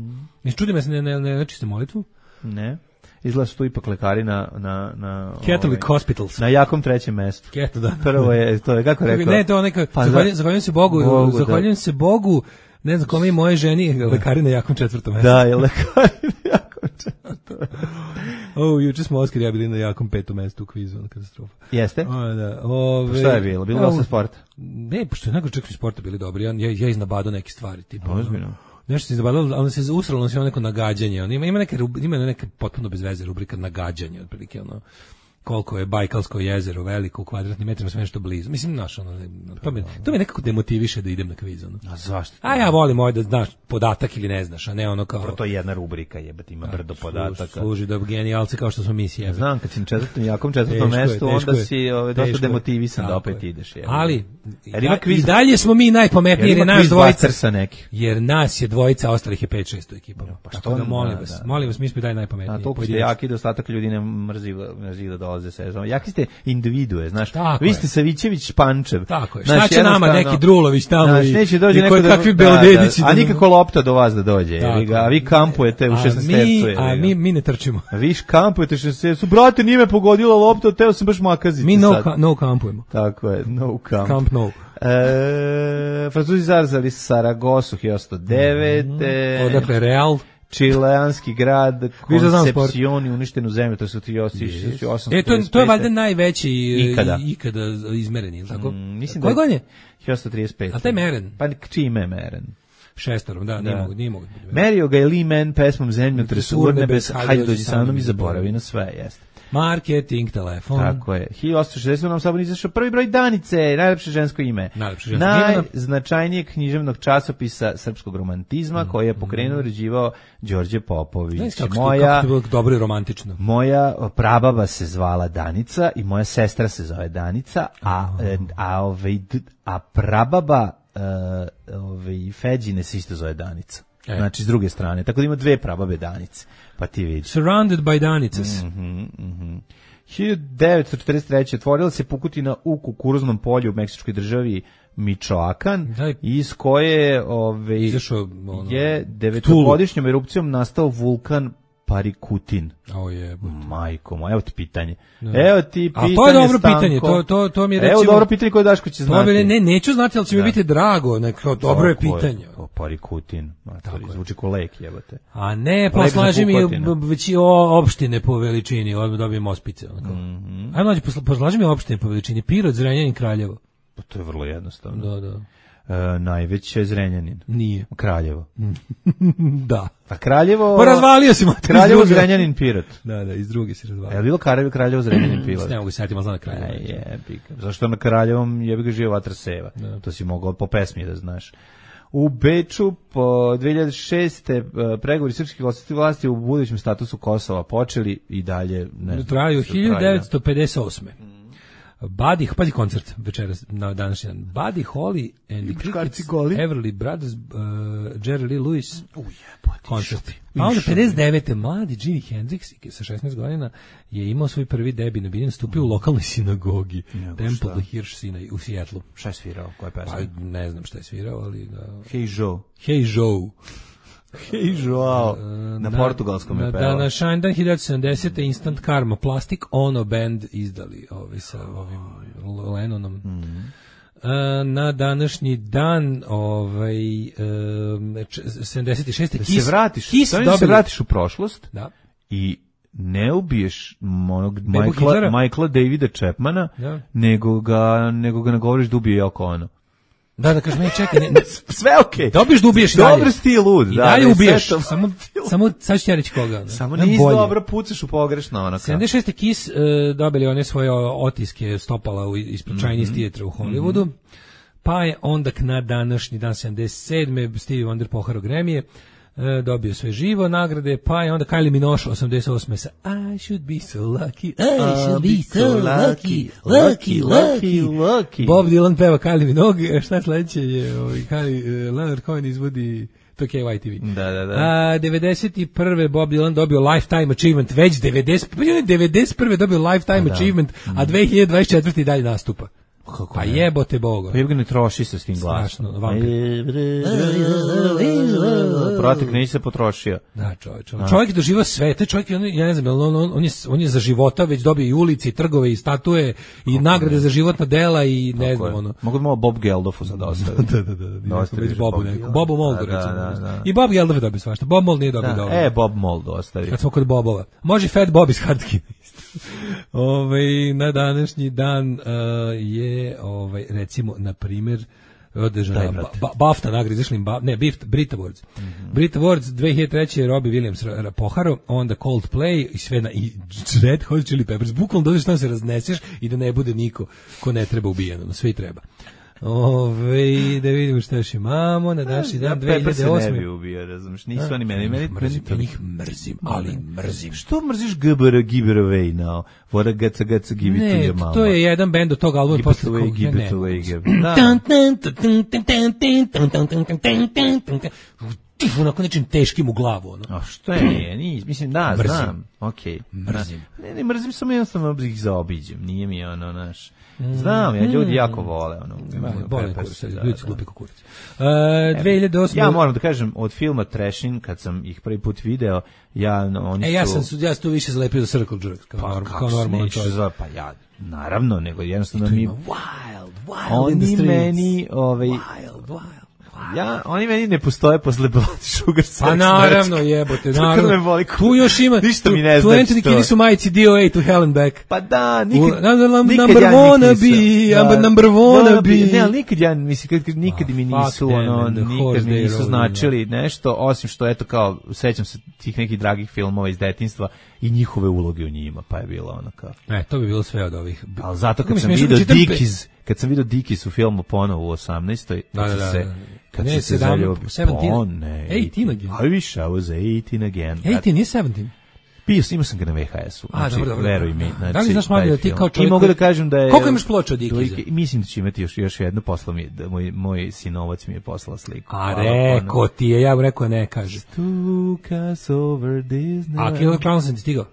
čudi me se ne čiste molitvu? Ne. Izgleda su tu ipak lekari na Catholic Hospitals. Na jakom trećem mestu. Da. Prvo je, to je kako rekao? Ne, to je neka, zahvaljujem se Bogu, ne znam kome i moje ženi, lekari na jakom četvrtom mestu. Da, je lekari na jakom četvrtom mestu. Juče smo Oskar i ja bili na jakom petom mestu u kvizu, katastrofa. Jeste? Da. Šta je bilo? Bilo dosta sporta? Ne, pošto je nekako čekali sporta bili dobri. Ja iznabadao neke stvari. Ozbiljno. Nešto se iznabadalo, ali se usralo na neko nagađanje. Ima neke potpuno bez veze rubrika nagađanje, otprilike koliko je Bajkalsko jezero veliko u kvadratnim metrima, sve nešto blizu. Mislim, to me nekako demotiviše da idem na kviz. A zašto? A ja volim da znaš podatak ili ne znaš, a ne ono kao... To je jedna rubrika, jebati, ima brdo podataka. Služi da genijalci kao što smo mi sjebe. Znam, kad si na jakom četvrtom mestu, onda si dosta demotivisan da opet ideš. Ali, i dalje smo mi najpametniji, jer je naš dvojica. Jer nas je dvojica, ostalih je 5-6 u ekipu. Tako da molim vas, mi smo i dalje najpametniji. A toliko ste jaki da ostatak ljudi ne mrzi da dolaze se. Jaki ste individue, znaš. Vi ste Savićević Pančev. Tako je. Šta će nama neki Drulović tamo i koji kakvi Belodedići. A nikako lopta do vas da dođe. A vi kampujete u 16 tercu. A mi ne trčimo. Vi kampujete u 16 tercu. Brate, nije me pogodila lopta, teo sam baš makaziti. Mi no kampujemo. Tako je, no kamp. Kamp no. Francuzi zarzali Saragosu 1809. Odakle Real. Čileanski grad Concepcion i uništenu zemlju, to su ti 1835. To je valjda najveći ikada izmereni, tako? Koje godine? 1835. A taj meren? Pa čime je meren? Šestorom, da, nije mogu. Merio ga je Lee Man pesmom Zemljotres urnebes, hajde dođi sa mnom i zaboravi na sve, jeste. Marketing, telefon. Tako je. 1860 nam sabor izašao prvi broj Danice, najlepše žensko ime. Najznačajnijeg književnog časopisa srpskog romantizma koji je pokrenuo i uređivao Đorđe Popović. Kako je bilo dobro i romantično. Moja prababa se zvala Danica i moja sestra se zove Danica, a prababa Feđine se isto zove Danica. Znači s druge strane, tako da ima dve prababe Danice, pa ti vidiš. Surrounded by Danicas. 1943. otvorila se pukotina u kukuruznom polju u meksičkoj državi Michoacan, iz koje je 9-godišnjom erupcijom nastao vulkan Parikutin. Majko moja, evo ti pitanje. Evo ti pitanje, a to je dobro pitanje, to mi je recimo... Evo dobro pitanje koje Daško će znati. Neću znati, ali će mi biti drago, dobro je pitanje. Parikutin, zvuči ko lek, jebate. A ne, poslaži mi već opštine po veličini, dobijem ospice. Ajmo mlađe, poslaži mi opštine po veličini, Pirot, Zrenjanin, Kraljevo. To je vrlo jednostavno. Da. Najveće je Zrenjanin. Nije. Kraljevo. Da. A Kraljevo... Pa razvalio si mater. Kraljevo, Zrenjanin, Pirot. Da, iz druge si razvalio. Je li bilo Kraljevo, Zrenjanin, Pirot? Ne mogu setiti, ali znam na Kraljevo. Zašto na Kraljevom jebi ga živa vatra seva? To si mogao po pesmi da znaš. U Beču po 2006. pregovori srpskih vlasti u budućem statusu Kosova počeli i dalje... Traju 1958. Pazi koncert večeras na današnji dan. Buddy Holly and the Crickets, Everly Brothers, Jerry Lee Lewis, koncert. Pa onda 59. mladi Jimi Hendrix sa 16 godina je imao svoj prvi debi na biljen, stupio u lokalnoj sinagogi Temple the Hirsch u Seattlu. Šta je svirao? Koja pesma? Pa ne znam šta je svirao, ali... Hey Joe. Hey Joe. Hej, Joao. Na portugalskom je pevao. Na Shinedown 1970. Instant Karma Plastic Ono Band izdali sa ovim Lennonom. Na današnji dan 76. Da se vratiš u prošlost i ne ubiješ onog Michaela Davida Chapmana, nego ga nagovoriš da ubije Yoko Ono. Da kažem, čekaj, sve okej. Dobiješ da ubiješ i dalje. Dobro si ti lud. I dalje ubiješ, samo sad ću ti reći koga. Samo nisi dobro, pucaš u pogrešno. 76. Kiss dobili one svoje otiske stopala ispred Chinese Theatre u Hollywoodu, pa je onda na današnji dan 77. Stevie Wonder poharao Grammy-je, dobio sve živo nagrade, pa je onda Kylie Minogue 88. sa I should be so lucky, I should be so lucky, lucky. Bob Dylan peva Kylie Minogue, šta sledeće je Leonard Cohen izvodi to KYTV. Da. 91. Bob Dylan dobio Lifetime Achievement, već 91. dobio Lifetime Achievement, a 2024. dalje nastupa. Pa jebote Boga. Pa jeb ga ne troši se s tim glasom. Protek neće se potrošio. Da, čovjek je doživao sve. Taj čovjek, ja ne znam, on je za života već dobio i ulici, i trgove, i statue, i nagrade za životna dela, i ne znam, ono. Mogu da malo Bob Geldofu sad ostaviti. Da. Bobu Moldu, recimo. I Bob Geldof je dobio svašta. Bob Mold nije dobio dobro. Bob Moldu ostavi. Kad smo kod Bobova. Može Fat Bob iz Hardkina. Na današnji dan je recimo na primjer održana BAFTA nagrada, izašli Brit Awards. Brit Awards 2003. Robbie Williams poharo, onda Coldplay i sve i Red Hot Chili Peppers. Bukvalno dođeš tamo se razneseš i da ne bude niko ko ne treba ubijeno, sve i treba. Da vidimo šta još imamo na današnji dan 2008. Pepper se ne bi ubio, razumiješ, nisu oni meni njih mrzim, ali mrzim. Što mrziš give it away now? What a gaca give it to your mama. Ne, to je jedan bend od tog albuma. Give it away. Onako nečim teškim u glavu. A što je, mislim, da, znam. Okej. Mrzim. Ne mrzim, samo jednostavno ih zaobiđem, nije mi naš... Znam, ja ljudi jako vole Bole kurac, ljudi su glupi kurac. 2008. Ja moram da kažem, od filma Trashin, kad sam ih prvi put video, ja sam tu više zalepio za Circle Jerk, kao normalno čovjek. Pa ja, naravno, nego jednostavno mi... Wild in the streets. Oni meni... Wild. Oni meni ne postoje posle Blood Sugar Sex. Pa naravno, jebote, naravno. Tu još ima, ništa mi ne znači. Tu Anthony Kiedis u majici DOA to Hell and Back. Pa da, nikad number one be. Ne, ali nikad mi nisu značili nešto, osim što, eto, kao, sećam se tih nekih dragih filmova iz detinjstva i njihove uloge u njima, pa je bilo ono kao... To bi bilo sve od ovih... Ali zato kad sam vidio Dickies u filmu ponovo u 18. Kad se zaljubio... 18 again. I wish I was 18 again. 18 nije 17. Imao sam ga na VHS-u. Dobro. Veruj mi. Da li znaš mali da ti kao čovjek... I mogu da kažem da je... Koliko imaš ploča od Dickiesa? Mislim da će imati još jednu, poslao mi, moj sinovac mi je poslao sliku. A reko ti je, ja bih rekao ne kaže. Took us over Disney. A Killer Clowns sam ti stigao?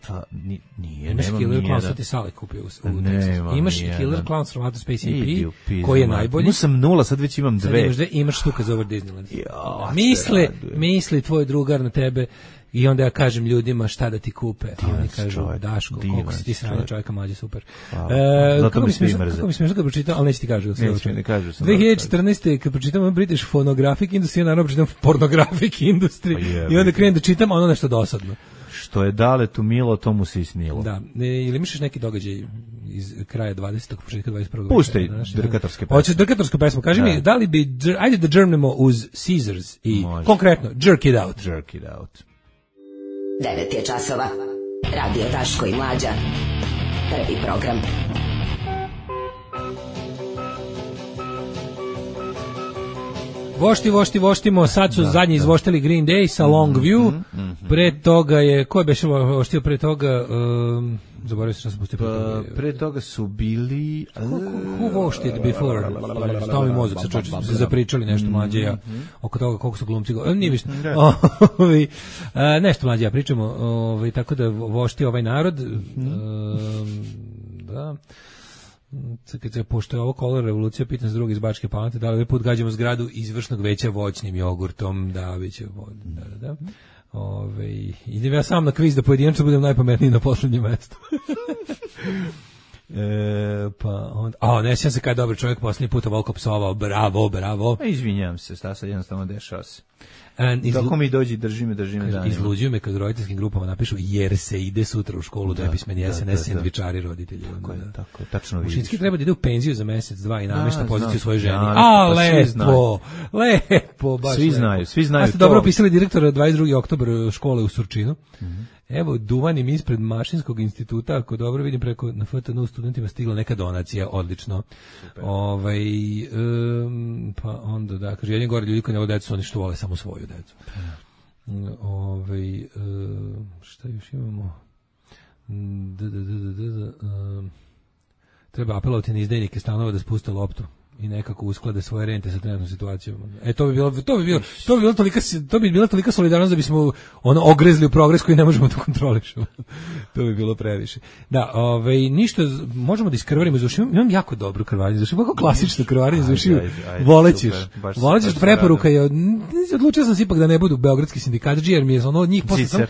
Nije, imaš Killer Clowns, sad ti Sale kupio u Texasu. Imaš Killer Clowns from Outer Space EP, koji je najbolji. Imao sam 0, sad već imam 2. Imaš Took us over Disneyland. Misli tvoj drugar na tebe. I onda ja kažem ljudima šta da ti kupe, a oni kažu Daško, koliko si ti sranje čovjeka, mlađe, super. Kako mi smiješ da pročitam, ali neće ti kažu. 2014. kad pročitam British Phonographic Industry, ja naravno pročitam Pornographic Industry i onda krenem da čitam, ono nešto dosadno. Što je daletu milo, tomu se i snilo. Da, ili misliš neki događaj iz kraja 20. početka 21. Puštaj drkatorske pesme. Hoćeš drkatorsku pesmu, kaži mi, da li bi, ajde da džrmnemo uz Caesars i konkretno, Jerk It Out. Jerk It Out. 9 je časova. Radio Daško i Mlađa. Prvi program. Voštimo, sad su zadnji izvoštili Green Day sa Long View, pre toga je, ko je beše voštio pre toga, zaboravio se što sam pustio pre toga. Pre toga su bili... Who vošted before? Stao mi mozak, sa čoče smo se zapričali nešto mlađe ja, oko toga koliko su glumci, nije višno. Nešto mlađe ja pričamo, tako da vošti ovaj narod, da... kad se pošto je ovo kolor revolucija, pitam se drugi iz Bačke Palanke, da li ovaj put gađamo zgradu izvršnog veća voćnim jogurtom, da, bit će da. Idem ja sam na kviz da pojedinačno budem najpametniji na poslednjem mestu. Pa onda, ne sjećam se kada je dobar čovjek posljednji puta Volko psovao, bravo. Izvinjam se, šta sad jednostavno dešava se. Kako mi dođi, drži me danima. Izluđuju me kad u roditeljskim grupama napišu jer se ide sutra u školu da bi smeni SNS sendvičari roditelji. Tako je, tačno vidiš. Ušinski treba da ide u penziju za mesec, dva i namešta poziciju svoje ženi. Lepo, baš svi znaju to. Ste dobro opisali direktora 22. oktobar škole u Surčinu. Evo, duvanim ispred Mašinskog instituta, ako dobro vidim preko na FTN studentima stigla neka donacija, odlično. Pa onda da, kaže, jedni gore ljudi koji ne vole decu, oni što vole samo svoju decu. Šta još imamo? Treba apelovati na izdajnike stanova da spuste loptu i nekako usklade svoje rente sa trenutnom situacijom. To bi bila tolika solidarnost da bismo ogrezli u progres koji ne možemo da kontrolišemo. To bi bilo previše. Da, ništa, možemo da iskrvarimo iz ušiju. Imam jako dobru krvarenje iz ušiju, kako klasično krvarenje iz ušiju. Volećeš preporuka je, odlučio sam se ipak da ne budu beogradski sindikatđi, jer mi je od njih posle sam,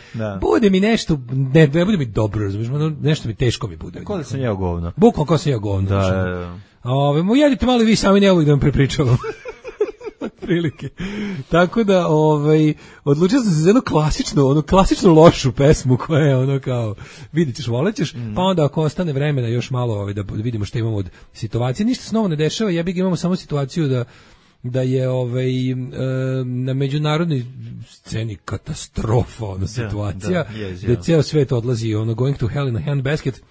bude mi nešto, ne bude mi dobro, razumiješ, nešto mi teško mi bude. Kako da sam jeo govno? Bukvalno kao sam jeo govno. Jedite malo i vi sami, ne da vam prepričavam. Prilike. Tako da, odlučio sam se za jednu klasičnu lošu pesmu koja je kao, vidit ćeš, volećeš, pa onda ako ostane vremena još malo da vidimo što imamo od situacije. Ništa se novo ne dešava, imamo samo situaciju da je na međunarodnoj sceni katastrofa, situacija, da ceo svet odlazi, going to hell in a handbasket.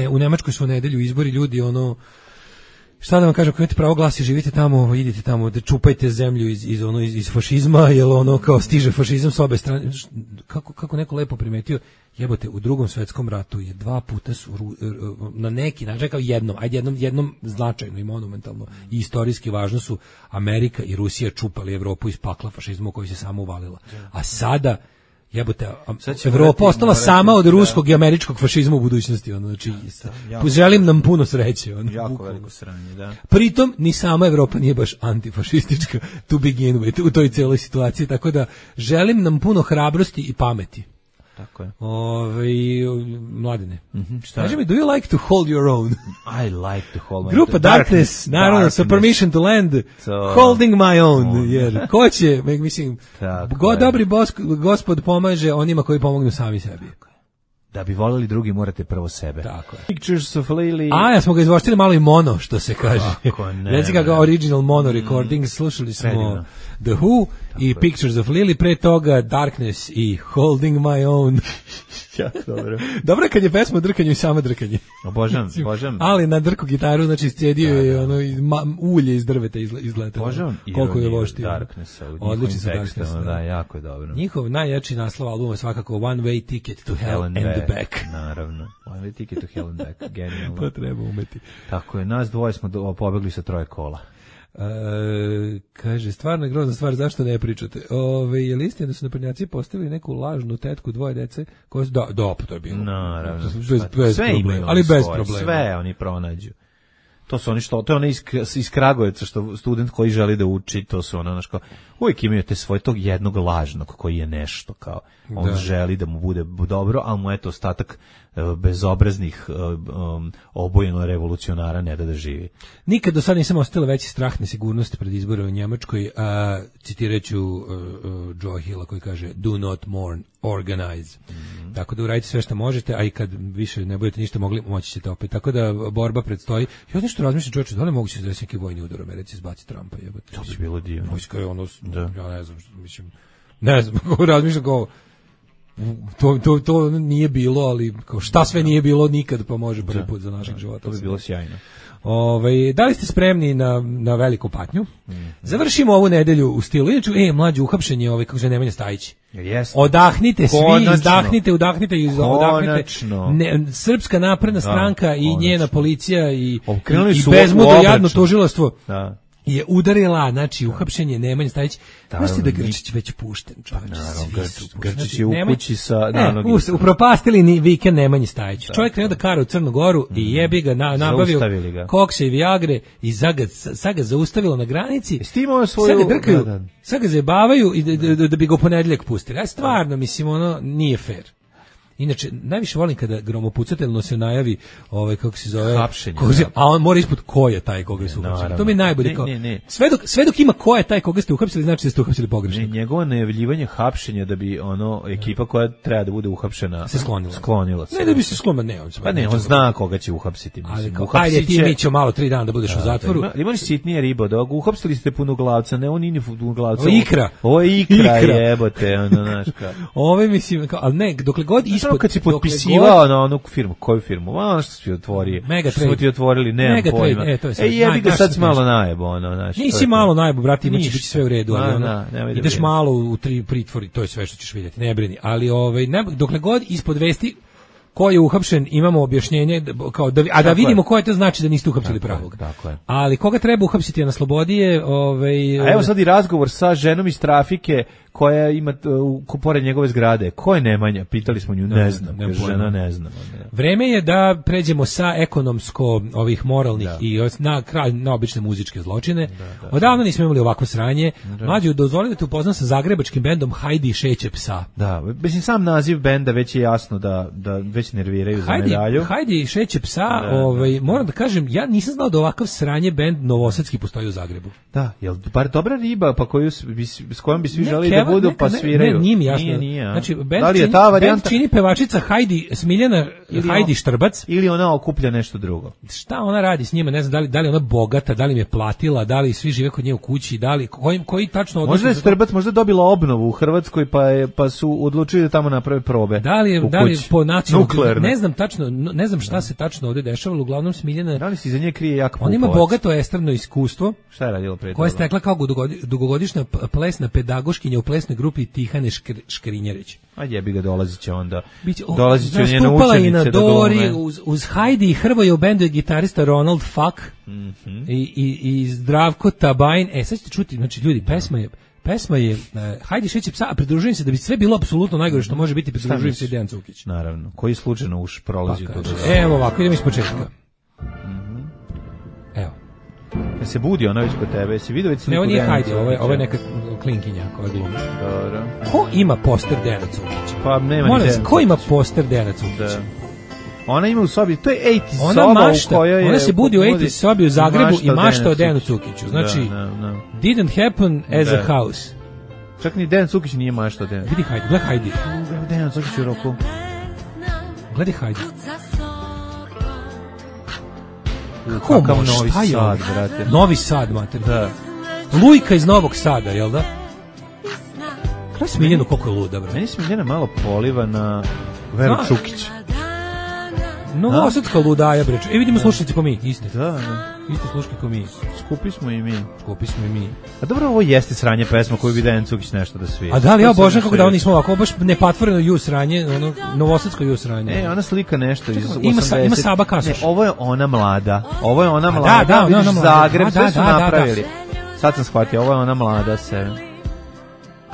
U Nemačkoj su u nedelju izbori, ljudi, šta da vam kažem, ako imate pravo glasa i živite tamo, idite tamo, da čupajte zemlju iz fašizma, jer kao stiže fašizam s obe strane. Kako neko lepo primetio, jebote, u Drugom svetskom ratu je 2 puta su na neki način, kao jednom značajno i monumentalno i istorijski važno su Amerika i Rusija čupali Evropu iz pakla fašizma u koji se samo uvalila. A sada jebote, Evropa ostala sama od ruskog i američkog fašizma u budućnosti. Želim nam puno sreće. Jako veliko sranje, da. Pritom, ni sama Evropa nije baš antifašistička to begin with, u toj cijeloj situaciji, tako da želim nam puno hrabrosti i pameti. Tako je. Mladine. Kaži mi, do you like to hold your own? I like to hold my own. Grupa Darkness, naravno, sa Permission to Land, Holding my own. Jer ko će, mislim, dobri gospod pomaže onima koji pomognu sami sebi. Da bi voljeli drugi, morate prvo sebe. Tako je. Pictures of Lily. Ja smo ga izvoštili malo i mono, što se kaže. Reci ga original mono recording, slušali smo The Who i Pictures of Lily, pre toga Darkness i Holding My Own. Dobro je kad je pesma o drkanju i samo drkanje. Obožavam. Ali na drku gitaru, znači scedio je ulje iz drveta izgleda. Obožavam koliko je voštio. Darknessa. Odlični su Darkness. Da, jako je dobro. Njihov najjači naslov albuma je svakako One Way Ticket to Hell and the Back. Naravno. One Way Ticket to Hell and Back. Genijalno. To treba umeti. Tako je, nas dvoje smo pobegli sa 3 kola. Kaže, stvarno je grozna stvar, zašto ne pričate? Je li istina da su naprednjaci postavili neku lažnu tetku 2 dece? Pa to je bilo. Naravno. Bez problema. Ali bez problema. Sve oni pronađu. To su oni to je iz Kragujevca, što student koji želi da uči, to su uvijek imaju te svoje tog jednog lažnog koji je nešto, kao on želi da mu bude dobro, ali mu eto ostatak bezobraznih obojeno revolucionara ne da živi. Nikad do sada nisam ostala veći strah nesigurnosti pred izbore u Njemačkoj, citiraću Joe Hilla koji kaže do not mourn, organize. Tako da uradite sve što možete, a i kad više ne budete ništa mogli, moći ćete opet. Tako da borba predstoji. Ja nešto razmišljam, čovječe, da li moguće da neki vojni udar u Americi izbaci Trumpa? To bi bilo divno. Vojska je ja ne znam, ne znam, kako razmišljam kao to nije bilo, ali kao šta sve nije bilo nikad, pa može prvi put za našeg života. To bi bilo sjajno. Da li ste spremni na veliku patnju? Završimo ovu nedelju u stilu. Inače, mlađe uhapšenje, kako se Nemanja Stajić. Odahnite svi, izdahnite, udahnite. Srpska napredna stranka i njena policija i bezmudno jadno tužilaštvo. je udarila, znači uhapšen je Nemanja Stajić. Mislim da Grčić već pušten, čovječe. Grčić je u kući sa... upropastili vikend Nemanji Stajić. Čovjek krenuo da kara u Crnu Goru i jebi ga, nabavio kokse i viagre i sad ga zaustavilo na granici. Sad ga drkaju, sad ga zajebavaju i da bi ga u ponedeljak pustili. Ja stvarno, mislim, ono, nije fair. Inače, najviše volim kada gromopucateljno se najavi kako se zove, hapšenje, a on mora ispod ko je taj koga su uhapsili. To mi je najbolje. Sve dok ima ko je taj koga ste uhapsili, znači da ste uhapsili pogrešno. Njegovo najavljivanje hapšenja da bi ekipa koja treba da bude uhapšena se sklonila. Ne da bi se sklonila, ne. On zna koga će uhapsiti. Ajde, ti mi ćemo malo 3 dana da budeš u zatvoru. Imaš sitnije riba, da uhapsili ste punoglavca, ne, on nije punoglavca. Ovo je ikra, jebote, znaška. Ove mislim, ali ne, dokle god kad si potpisivao na onu firmu, koju firmu? Ono što si otvorio. Što smo ti otvorili, nemam pojma. Jebi ga, sad si malo najebo. Nisi malo najebo, brati, imaće biti sve u redu. Ideš malo u pritvori, to je sve što ćeš vidjeti, ne brini. Ali dokle god ispod vesti ko je uhapšen, imamo objašnjenje, a da vidimo ko je, to znači da niste uhapsili pravog. Ali koga treba uhapsiti, a na slobodi je... A evo sad i razgovor sa ženom iz trafike koja ima pored njegove zgrade. Ko je Nemanja? Pitali smo nju, ne znam. Žena ne znam. Vreme je da pređemo sa ekonomsko ovih moralnih i na obične muzičke zločine. Odavno nismo imali ovako sranje. Mlađe, dozvoli da te upoznam sa zagrebačkim bendom Hajdi šeće psa. Da, mislim sam naziv benda već je jasno da već nerviraju za medalju. Hajdi šeće psa, moram da kažem, ja nisam znao da ovakav sranje bend novosadski postoji u Zagrebu. Da, jel bar dobra riba pa s kojom bi svi želeli da budu pa sviraju. Ne, nije mi jasno. Nije. Znači, bend čini pevačica Hajdi Smiljana Hajdi Štrbac. Ili ona okuplja nešto drugo. Šta ona radi s njima, ne znam, da li ona bogata, da li im je platila, da li svi žive kod nje u kući, da li, koji tačno odnos... Možda je Štrbac možda dobila obnovu u Hrvatskoj pa su odlučili da tamo naprave probe. Da li po nacionalnom, ne znam šta se tačno ovdje dešavalo, uglavnom Smiljana... Da li se iza nje krije jak Pupovac? On ima bogato estradno iskustvo. Šta je radilo pre toga? Koje je stekla kao dugogodišnja plesna pedagoškinja u plesnoj grupi Tihane Škrinjarić. A jebi ga, dolazit će onda. Dolazit će njene učenice da glume. Uz Hajdi i Hrvoje u bendu je gitarista Ronald Fuck i Zdravko Tabajn. Sad ćete čuti, znači ljudi, pesma je Hajdi šeće psa, a pridružujem se da bi sve bilo apsolutno najgore što može biti, pridružujem se Dejan Cukić. Naravno, koji slučajno uš prolazi tu. Evo ovako, idemo iz početka. Evo. Ja se budi ona već kod tebe, si vidio već sliku? Ne, on nije Hajdi, ovo je neka klinkinja koja glumi. Dobro. Ko ima poster Dejana Cukića? Pa nema ni Dejan. Ko ima poster Dejana Cukića? Ona ima u sobi, to je 80 soba u kojoj je... Ona se budi u 80 sobi u Zagrebu i mašta o Dejanu Cukiću. Znači, didn't happen as a house. Čak ni Dejan Cukić nije mašta o Dejanu. Vidi Hajdi, gledaj Hajdi. Dejan Cukić u roku. Gledaj Hajdi. Kakav Novi Sad, brate. Novi Sad, mater. Da. Lujka iz Novog Sada, jel da? Kada Smiljanu koliko je luda, brate? Meni Smiljana malo poliva na Veru Čukić. Novosadska ludaja, bre. Vidimo slušalice ko mi, iste. Da. Iste sluške ko mi. Skupi smo i mi. A dobro, ovo jeste sranje pesma koju bi Dejan Cukić nešto da svira. A da li, ja božem kako da oni smo ovako, baš nepatvoreno ju sranje, ono, novosadsko ju sranje. Ona slika nešto iz 80. Ima Saba Kasoš. Ovo je ona mlada. Da, vidiš Zagreb, sve su napravili. Sad sam shvatio, ovo je ona mlada se.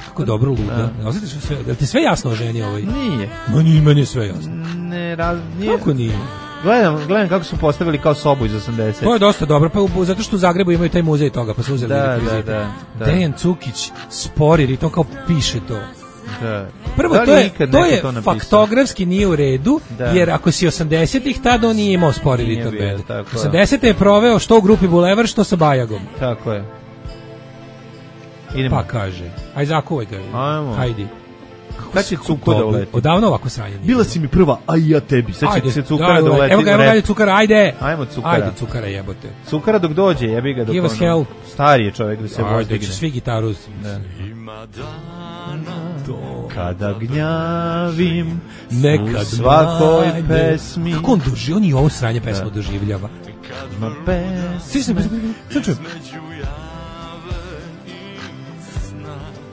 Kako dobro luda. Osjetiš sve, da ti sve jasno o ženi ovoj? Nije. Meni je sve jasno. Nije. Kako nije? Gledam kako su postavili kao sobu iz 80. To je dosta dobro, pa zato što u Zagrebu imaju taj muzej toga, pa su uzeli da. Dejan Cukić spori ritam, kao piše to. Da. Prvo, to je faktografski nije u redu, jer ako si 80-ih, tada on nije imao spori ritam band. 80-te je proveo što u grupi Bulevar, što sa Bajagom. Tako je. Pa kaže, aj zakuvaj ga, hajdi. Kad će Cuko da uleti? Odavno ovako sranje. Bila si mi prva, a i ja tebi. Sad će se Cukara da uleti. Evo ga, Cukara, ajde. Ajmo Cukara. Ajde Cukara, jebote. Cukara dok dođe, jebi ga dok Give us hell. Stari je čovjek da se vozdigne. Svi gitaru. Kada gnjavim nekad u svakoj pesmi. Kako on doživljava? On i ovo sranje pesmu doživljava. Ima pesme.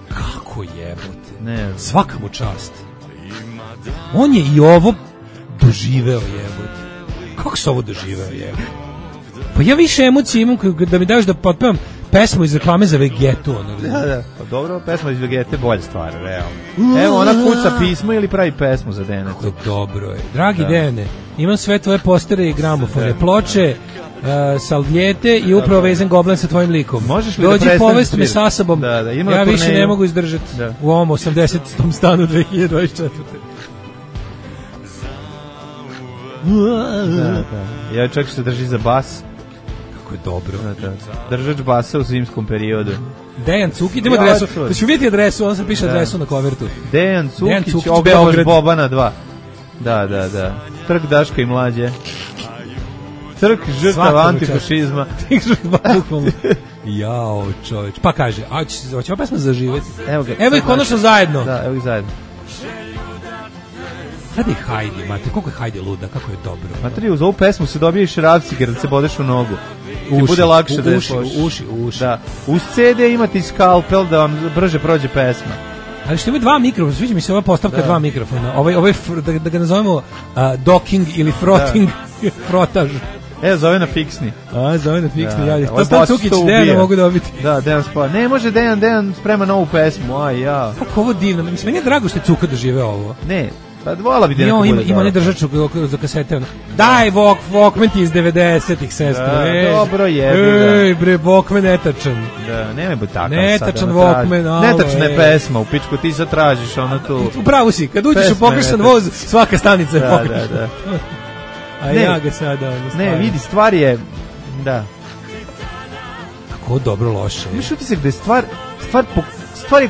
Kako jebote. Ne. Svaka mu čast. On je i ovo doživeo jebote. Kako se ovo doživeo jebote? Pa ja više emocije imam da mi daš da potpevam pesmu iz reklame za Vegetu. Da, pa dobro, pesma iz Vegete bolja stvar, realno. Evo, ona kuca pismo ili pravi pesmu za Dejana Cukića. Dobro je. Dragi Dejane, imam sve tvoje postere i gramofone, ploče, salvijete i upravo vezan goblen sa tvojim likom. Možeš li dođi da povesti me sa sobom, ja više ne mogu izdržati u ovom 80. stanu 2024. Da. Ja čak se drži za bas. Kako je dobro. Držač basa u zimskom periodu. Dejan Cukić, idemo adresu. Da ću vidjeti adresu, on sam piše adresu na kovertu. Dejan Cukić, Beograd Bobana 2. Da. Trg Daška i Mlađe. Trg žrtava antifašizma. Jao, čoveč. Pa kaže, hoće ova pesma zaživeti. Evo ih konačno zajedno. Da, evo ih zajedno. Sada je Hajdi, mate, koliko je Hajdi luda, kako je dobro. Matri, uz ovu pesmu se dobije šrafciger da se bodeš u nogu. Ti bude lakše da je uši. Da. Uz CD imate i skalpel da vam brže prođe pesma. Ali što ima dva mikrofona, sviđa mi se ova postavka dva mikrofona. Ovaj da ga nazovemo docking ili frotting, frotaž. Zove na fiksni. Zove na fiksni, ja. To sam Cukić, Dejana mogu dobiti. Da, Dejan spava. Ne, može Dejan sprema novu pesmu, ja. Kako ovo divno, mislim, meni je drago što je Cuka dožive ovo. Ne, pa vola bi Dejan bude. Ima ne držač za kasete. Daj, Walkman ti iz 90-ih, sestra. Dobro je. Ej, bre, Walkman netačan. Da, nemoj biti takav. Netačan Walkman. Netačna je pesma, u pičku ti sad tražiš ono tu. Upravo si, kad uđeš u pogrešan voz, svaka stanica je pogrešna. Da. A ja ga sada... Ne, vidi, stvar je... Da. Kako dobro loše. Imaš utisak da je stvar je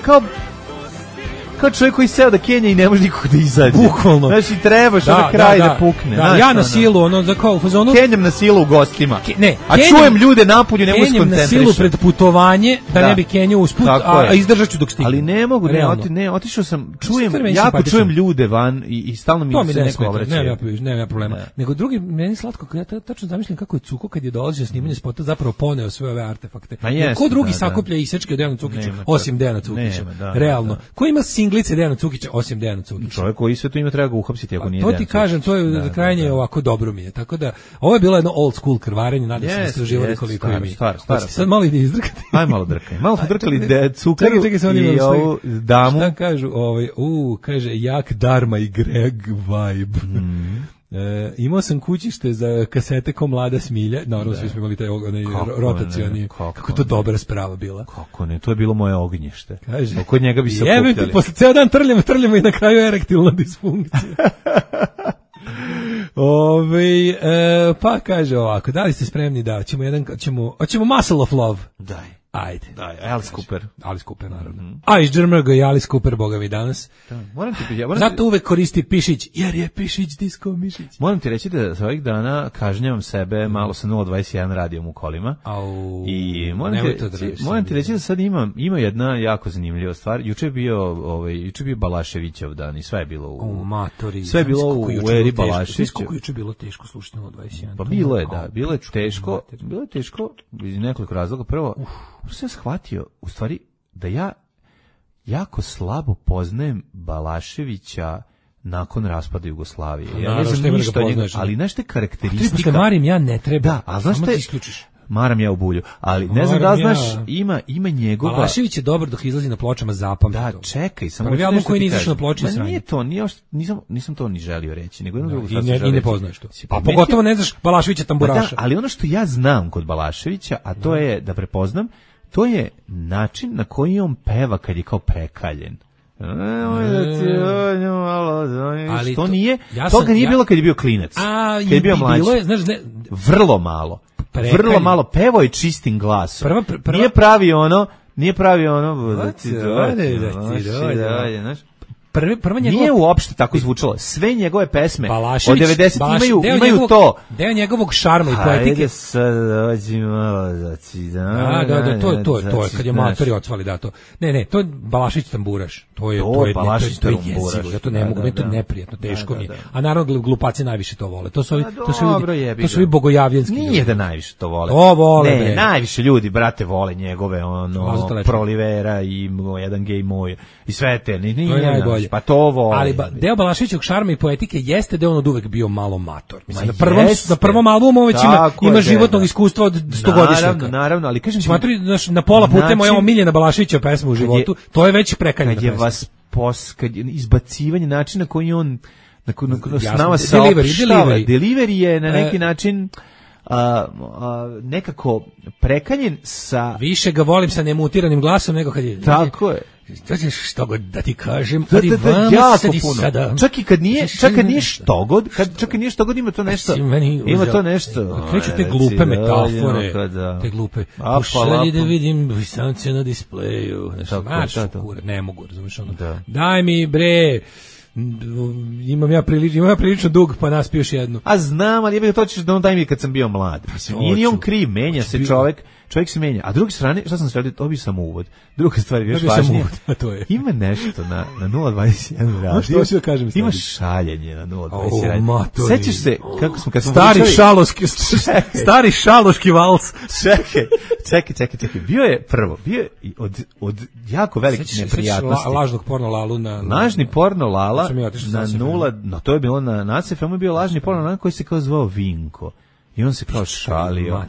kao čovjek koji seo da Kenja i ne može nikog da izađe. Bukvalno. Znači, trebaš na kraj da pukne. Da, ja na silu, ono, za kao u fazonu... Kenjam na silu u gostima. A čujem ljude napolju, ne mogu se koncentrišati. Kenjam na silu pred putovanje, da ne bi Kenjao usput, a izdržat ću dok stigne. Ali ne mogu, otišao sam, čujem ljude van i stalno mi se neko obraća. Nema problema. Nego drugi, meni slatko, ja tačno zamišljam kako je Cuko kad je dolazio snimanje spota zapravo poneo sve ove artefakte. Ko drugi sakuplja isečke od Dejana Cukića, osim Dejana Cukića. Realno. Ko ima singlice Dejana Cukića, osim Dejana Cukića? Čovjek koji sve to ima treba ga uhapsiti ako nije Dejan Cukić. To ti kažem, to je krajnje ovako dobro mi je. Tako da, ovo je bilo jedno old school krvarenje, nadam se da ste uživali koliko je mi. Sad malo ide izdrkati. Aj malo drkaj. Malo smo drkali Cukaru i ovu damu. Šta kažu? Kaže, jak Dharma i Greg vibe. Imao sam kućište za kasete ko Mlada Smilja. Naravno, svi smo imali taj rotacioni. Kako to dobra sprava bila. Kako ne, to je bilo moje ognjište. Kod njega bi se okupljali. Posle ceo dan trljamo i na kraju erektilna disfunkcija. Pa kaže ovako, da li ste spremni da hoćemo Muscle of Love? Daj. Ajde. Alice Cooper, naravno. A iz Džrmrga i Alice Cooper, boga mi danas. Zato uvek koristi Pišić, jer je Pišić disco Mišić. Moram ti reći da za ovih dana kažnjavam sebe malo sa 021 radijom u kolima. I moram ti reći da sad ima jedna jako zanimljiva stvar. Juče je bio Balaševićev dan i sve je bilo sve je bilo u eri Balaševića. Kako juče bilo teško slušati 021. Pa bilo je teško iz nekoliko razloga. Prvo, sam shvatio, u stvari, da ja jako slabo poznajem Balaševića nakon raspada Jugoslavije. Ja ne znam ništa o njega, ali znaš te karakteristika... Marim, ja ne treba. Da, ali znaš te... isključiš. Maram ja u bulju, ali ne znam da znaš, ima njegova... Balašević je dobar dok izlazi na pločama, zapamti to. Da, čekaj, samo... Prvi album koji nije izašao na ploči sranje. Nije to, nisam to ni želio reći, nego jedno drugo i ne poznaš to. Pa pogotovo ne znaš Balaševića tamburaša. Ali ono što ja znam kod Balaševića, a to je da prepoznam, to je način na koji on peva kad je kao prekaljen. Ali to nije, toga nije bilo kad je bio klinac. Kad je bio mlađi. Vrlo malo. Vrlo malo, pevo je čistim glasom. Nije pravi ono nije uopšte tako zvučalo. Sve njegove pesme od 90 imaju to. Deo njegovog šarma i poetike. Ajde sad dođi malo to je kad je matori odsvali da to. Ne, to je Balašić tamburaš. To je jezivo. Ja to ne mogu, meni to neprijatno, teško mi je. A naravno glupaci najviše to vole. To su ovi bogojavljenski. Nije da najviše to vole. To vole. Ne, najviše ljudi, brate, vole njegove Prolivera i jedan gej moj i sve te. To je najbolje. Pa to vole. Ali deo Balaševićevog šarma i poetike jeste da je on od uvek bio malo mator. Mislim, Ma na prvom albumu već ima životnog iskustva od 100-godišnjaka. Naravno, ali kažem ti, na pola puta moja omiljena Balaševićeva pesma u životu, to je već prekanjena pesma. Kad je vas kad je izbacivanje načina koji on s nama saopštava, delivery je na neki način nekako prekanjen sa... Više ga volim sa nemutiranim glasom nego kad je... Tako je. Što god da ti kažem, jako puno. Čak i kad nije što god, ima to nešto. Ima to nešto. Kreću te glupe metafore, te glupe. Pošalji da vidim samce na displeju. Ne mogu, razumiješ ono. Daj mi bre... Imam ja prilično dug, pa naspio još jednu. A znam, ali ja to ćeš da on daj mi kad sam bio mlad. Mislim, nije on kriv, menja se čovjek se menja. A druge strane, šta sam sredio, to bi sam uvod. Druga stvar je još važnije. Ima nešto na 021 radio. Što ću da kažem? Ima šaljenje na 021 radio. Sećaš se kako smo kad smo stari šaloški vals. Čekaj. Bio je od jako velikih neprijatnosti. Lažnog porno Lalu lažni porno Lala na 0, no to je bilo na NACFM je bio lažni porno Lala koji se kao zvao Vinko. I on se kao šalio.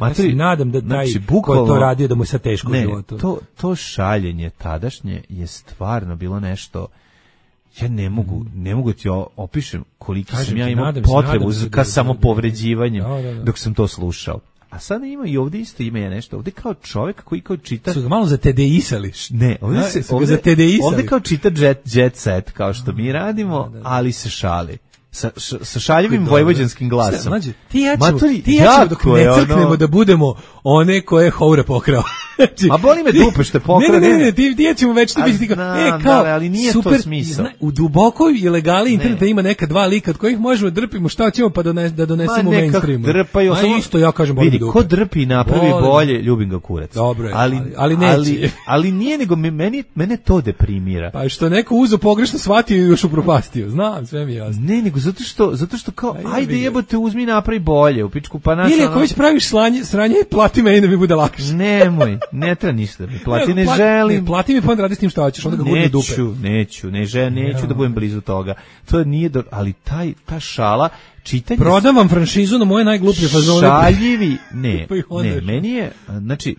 Ja se nadam da taj ko to radio da mu je sad teško u životu. To šaljenje tadašnje je stvarno bilo nešto. Ja ne mogu ti opišem koliko sam ja imao potrebu ka samopovređivanjem dok sam to slušao. A sada ima i ovdje isto ima nešto. Ovdje kao čovjek koji kao čita... Su ga malo za TDI-sali. Ne, ovdje kao čita jet set, kao što mi radimo, ali se šali. Sa šaljivim vojvođanskim glasom. Ti ja ću dok ne crknemo da budemo one koje Houre pokrao. A boli me dupe što je pokrao. Ne, ti ja ćemo već to biti kao, ali nije super, to smisao. U dubokoj ilegali interneta ima neka dva lika od kojih možemo drpimo šta ćemo pa da donesemo u mainstreamu. Drpaju. Isto ja kažem boli dupe. Vidi, ko drpi i napravi bolje, ljubim ga kurac. Dobro, ali neće. Ali nije, nego mene to deprimira. Pa što neko uzo pogrešno shvatio i još upropastio. Znam, sve mi je jasno. Ne, nego zato što kao, ajde jebote, uzmi i napravi bolje u pičku, pa naša... Ili ako već praviš sranje, plati me i da mi bude lakše. Nemoj, ne treba ništa da mi plati, ne želim. Ne, plati mi pa onda radi s tim šta hoćeš, onda ga gurne dupe. Neću da budem blizu toga. To nije, ali ta šala, čitanje... Prodam vam franšizu na moje najgluplje fazone. Šaljivi, ne,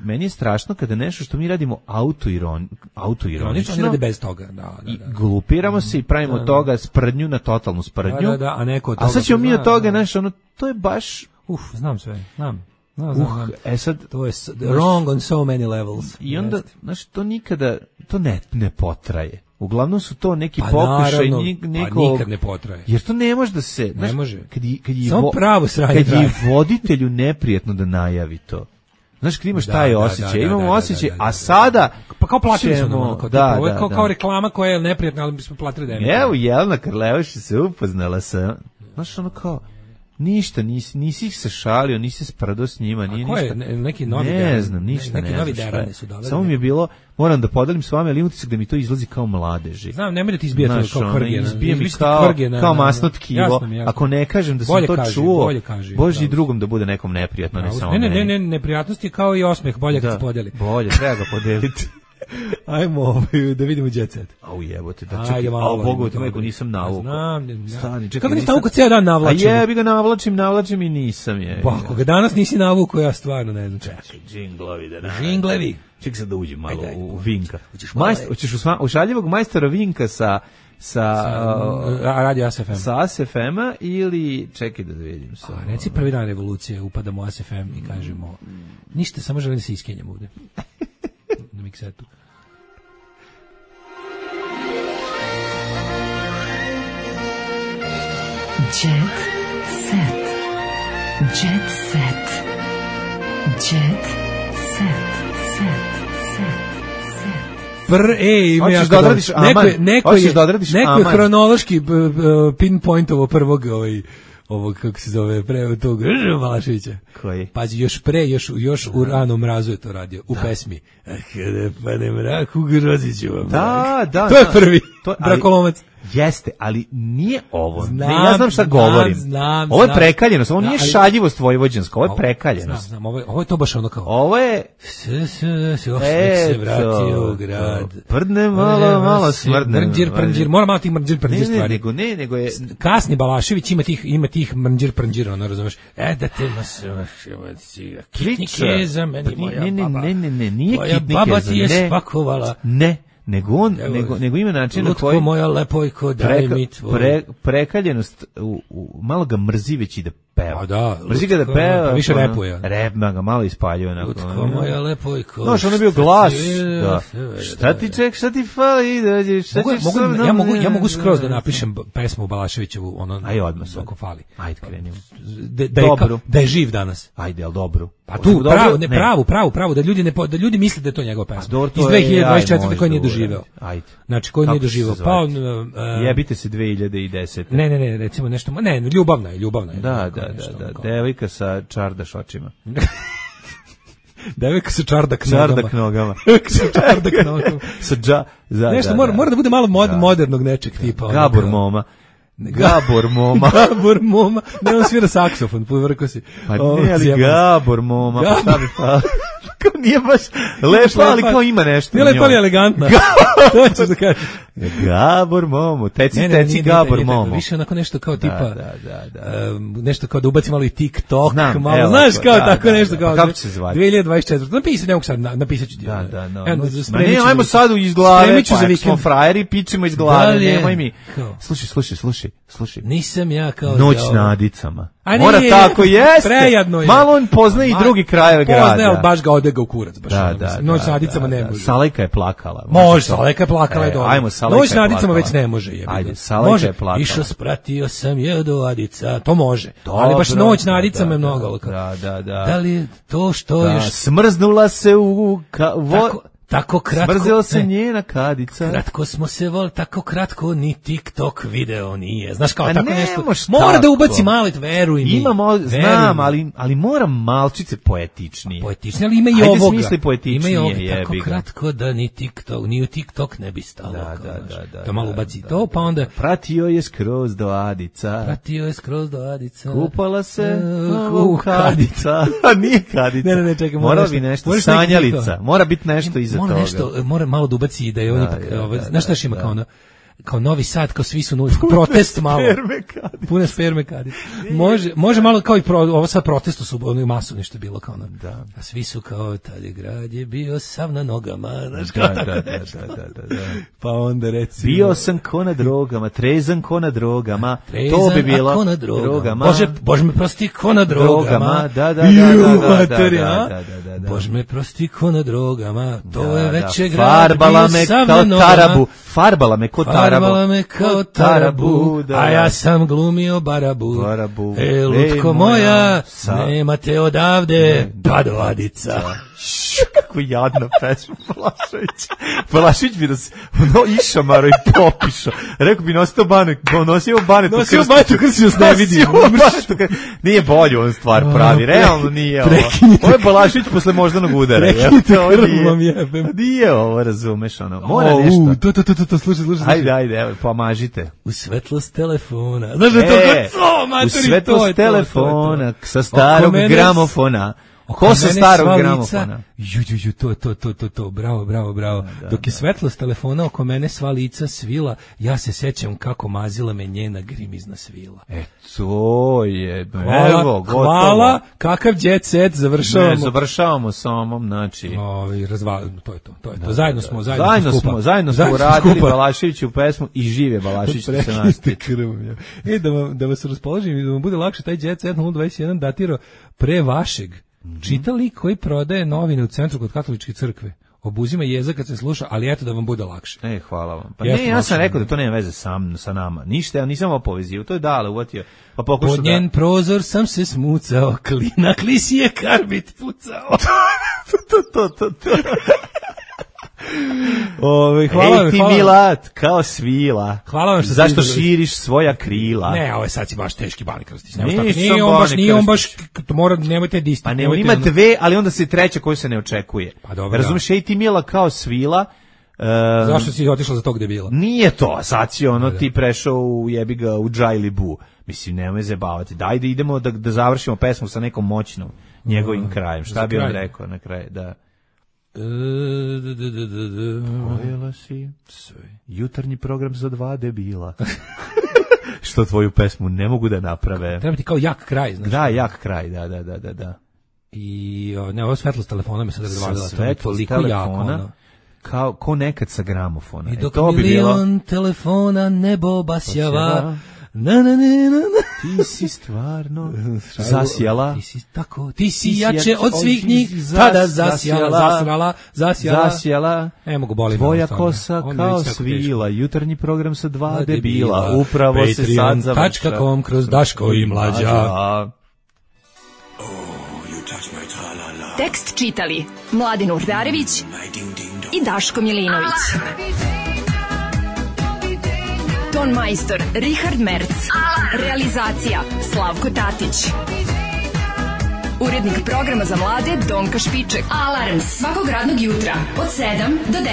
meni je strašno kada nešto što mi radimo autoironično. Oni rade bez toga, I glupiramo se i pravimo od toga sprdnju na totalnu sprdnju. A neko od toga... A sad ćemo mi od toga, to je baš... Znam sve, znam. Sad to je wrong on so many levels. I onda, to nikada, to ne potraje. Uglavnom su to neki pokušaj Pa nikad ne potraje. Jer to ne može da se... Ne može. Samo pravo sranje traje. Kad je voditelju neprijetno da najavi to. Znaš, kad imaš taj osjećaj, imamo osjećaj, a sada... Pa kao platili smo nam, kao reklama koja je neprijatna, ali bismo platili da je. Evo, Jelena Karlevaš se upoznala sa... Znaš, ono kao... Ništa, nisi ih se šalio, nisi se sprdo s njima, nije ništa. Neki novi ne znam, ništa neki novi derane su doveli. Samo mi je bilo, moram da podelim s vama, ali utisak da mi to izlazi kao mladeži. Znam, nemoj da ti izbijate kao kvrgena. Izbije mi kao masno tkivo. Ako ne kažem da sam to čuo, Bože i drugom da bude nekom neprijatno, ne samo meni. Ne, neprijatnost je kao i osmeh, bolje kad se podeli. Bolje, treba ga podeliti. Ajmo da vidimo Jet Set. Au jebote, da čekaj, Bogu te majku nisam navukao. Znam. Stani, čekaj. Kako nisi navukao cijel dan navlačim? A jebi ga navlačim i nisam je. Pa ako ga danas nisi navukao, ja stvarno ne znam. Čekaj, džinglevi. Čekaj sad da uđem malo u Vinka. Hoćeš u šaljivog majstora Vinka sa Radio ASFM. Sa ASFM-a ili čekaj da vidim sa. Reci prvi dan revolucije, upadamo u ASFM i kažemo ništa, samo želim da se iskenjam ovde. Na miksetu. Jet set. Jet set. Jet set. Hoćeš da odradiš aman? Neko je hronološki pinpointovo prvog ovog, kako se zove, pre tog Balaševića. Koji? Pazi, još u ranom mrazu je to radio, u pesmi. Kada padne mrak, u Groziću vam. Da. To je prvi. Brakolomac. Jeste, ali nije ovo. Ja znam šta govorim. Ovo je prekaljenost, ovo nije šaljivost vojvođanska, ovo je prekaljenost. Znam, ovo je to baš ono kao. Ovo je se vratio u grad. Prdne malo smrdne. Mrđir, mora malo tih mrđir stvari. Nego je kasni Balašević ima tih mrđir, ono razumeš. Da te nas kitnike za meni moja baba. Ne, nije kitnike. Moja baba ti je spakovala. Ne. Nego ima način na koji moja lepojko daj mi tvoj prekaljenost malo ga mrzi već i da peva. Da, mrzi ga da peva, više repuje. Repma ga malo ispaljuje onako. Lutko moja lepojko. No, što on je bio glas. Da. Šta ti fali dođeš? Ja mogu skroz da napišem pesmu Balaševićevu, ono. Aj odmah ako fali. Ajde krenimo. Da je živ danas. Ajde, al dobro. Pa tu pravo da ljudi misle da je to njegova pesma. Iz 2024 koji nije doživeo. Ajde. Znači koji nije doživeo. Pa jebite se 2010. Ne, recimo nešto, ljubavna je. Da. Devojka sa čardaš očima. Devojka sa čardak nogama. Nešto mora da bude malo modernog nečeg tipa. Gabor Moma. Ne, on svira saksofon, povrko si. Pa ne, ali Gabor Moma. Šta bi pa? Kao nije baš lepo, ali kao ima nešto. Nije lepo, ali elegantna. To ćeš da kažeš. Gabor Momo, teci Gabor Momo. Više onako nešto kao tipa, nešto kao da ubaci malo i TikTok, malo, znaš, kao tako nešto. Kako će se zvati? 2024. Napisati, ne mogu sad, napisat ću ti. Ne, ajmo sad iz glave, pa smo frajeri, pičemo iz glave, nemoj mi. Slušaj. Nisam ja kao... Noć na Adicama. Mora tako, jeste. Prejedno je. Malo on poznaje i drugi krajeve grada. Poznaje, ali baš ga odega u kurac. Noć na Adicama ne može. Salajka je plakala. Može, Salajka je plakala je dobro. Ajmo, Salajka je plakala. Noć na Adicama već ne može. Ajde, Salajka je plakala. Išao, spratio sam je do Adica. To može. Ali baš Noć na Adicama je mnogo. Da li je to što još... Smrznula se u... Tako kratko. Smrzela se njena kadica. Kratko smo se volili, tako kratko ni TikTok video nije. Znaš kao tako nešto. Mora da ubaci malo, veruj mi. Znam, ali mora malčice poetičnije. Poetičnije, ali ima i ovoga. Ajde smisli poetičnije. Tako kratko da ni u TikTok ne bi stalo. Da. To malo ubaci to, pa onda... Pratio je skroz do Adica. Kupala se u Kadica. Nije Kadica. Ne, čekaj. Mora bi nešto, sanjalica. Mora biti nešto iza toga. Mora malo da ubaci da je on ipak, znaš šta ima kao Novi Sad, kao svi su novi, protest malo. Pune sperme kadice. Može malo kao i ovo sad protestu su ono masovno što je bilo kao da. A svi su kao tad je grad je bio sav na nogama, znaš kao da. Pa onda recimo bio sam ko na drogama, trezan ko na drogama, to bi bilo drogama. Bože me prosti ko na drogama. Da. Bože me prosti ko na drogama. To je veće grad bio sav na nogama. Farbala me kao tarabu, a ja sam glumio barabu. Lutko moja, nema te odavde, pa do Adica. Kako jadna pesma, Balašević bi nas išamaro i popišao. Rekao bi nosio banet u krstu nas ne vidi. Nije bolje on stvar pravi, realno nije ovo. Ovo je Balašević posle moždanog udara. Prekinite krvom jebem. Nije ovo, razumeš, mora nešto. To, slušaj. Ajde, evo, pomažite. U svetlost telefona. Znaš da je to kod co, materi, u svetlost telefona, sa starog gramofona. Ko sa starog gramofona? To, bravo. Dok je svetlost telefona oko mene sva lica svila, ja se sećam kako mazila me njena grimizna svila. To je, evo, gotovo. Hvala, kakav jet set, završavamo. Ne, završavamo sa omom, znači. To je to. Zajedno smo uradili Balaševiću pesmu i žive Balašević se nastiče. Da vas raspoložim i da vam bude lakše, taj jet set 021 datirao pre vašeg. Čita lik koji prodaje novine u centru kod katoličke crkve. Obuzima jeza kad se sluša, ali eto da vam bude lakše. Hvala vam. Pa ja sam rekao da to nema veze sa nama. Ništa, ja nisam ovo povezio. To je dale, uvatio. Pa pokušao pod njen prozor sam se smucao, klina klisi je karbit pucao. To. Hvala Ej ti Milat, kao svila. Hvala vam što zašto širiš svoja krila. Ne, ovo je sad si baš teški Bani Krstić. Nije on baš nemojte disti. Pa ne, on ima dve, ali onda se treća koju se ne očekuje. Pa dobro. Razumeš, ej ti Mila kao svila, Zašto si otišla za tog debila? Nije to, sad si ti prešao u jebiga u Džajli Bu. Mislim, nemoj zebavati. Daj da idemo da završimo pesmu sa nekom moćnom njegovim krajem. Šta bi on rekao na kraju? Da. Pojela si jutarnji program za 2 debila. Što tvoju pesmu ne mogu da naprave. Treba ti kao jak kraj, znaš. Da, jak kraj, da. I ovo svetlost telefona mi se razvalila. Svetlost telefona, ko nekad sa gramofona. I dok milion telefona nebo basjava, na. Ti si stvarno zasjala. Ti si jače od svih njih, tada zasjala. Mogu boli. Tvoja kosa kao svila, jutarnji program sa 2 debila, upravo se sad završava. Patreon.com kroz Daško i Mlađa. Tekst čitali Mladin Urdarević i Daško Milinović. Ton majstor Richard Merc. Realizacija Slavko Tatić. Urednik programa za mlade Donka Špiček. Alarms svakog radnog jutra od 7 do 10.